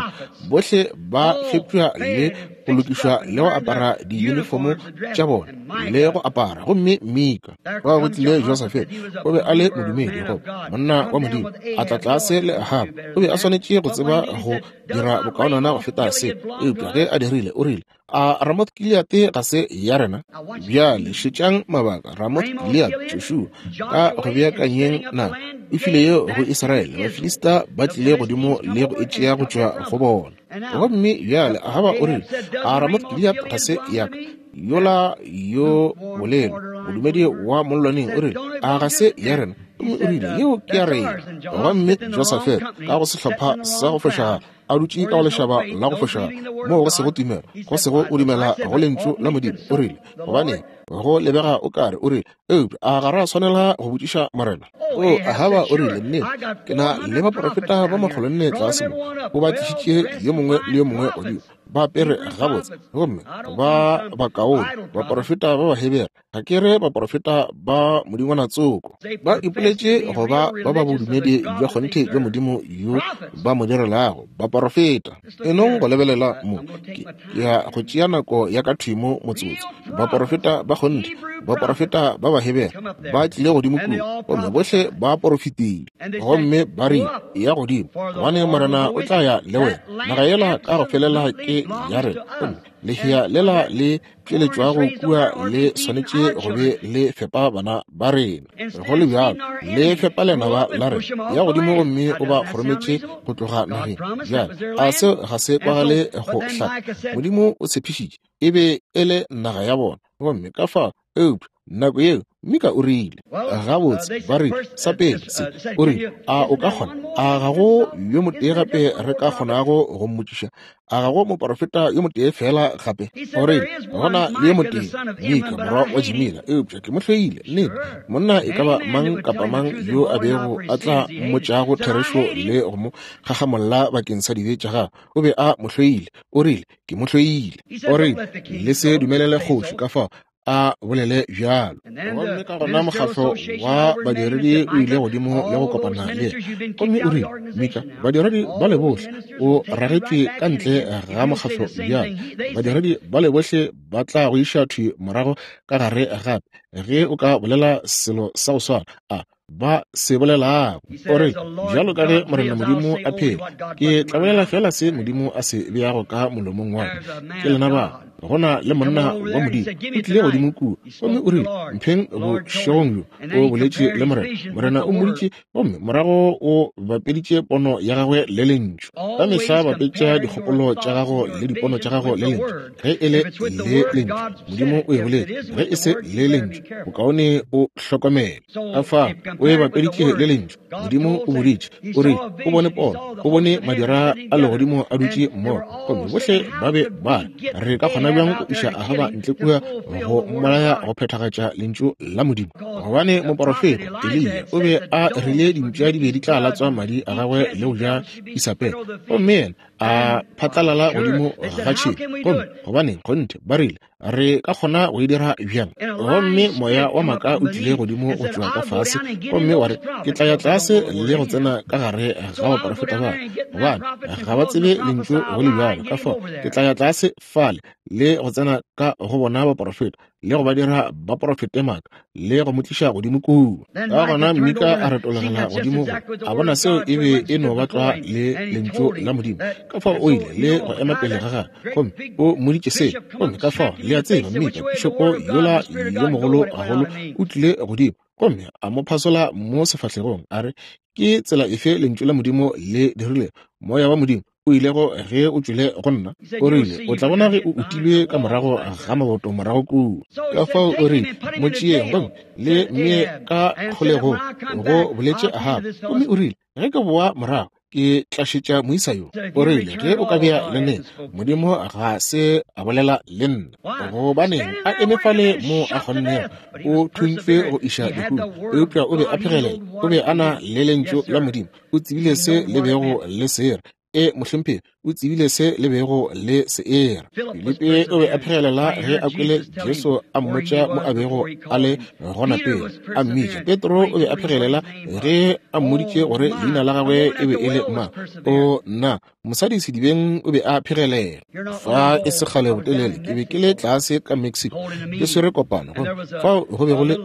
bohle ba fepša le go lokišwa le go apara diyunifomo tša bona le go apara. Gomme Mika, fao go tlile Josafate, o be a le modumedi, goba monna wa Modimo, a tla tlase le Ahaba. O be a swanetše go tseba go dira bokaonana go feta se, eupša ge a dirile, o rile, A Ramoth Gileate ga se ya rena? Bjale šetšang mabaka. Ramoth Gileate, Joshua, ka go beakanyeng naga, o file yeo go Israele. Bafilista ba tlile godimo le go e tšea go tšwa go bona. Gomme bjale Ahaba o rile, A Ramoth Gileate ga se ya ka? Yola yo bolelo, modumedi wa mollwaneng, o rile, A ga se ya rena? Gomme o rile, Yeo ke ya rena. Gomme Josafate, ka go sehlopha sa go fošagala, a dutše ka go lešaba la go fošagala, moo go sego tumelo, go sego go dumela go Lentšu la Modimo, o rile, Gobaneng, go lebega o ka re, o rile, eupša a ga ra swanela go botšiša Morena? O, Ahaba o rile, Nnete, ke na le baprofeta ba makgolonne tlase mo. O ba tlišitše yo mongwe le yo mongwe godimo. Ba apere gabotse gomme ba bakaone, baporofeta ba Bahebere. Ga ke re baporofeta ba modingwana tsoko. Ba ipoletše go ba ba ba bodumedi bja kgonthe bja Modimo yo ba mo direlago, baporofeta. E nong go lebelela mo, ke ya go tšea nako ya ka thwi mo motsotso. Baporofeta ba kgonthe, baporofeta ba Bahebere ba tlile godimo kua, gomme bohle ba porofetile. Gomme ba rile, Eya godimo, gobane Morena o tla ya le wena. Naga yela ka go felela ke ya rena, gomme lehea lela le tšweletšwago kua le swanetše go be le fepa bana ba rena. Go le bjalo, le fepa lenaba la rena. Ya godimo gomme o ba kgorometše go tloga nageng. Bjale, a seo ga se kwagale go hlaka? Modimo o tshepišitše e be e le naga ya bona, gomme ka fao eupša nako yeo Mika o rile, gabotse, ba rile, sa pele se, o rile, a o ka kgona, a ga go yo motee gape re ka kgonago go mmotšiša? A ga go moporofeta yo motee feela gape? O rile, go na le yo motee, Mika, morwa wa Jimila, eupša ke mo hloile. Nnete, monna e ka ba mang kapa mang yo a bego a tla mmotšago therešo le go mo gagamolla bakeng sa dibe tša gagwe, o be a mo hloile. O rile, ke mo hloile. O rile, le se dumelele kgoši ka fao a bolele bjalo. Gomme ka gona mokgatlo wa badiredi o ile godimo le go kopana le yena, gomme o rile, Mika, badiredi ba le bohle o ragetšwe ka ntle ga mokgatlo bjalo. Badiredi ba le bohle ba tla go iša thwi morago ka gare gape ge o ka bolela selo sa go swana. A ba se bolelago. O re, Bjalo ka ge Morena Modimo a phela, ke tla bolela feela se Modimo a se beago ka molomong wa ka. Ke lena ba. Go na le monna wa Modimo o tlile godimo kua, gomme o rile, Mpheng bošegong bjo. O boletše le Morena. Morena o mmoditše, gomme morago o bapeditše pono ya gagwe le Lentšu. Ka mehla bapetša dikgopolo tša gago le dipono tša gago le Lentšu. Ge e le le Lentšu, Modimo o e boletše. Ge e se le Lentšu, bokaone o hlokomele. Ka fao o e bapeditše le Lentšu. Modimo o boditše, o rile, o bone pono, o bone madira a legodimo a dutše mmogo, gomme bohle ba be ba re, re ka kgona bjang go iša Ahaba ntle kua go mmolaya go phethagatša Lentšu la Modimo? Gobane moporofeta Eliya o be a rile dimpša di be di tla latswa madi a gagwe le go ja Isabele, gomme yena a phatlalala godimo ga tšhemo. Gomme gobaneng, kgonthe, ba rile, re ka kgona go e dira bjang? Gomme moya wa maaka o tlile godimo go tšwa ka fase, gomme wa re, ke tla ya tlase le go tsena ka gare ga baporofeta ba, gobane ga ba tsebe lentšu go le bjalo. Ka fao ke tla ya tlase fale le go tsena ka go bona baporofeta, le go ba dira ba porofete maaka, le go mo tliša godimo kua. Ka gona Mika a retologela godimo go a bona seo e be e no ba tlwa le lentšu la Modimo. Ka fao o ile le go ema pele ga gagwe, gomme o mmoditše se. Gomme ka fao, le a tseba, Mika, pišopo yola yo mogolo gagolo, o tlile godimo gomme a mo phasola mo sefahlegong, a re, Ke tsela efe lentšu la Modimo le dirilego? Moya wa Modimo o ilego ge o tšwele go nna? O rile, O tla bona ge o utilwe ka morago ga maboto morago kua. Ka fao o rile, Mo tšeeng gomme le mmee ka kgolegong, go boletše Ahaba. Gomme o rile, Ge ke boa morago, ke tla šetša moisa yo. O rile, Ge o ka bea le nna, Modimo ga se a bolela le nna. Gobaneng a eme fale mo a kgonnego, o thuntšwe go iša lehung, eupša o be a phegelela. O be a na le Lentšu la Modimo. O tsebile se le bego le se ra. E, mohlomphegi, o tsebile se le bego le se era. Filipi o be a phegelela ge a kwele Jesu a mmotša mo a bego a le gona pele a mmitša. Petro o be a phegelela ge a mmoditše gore leina la gagwe e be e le mang. O nna, mosadi sedibeng o be a phegelela. Fa e se kgale botelele ke be ke le tlase ka Mexico ke swere kopano, gomme fao go be go le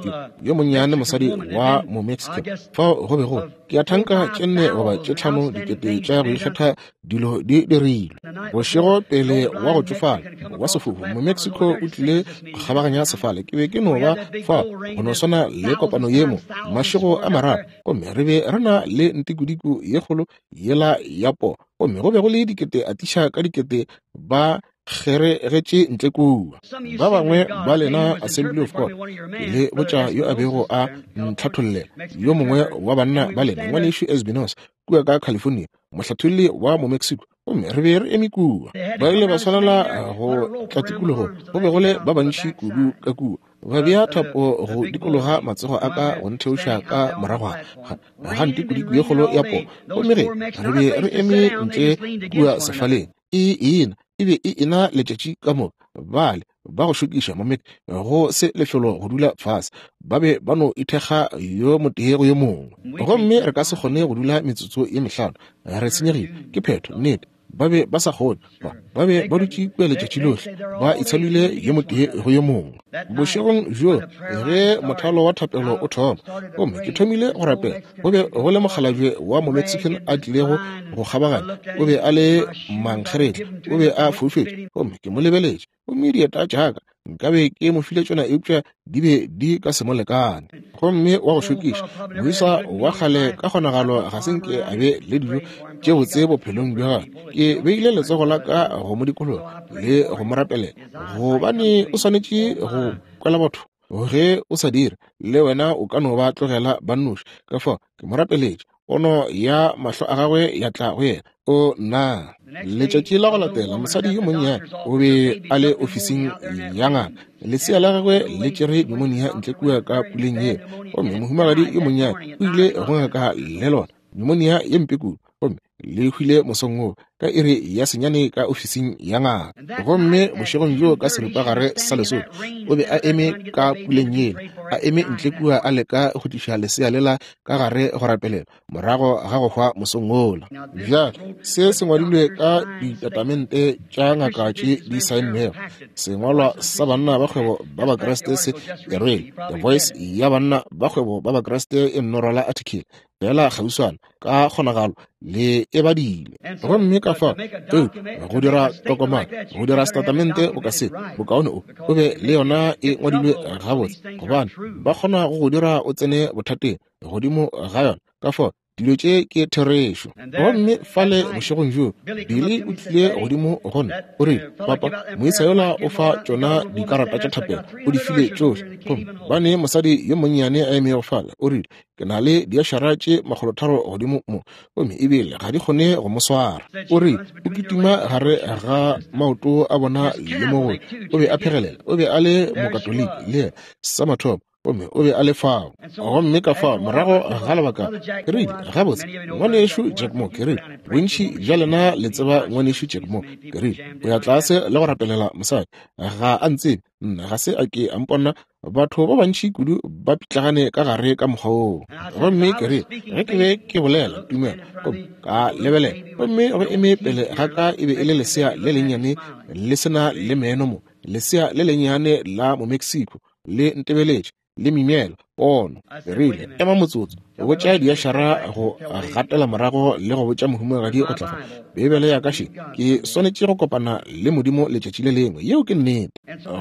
yo monnyane mosadi wa mo-Mexican. Fao go be go ke a thanka tše nne goba tše tlhano dikete tša go ikgetha dilo di dirilwe. Bošego pele wa go tšofala wa sefofu mo-Mexico o tlile go kgabaganya sefale. Ke be ke no ba fa go no swana le kopano ye mo mašego a mararo, gomme re be re na le ntikodiko ye kgolo yela ya poo, gomme go be go le dikete atiša ka dikete ba kgeregetše ntle kua. Ba bangwe ba lena Assembly of God, ke le botša yo a bego a ntlhathollela, yo mongwe wa banna ba lena, Ngwanešu Espinosa, kua ka California, mohlatholli wa mo-Mexico, gomme re be re eme kua. Ba ile ba swanela go tla tikologong, go be go le ba bantši kudu ka kua. Ba bea thapo go dikologa matsogo a ka go ntheoša ka morago ga ntikodiko ye kgolo ya poo, gomme ge re be re eme ntle kua sefaleng, e ena. E be e ena letšatši ka moka. Bale ba go šokiša mo go se lefelo go dula fase, ba be ba no ithekga yo motee go yo mongwe. Gomme re ka se kgone go dula metsotso ye mehlano, re senyegile. Ke phetho, nnete. Ba be ba sa kgone, ba be ba dutše kua letšatši lohle, ba itshalile yo motee go yo mongwe. Bošegong bjo ge mothalo wa thapelo o thoma, gomme ke thomile go rapela, go be go le mokgalabje wa mo-Mexican a tlilego go kgabaganya. O be a le mankgeretla, o be a foufetše, gomme ke mo lebeletše. Gomme dieta tša ka nkabe ke mo file tšona, eupša di be di ka se mo lekane. Gomme wa go šokiša moisa wa kgale ka kgonagalo ga se nke a be le dijo tše botse bophelong bja gagwe. Ke beile letsogo la ka go mo dikologa le go mo rapelela, gobane o swanetše go kwela batho. Ge o sa dire, le wena o ka no ba tlogela ba nnoši. Ka fao ke mo rapeletše, pono ya mahlo a gagwe ya tla go yena. O nna. Letšatši la go latela, mosadi yo monnyane o be a le ofising ya ngaka. Lesea la gagwe le tšere pneumonia ntle kua ka puleng yeo, gomme mohumagadi yo monnyane o ile go ngaka le lona, pneumonia ye mpe kudu, gomme le hwile mosong woo ka iri ya 9 ka ofising ya ngaka. Gomme bošegong bjo ka seripagare sa lesome o be a eme ka puleng yela, a eme ntle kua a leka go tliša lesea lela ka gare go rapelela morago ga go hwa mosong wola. Bjale se se ngwadilwe ka ditatamente tša ngaka tše di saennwego. Sengwalwa sa banna ba kgwebo ba Bakriste se e rwele The Voice ya banna ba kgwebo ba Bakriste e nno rwala article fela kgauswana ka kgonagalo le e badile. Gomme ka fao go dira tokomane, go dira setatamente boka se, bokaone o be le yona e ngwadilwe gabotse, gobane ba kgona go go dira o tsene bothateng godimo ga yona. Ka fao dilo tše ke therešo. Gomme fale bošegong bjo Billy o tlile godimo go nna, o rile, Papa, moisa yola o fa tšona dikarata tša thapelo, o di file tšohle. Gomme ba ne mosadi yo monnyane a emego fale, o rile, ke na le diašara tše 300 godimo mo, gomme ebile ga di kgone go mo swara. O rile, o kitima gare ga maoto a bona le mogolo. O be a phegelela, o be a le Mokatoliki le yena sa mathomo, gomme o be a le fao. Gomme ka fao morago ga lebaka ke rile, gabotse, ngwanešu Jack Moore, ke rile, bontši bja lena le tseba ngwanešu Jack Moore, ke rile, o ya tlase le go rapelela mosadi, ga a ntsebe nna, ga se a ke a mpona. Batho ba bantši kudu ba pitlagane ka gare ka mokgwa woo. Gomme ke rile, ge ke be ke bolela tumelo, gomme ka lebelela, gomme go eme pele ga ka e be e le lesea le lennyane le se na le meno mo, lesea le lennyane la mo-Mexico, le ntebeletše, le mimela pono. Ke rile, ema motsotso, botša diašara go gatela morago le go botša mohumagadi go tla fa. Beibele ya ka še, ke swanetše go kopana le Modimo letšatši le lengwe. Yeo ke nnete.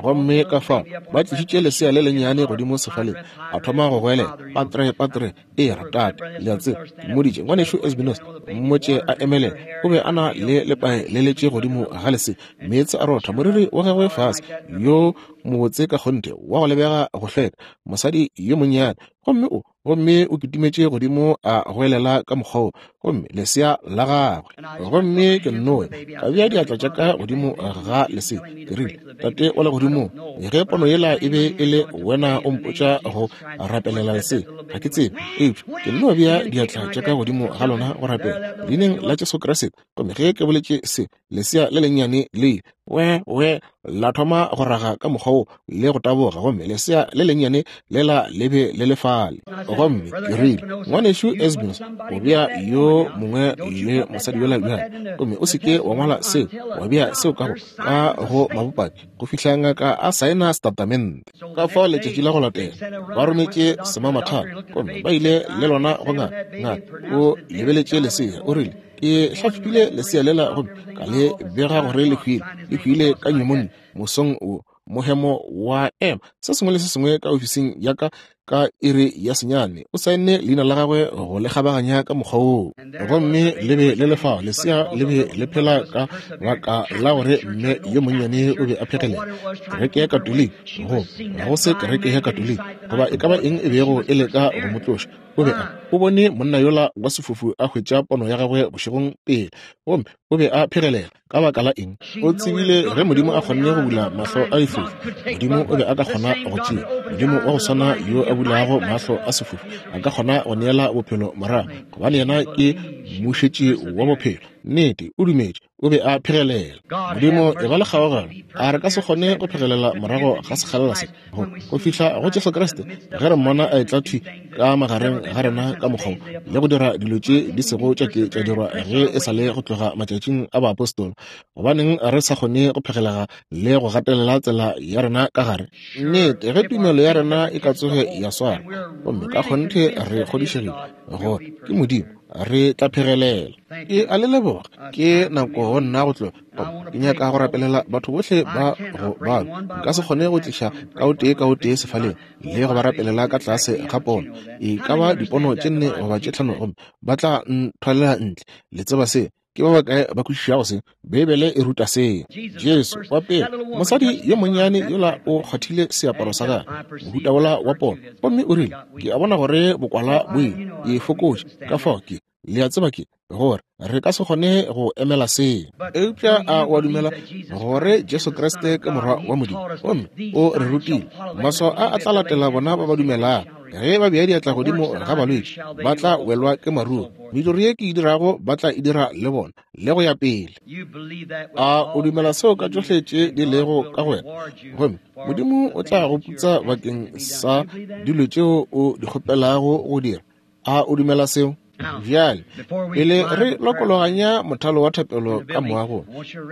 Gomme ka fao ba tlišitše lesea le lennyane godimo sefaleng, a thoma go goelela, Patre, patre, e ra tate. Le a tseba, ke mmoditše, ngwanešu Esbinos, mmotše a emelele. O be a na le lepae le letše godimo ga lesea, meetse a rotha moriri wa gagwe fase, yo mobotse ka kgonthe, wa go lebega go hlweka, mosadi yo monnyane. Gomme o gomme o kitimetše godimo a goelela ka mokgwa wo, gomme lesea la gagwe. Gomme ke nnoe ka bea diatla tša ka godimo ga lesea, ke rile, Tate wa legodimong, ge pono yela e be e le wena o mpotša go rapelela lesea, ga ke tsebe, eupša ke nno bea diatla tša ka godimo ga lona go rapela leineng la Jesu Kriste. Gomme ge ke boletše se, lesea le lennyane le ile we we la thoma go raga ka mokgwa wo le go taboga, gomme lesea le lennyane lela le be le le fale. Gomme ke rile, ngwanešu Esbins, o bea yo mongwe le mosadi yola bjale, gomme o seke wa ngwala seo, wa bea seo ka go ka go mabopaki go fihla ngaka a saena setatamente. Ka fao letšatši la go latela ba rometše semamathana, gomme ba ile le lona go ngaka. Ngaka o lebeletše lesea, o rile, ke hlahlobile lesea lela gomme ka le bega gore le hwile, le hwile ka pneumonia mosong wo, mohemo wa ema. Se sengwe le se sengwe ka ofising ya ka ka iri ya 9, o saenne leina la gagwe go le kgabaganya ka mokgwa woo. Gomme le be le le fao, lesea le be le phela ka baka la gore mme yo monnyane o be a phegelela kereke ya Katoliki, go go se kereke ya Katoliki goba e ka ba eng e bego e leka go mo tloša. O be a o bone monna yola wa sefofu a hwetša pono ya gagwe bošegong pele, gomme o be a phegelela. Ka baka la eng? O tsebile ge Modimo a kgonne go bula mahlo a difofu, Modimo o be a ka kgona go tšea. Modimo wa go swana yo a bulago mahlo a sefofu a ka kgona go neela bophelo morago, gobane yena ke mmušetši wa bophelo. Nnete, o dumetše, o be a phegelela. Modimo, e ba le kgaogelo. A re ka se kgone go phegelela morago ga sekgalela se, go fihla go Jesu Kriste, ge re mmona a etla thwi ka magareng ga rena ka mokgwa wo, le go dira dilo tše di sego tša ke tša dirwa ge e sa le go tloga matšatšing a baapostola. Gobaneng re sa kgone go phegelega le go gatelela tsela ya rena ka gare? Nnete, ge tumelo ya rena e ka tsoge ya swara, gomme ka kgonthe re kgodišegile gore ke Modimo, re tla phegelela. Ke a le leboga. Ke nako go nna go tloga. Ke nyaka go rapelela batho bohle ba go balwa. Nka se kgone go tliša ka o tee ka o tee sefaleng le go ba rapelela ka tlase ga pono, e ka ba dipono tše 4 goba tše 5, gomme ba tla nthwalela ntle. Le tseba se. Ke ba bakae ba kwešišago se? Beibele e ruta seo. Jesu wa pele, mosadi yo monnyane yola o kgwathile seaparo sa gagwe, mohuta wola wa pono, gomme o rile, Ke a bona gore bokwala bo ile, ke fokotše, ka fao ke, le a tseba ke, gore re ka se kgone go emela seo. Eupša a o a dumela gore Jesu Kriste ke Morwa wa Modimo, gomme o re rutile, maswao a a tla latela bona ba ba dumelago, ge ba bea diatla godimo ga balwetši ba tla welwa ke maruo, mediro ye ke e dirago ba tla e dira le bona, le go ya pele. A o dumela seo ka tšohle tše di lego ka go wena? Gomme Modimo o tla go putsa bakeng sa dilo tšeo o di kgopelago go dira. A o dumela seo? Bjale, pele re lokologanya mothalo wa thapelo ka moagong,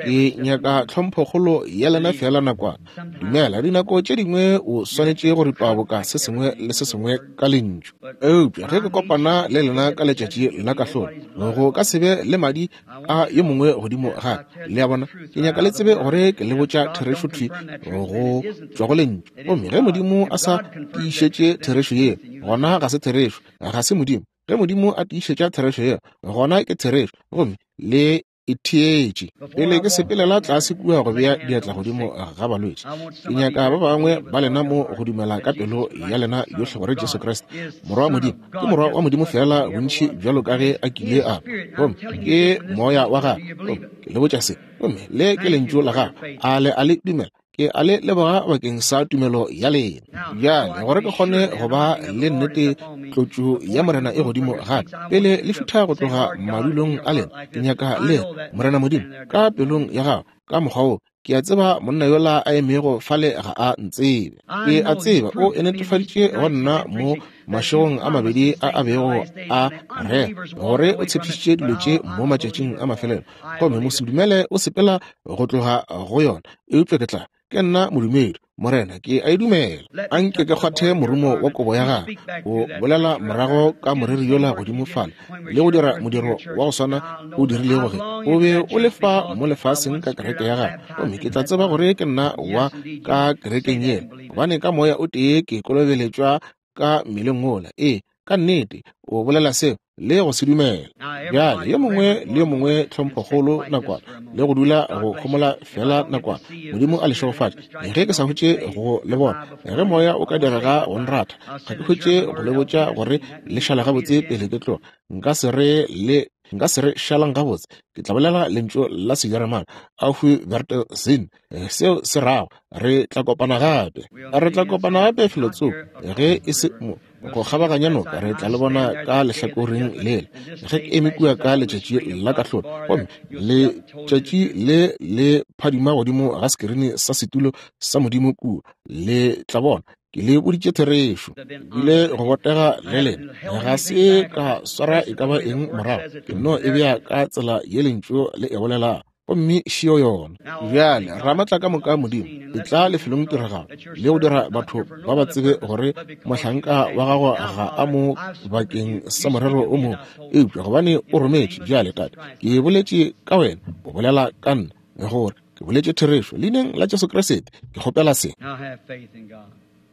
ke nyaka tlhomphokgolo ya lena feela nakwana. Dumela, dinako tše dingwe o swanetše go ripa boka se sengwe le se sengwe ka lentšu. Eupša ge ke kopana le lena ka letšatši la kahlolo, go ka se be le madi a yo mongwe godimo ga ka. Le a bona? Ke nyaka le tsebe gore ke le botša therešo thwi go tšwa go lentšu. Gomme ge Modimo a sa tiišetše therešo yeo, gona ga se therešo, ga se Modimo. Ge Modimo a tiišetša therešo yeo, gona ke therešo, gomme le e theetše. Pele ke sepelela tlase kua go bea diatla godimo ga balwetši, ke nyaka ba bangwe ba lena mo go dumela ka pelo ya lena yohle gore Jesu Kriste, Morwa wa Modimo, ke Morwa wa Modimo feela bontši bjalo ka ge a kile a ba, gomme ke Moya wa Gagwe. Gomme ke le botša se, gomme le ke Lentšu la Gagwe. A le a le dumela? Ke a le leboga bakeng sa tumelo ya lena. Bjale, gore ke kgone go ba le nnete tlotšo ya Morena e godimo gape, pele le šutha go tloga madulong a lena, ke nyaka le re, Morena Modimo, ka pelong ya gago, ka mokgwa wo, ke a tseba monna yola a emego fale ga a ntsebe. Ke a tseba o e netefaditše go nna mo mašegong a mabedi a a bego a rera gore o tshepišitše dilo tše mo matšatšing a mafelelo, gomme mosedumele o sepela go tloga go yona. Eupša ke tla, ke nna modumedi, Morena, ke a e dumela. A nke ke kgwathe morumo wa kobo ya gagwe, o bolela morago ka moreri yola godimo fale, le go dira modiro wa go swana o dirilego ge o be o le fa mo lefaseng ka kereke ya gagwe. Gomme ke tla tseba gore ke nna wa ka kerekeng yela, gobane ka Moya o tee ke kolobeletšwa ka mmeleng wola. Ee, ka nnete, o bolela seo le go se dumela. Bjale, yo mongwe le yo mongwe tlhomphokgolo nakwana, le go dula go homola feela nakwana. Modimo a le šegofatše. Ge ke sa hwetše go le bona, ge Moya o ka direga go nratha, ga ke hwetše go le botša gore le šala gabotse pele ke tloga. Nka se re le nka se re šalang gabotse. Ke tla bolela lentšu la Sejeremane, Auf Wiedersehen. Seo se rago re tla kopana gape. Re tla kopana gape felotsoko, ge e se mo go kgabaganya noka, re tla le bona ka lehlakoreng lela ge ke eme kua ka letšatši la kahlolo, gomme letšatši le le phadima godimo ga sekirini sa setulo sa Modimo kua. Le tla bona ke le boditše therešo, bile go botega le lena, ga se ka swara e ka ba eng morago, ke no e bea ka tsela ye lentšu le e bolelago, gomme šio yona. Bjale, Ramatla ka moka Modimo, etla lefelong tiragalo le go dira batho ba ba tsebe gore mohlanka wa gago ga a mo bakeng sa morero o mongwe, eupša gobane o rometše. Bjale, Tate, ke boletše ka wena, o bolela ka nna, gore ke boletše therešo. Leineng la Jesu Kriste, ke kgopela se.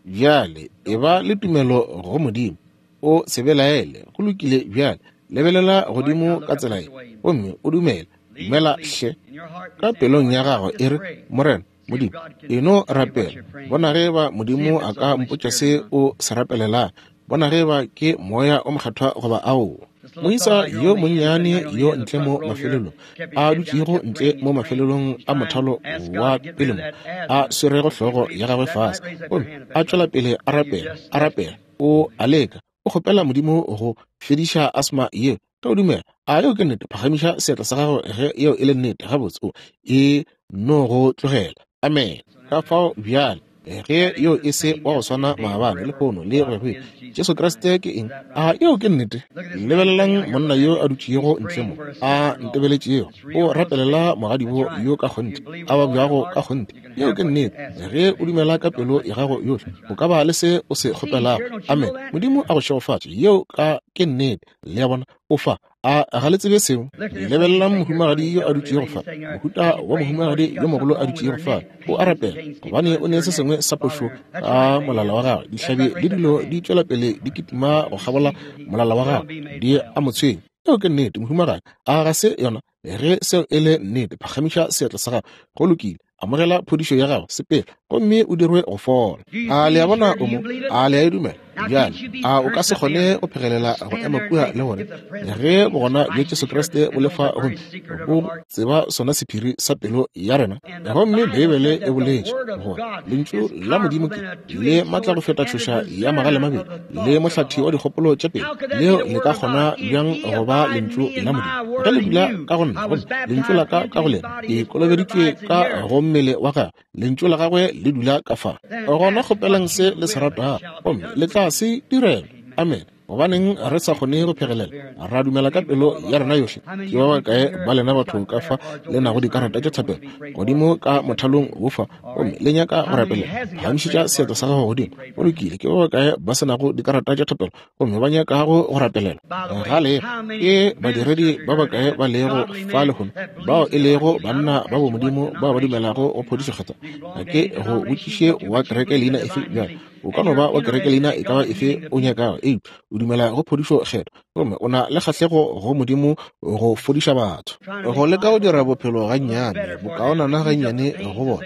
Bjale, eba le tumelo go Modimo. O se belaele. Go lokile bjale. Lebelela godimo ka tsela ye, gomme o dumele. Dumela hle. Ka pelong ya gago e re, Morena Modimo, e no rapela. Bona ge ba Modimo a ka mpotša se o se rapelelang. Bona ge ba ke Moya o Mokgethwa goba aowa. Moisa yo monnyane yo ntle mo mafelelong, a dutšego ntle mo mafelelong a mothalo wa pele mo, a swerego hlogo ya gagwe fase, gomme a tšwela pele a rapela, a rapela, o a leka, o kgopela Modimo go fediša asma yeo. Ge o dumela, a yeo ke nnete, phagamiša seatla sa gago ge yeo e le nnete. Gabotse, o e no go tlogela. Amene. Ka fao bjale, ge yo e se wa go swana maabane, lehono, le go ya go ile, Jesu Kriste ke eng? A yeo ke nnete? Lebelelang monna yo a dutšego ntle mo, a ntebeletšego, o rapelela mogadibo yo ka kgonthe, a babjago ka kgonthe. Yeo ke nnete. Ge o dumela ka pelo ya gago yohle, o ka ba le se o se kgopelago. Amene. Modimo a go šegofatše. Yeo ka ke nnete. Le a bona? O fa. A ga le tsebe seo? Lebelelang mohumagadi yo a dutšego fa, mohuta wa mohumagadi yo mogolo a dutšego fa. O a rapela, gobane o ne se sengwe sa pošo ka molala wa gagwe. Dihlabi le dilo di tšwela pele di kitima go kgabola molala wa gagwe, di a mo tshwenya. Yeo ke nnete, mohumagadi. A ga se yona? Ge seo e le nnete, phagamiša seatla sa gago. Go lokile. Amogela phodišo ya gago, sepela, gomme o dirwe go fola. A le a bona o mo? A le a e dumela? Bjale, a o ka se kgone go phegelela go ema kua le gore ge bogona bja Jesu Kriste bo le fa gomme bo tseba sona sephiri sa pelo ya rena? Gomme Beibele e boletše gore Lentšu la Modimo ke le matla go feta tšhoša ya magalemabedi le mohlathi wa dikgopolo tša pelo. Leo le ka kgona bjang go ba Lentšu la Modimo? Ge le dula ka go nna gomme Lentšu la ka ka go lena, ke kolobeditšwe ka go mmele wa gagwe, Lentšu la gagwe le dula ka fa. Gona kgopelang se le se ratago gomme le tla se direlwa. Amene. Gobaneng re sa kgone go phegelela ra dumela ka pelo ya rena yohle? Ke ba bakae ba lena batho ka fa le nago dikarata tša thapelo godimo ka mothalong wo fa gomme le nyaka go rapelela? Phagamišetša seatla sa gago godimo. Go lokile. Ke ba bakae ba se nago dikarata tša thapelo gomme ba nyakago go rapelela? Ga le ke badiredi ba bakae ba lego fa lehono bao e lego banna ba bomodimo bao ba dumelago go phodišo kgethwa? Ga ke go botšiše wa kereke leina efe bjale. O ka no ba wa kereke leina e ka ba efe o nyakago, eupša o dumela go phodišo kgethwa gomme o na le kgahlego go Modimo go fodiša batho. Go leka go dira bophelo gannyane bokaonana gannyane go bona,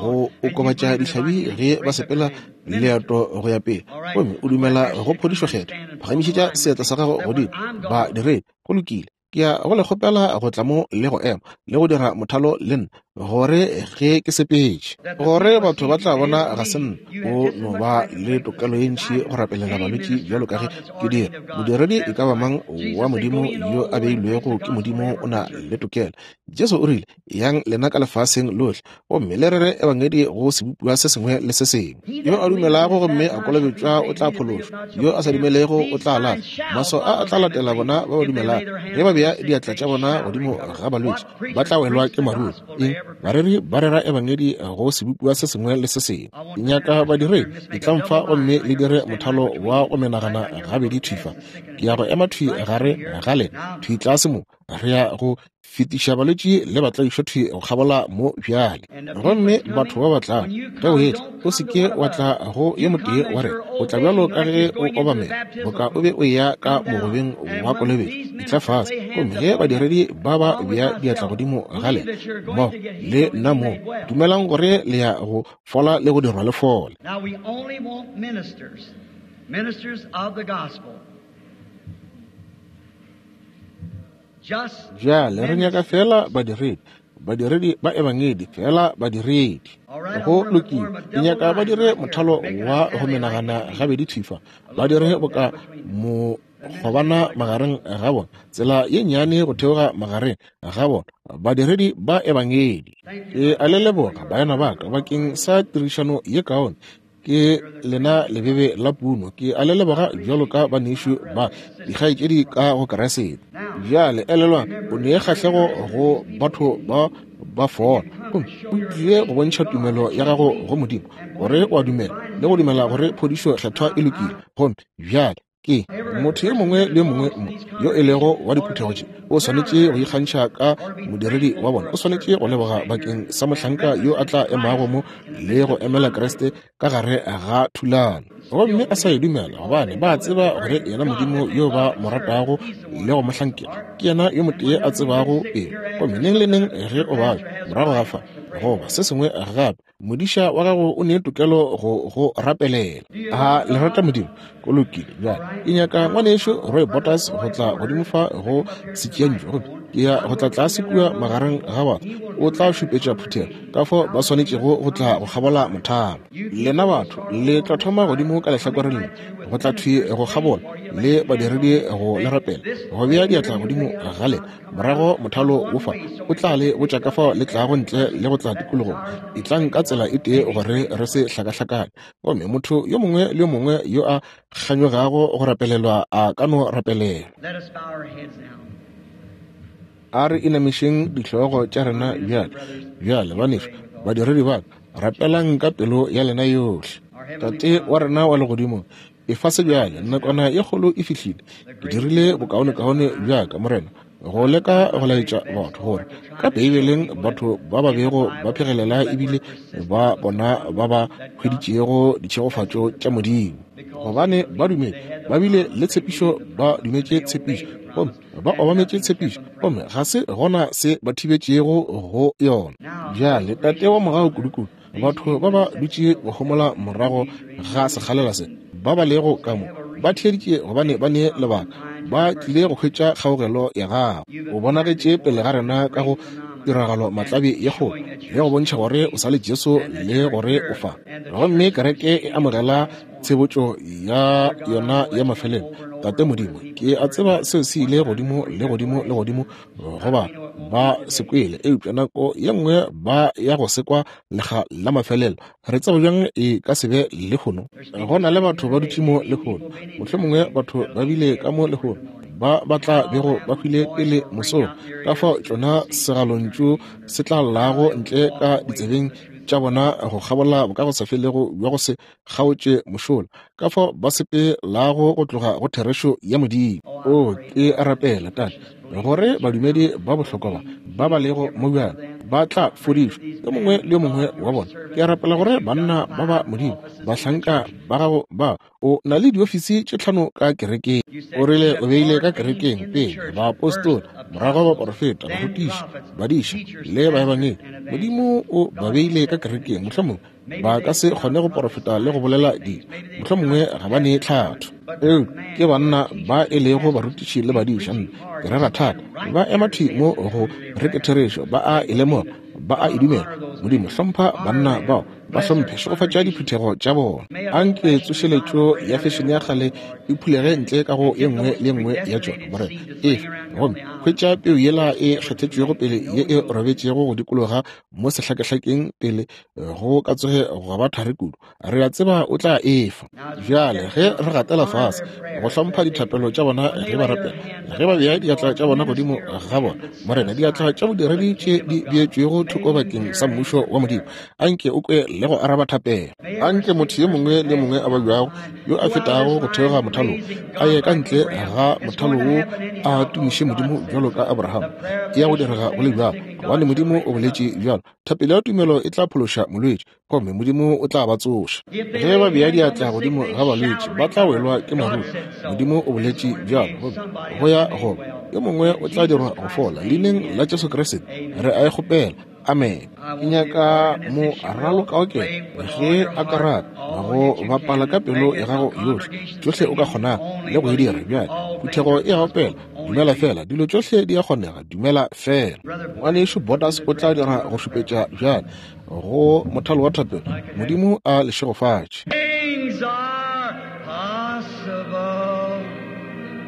go okobatša dihlabi ge ba sepela leeto go ya pele, gomme o dumela go phodišo kgethwa. Phagamišetša seatla sa gago godimo, badiredi. Go lokile. Ke ya go le kgopela go tla mo le go ema le go dira mothalo le nna, gore ge ke sepetše, gore batho ba tla bona ga se nna. O no ba le tokelo ye ntši go rapelela balwetši bjalo ka ge ke dira. Modiredi e ka ba mang wa Modimo yo a beilwego ke Modimo o na le tokelo. Jesu o rile, Yang lena ka lefaseng lohle gomme le rere ebangedi go sebopiwa se sengwe le se sengwe. Yo a dumelago gomme a kolobetšwa o tla phološwa, yo a sa dumelego o tla lahlwa. Maswao a a tla latela bona ba ba dumelago. Ge ba bea diatla tša bona godimo ga balwetši, ba tla welwa ke maruru. Eng? Bareri ba rera ebangedi go sebopiwa se sengwe le se sengwe. Ke nyaka badiredi, etlang fa gomme le dire mothalo wa go menagana gabedi thwi fa. Ke ya go ema thwi gare ga lena, thwi tlase mo. Re ya go fetiša balwetši le batlaišwa thwi go kgabola mo bjale. Gomme batho ba ba tla, ge o etla, o se ke wa tla go yo motee wa rena. O tla bjalo ka ge o obamela, boka o be o eya ka mogobeng wa kolobetšo. Etla fase, gomme ge badiredi ba ba bea diatla godimo ga lena, mmogo le nna mo, dumelang gore le ya go fola le go dirwa le fole. Now we only want ministers, ministers of the gospel. Bjale re nyaka feela badiredi, badiredi ba ebangedi, feela badiredi. Go lokile. Ke nyaka ba dire mothalo wa go menagana gabedi thwi fa, ba dire boka mokgobana magareng ga bona, tsela ye nnyane go theoga magareng ga bona, badiredi ba ebangedi. Ke a le leboga, baena ba ka, bakeng sa tirišano ye kaone. Ke lena lebebe la puno. Ke a le leboga bjalo ka banešu ba dikgaetšedi ka go Keresete. Bjale elelwang, o ne kgahlego go batho ba ba fola, gomme o tlile go bontšha tumelo ya gago go Modimo, gore o a dumela le go dumela gore phodišo kgethwa e lokile. Gomme bjale Ke motho yo mongwe le yo mongwe mo yo e lego wa diphuthego tše o swanetše go ikgantšha ka modiredi wa bona. O swanetše go leboga bakeng sa mohlanka yo a tla emago mo le go emela Kriste ka gare ga thulano, gomme a sa e dumela, gobane ba tseba gore yena Modimo yo ba mo ratago le go mo hlankela ke yena yo motee a tsebago pelo. Gomme neng le neng ge o babja morago ga fa goba se sengwe gape, Modiša wa gago o ne tokelo go go rapelela. A le rata Modimo? Go lokile. Bjale ke nyaka ngwanešu Roy Borders go tla godimo fa go setšiantšu, gomme ke ya go tla tlase kua magareng ga batho. O tla šupetša phuthego ka fao ba swanetšego go tla go kgabola mothalo. Lena batho le tla thoma godimo ka lehlakoreng le, go tla thwi go kgabola le badiredi go le rapela, go bea diatla godimo ga lena. Morago mothalo wo fa o tla le botša ka fao le tlago ntle le go tla tikologong. Etlang ka tsela e tee gore re se hlakahlakane. Gomme motho yo mongwe le yo mongwe yo a kganyogago go rapelelwa a ka no rapelelwa. A re inamišeng dihlogo tša rena bjale. Bjale, banešu, badiredi ba ka, rapelang ka pelo ya lena yohle. Tate wa rena wa legodimong, efa se bjale, nakwana ye kgolo e fihlile. Ke dirile bokaonekaone bja ka, Morena, go leka go laetša batho gore ka Beibeleng batho ba ba bego ba phegelela ebile ba bona ba ba hweditšego ditšhegofatšo tša Modimo, gobane ba dumetše, ba bile le tshepišo, ba dumetše tshepišo, gomme ba obametše tshepišo, gomme ga se gona se ba thibetšego go yona. Bjale, Tate wa mogau kudukudu, batho ba ba dutše go homola morago ga sekgalela se, ba ba lego ka mo, ba theeditše gobane ba ne lebaka, ba tlile go hwetša kgaogelo ya gago. O bonagetše pele ga rena ka go tiragalo matlabi ye kgolo, le go bontšha gore o sa le Jesu le gore o fa. Gomme kereke e amogela tshebotšo ya yona ya mafelelo. Tate Modimo, ke a tseba seo se ile godimo le godimo le godimo goba ba se kwele, eupša nako ye nngwe ba ya go se kwa lekga la mafelelo. Re tseba bjang e ka se be lehono? Go na le batho ba dutše mo lehono, mohlomongwe batho ba bile ka mo lehono ba ba tla bego ba hwile pele mosong, ka fao tšona segalontšu se tla llago ntle ka ditsebeng tša bona go kgabola bokagosafelego bja go se kgaotše mošola, ka fao ba sepelago go tloga go therešo ya Modimo. O, ke a rapela, Tate, gore badumedi ba bohlokwa ba, ba ba lego mo bjale, ba tla fodišwa, yo mongwe le yo mongwe wa bona. Ke a rapela gore banna ba ba Modimo, bahlanka ba Gago ba, o na le diofisi tše tlhano ka kerekeng. O rile o beile ka kerekeng pele baapostola, morago baporofeta, barutiši, badiša le baebangedi. Modimo o ba beile ka kerekeng, mohlomongwe ba ka se kgone go porofeta le go bolela dilo, mohlomongwe ga ba ne tlhatho, eupša ke banna ba e lego barutiši le badiša. Nna ke rera thata, ba ema thwi mo go re ke therešo, ba a e lemoga, ba a e dumela. Modimo, hlompha banna bao, ba hlomphe, šegofatša diphuthego tša bona. Anke tsošeletšo ya fešene ya kgale e phulege ntle ka go ye nngwe le ye nngwe ya tšona, Morena, efa. Gomme hwetša peu yela e kgethetšwego pele ye e robetšego go dikologa mo sehlakehlakeng pele go ka tsoge gwa ba thari kudu. Re a tseba o tla e fa. Bjale ge re gatela fase go hlompha dithapelo tša bona ge ba rapela, ge ba bea diatla tša bona godimo ga bona, Morena, diatla tša bodiredi tše di beetšwego thoko bakeng sa Mmušo wa Modimo, anke o kwe le go araba thapelo. Anke motho yo mongwe le mongwe a babjago yo a fetago go theoga mothalong a ye ka ntle ga mothalo wo a tumiše Modimo bjalo ka Abraham. E ya go direga go le bjalo, gobane Modimo o boletše bjalo. Thapelo ya tumelo e tla phološa molwetši, gomme Modimo o tla ba tsoša. Ge ba bea diatla godimo ga balwetši, ba tla welwa ke maruru. Modimo o boletše bjalo, gomme go ya goba yo mongwe o tla dirwa go fola. Leineng la Jesu Kriste re a e kgopela. Amen. Ke nyaka mo ralokaokelo ge a ka rata go bapala ka pelo ya gago yohle, tšohle o ka kgonago le go e dira. Bjale phuthego e a opela. Dumela fela, dilo tšohle di a kgonega, dumela fela. Ngwanešu Borders o tla dira go šupetša bjale go mothalo wa thapelo. Modimo a le šegofatše. Things are possible.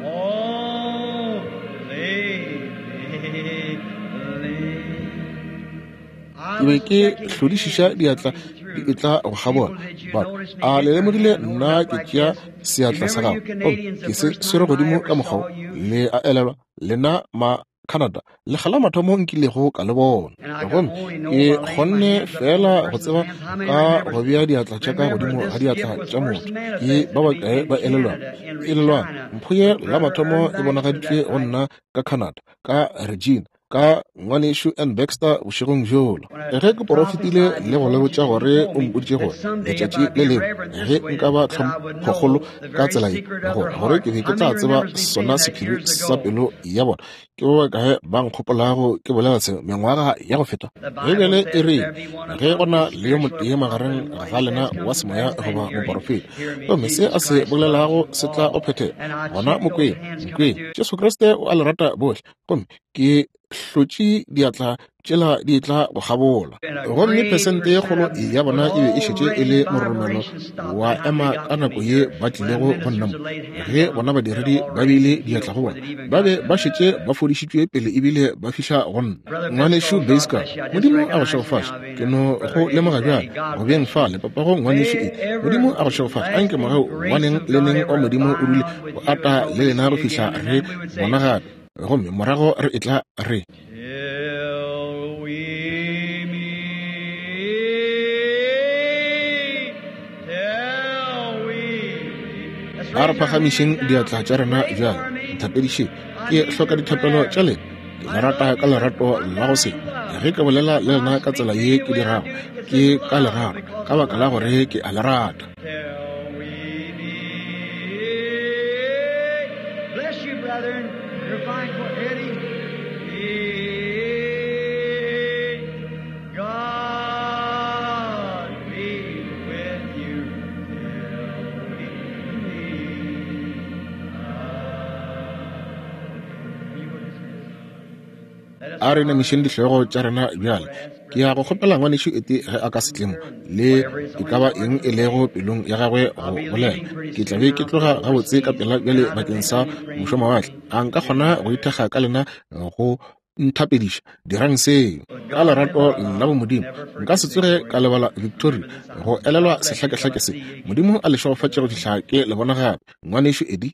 Only believe. Ke be ke hlodišiša diatla di etla go kgabola. Batho, a le lemogile nna ke tšea seatla sa gago gomme ke se swere godimo ka mokgwa wo? Le a elelwa, lena ma Canada, lekga la mathomo nkilego ka le bona. Gomme ke kgonne feela go tseba ka go bea diatla tša ka godimo ga diatla tša motho. Ke ba bakae ba elelwago? Elelwang, mpho ye la mathomo e bonagaditšwe go nna ka Canada, ka Regina. Ka Ngwanešu Ern Baxter bošegong bjola, ge ke porofetile le go le botša gore o mpoditše gore letšatši le lengwe ge nka ba tlhomphokgolo ka tsela ye, gore, gore ke be ke tla tseba sona sephiri sa pelo ya bona. Ke ba bakae ba nkgopolago ke bolela se mengwaga ya go feta? Beibele e re ge go na le yo motee magareng ga lena wa semoya goba moporofeta, gomme se a se bolelago se tla go phethega, gona mo kweng, nkweng. Jesu Kriste o a le rata bohle, gomme ke hlotše diatla tšela di tla go kgabola. Gomme phesente ye kgolo ya bona e be e šetše e le mororomelo wa ema ka nako ye ba tlilego go nna mo. Ge bona badiredi ba beile diatla go bona, ba be ba šetše ba fodišitšwe pele ebile ba fihla go nna. Ngwanešu Basker, Modimo a go šegofatše. Ke no go lemoga bjale, go beng fale, papago ngwanešu e. Modimo a go šegofatše. Anke mogau wa neng le neng wa Modimo o dule o ata le lena go fihla re bona gape. Gomme morago re etla re. Till we meet, till we meet. A re phagamišeng diatla tša rena bjale. Nthapedišeng. Ke hloka dithapelo tša lena. Ke le rata ka lerato la go se. Ge ke bolela le lena ka tsela ye ke dirago, ke ka lerato, ka baka la gore ke a le rata. Till we meet. Bless you, brethren. You're fine for Eddie. Meet. God be with you till we meet. You will dismiss. Let us A re namišeng dihlogo tša rena bjale. Ke ya go kgopela ngwanešu ete ge a ka se tle mo, le e ka ba eng e lego pelong ya gagwe go bolela. Ke tla be ke tloga gabotse ka pela bjale bakeng sa mošomawatle. A nka kgona go ithekga ka lena go nthapediša? Dirang seo ka lerato la bomodimo. Nka se tsoge ka lebala Victoria, go elelwa sehlakehlake se. Modimo a le šegofatše go fihla ke le bona gape. Ngwanešu Eddie.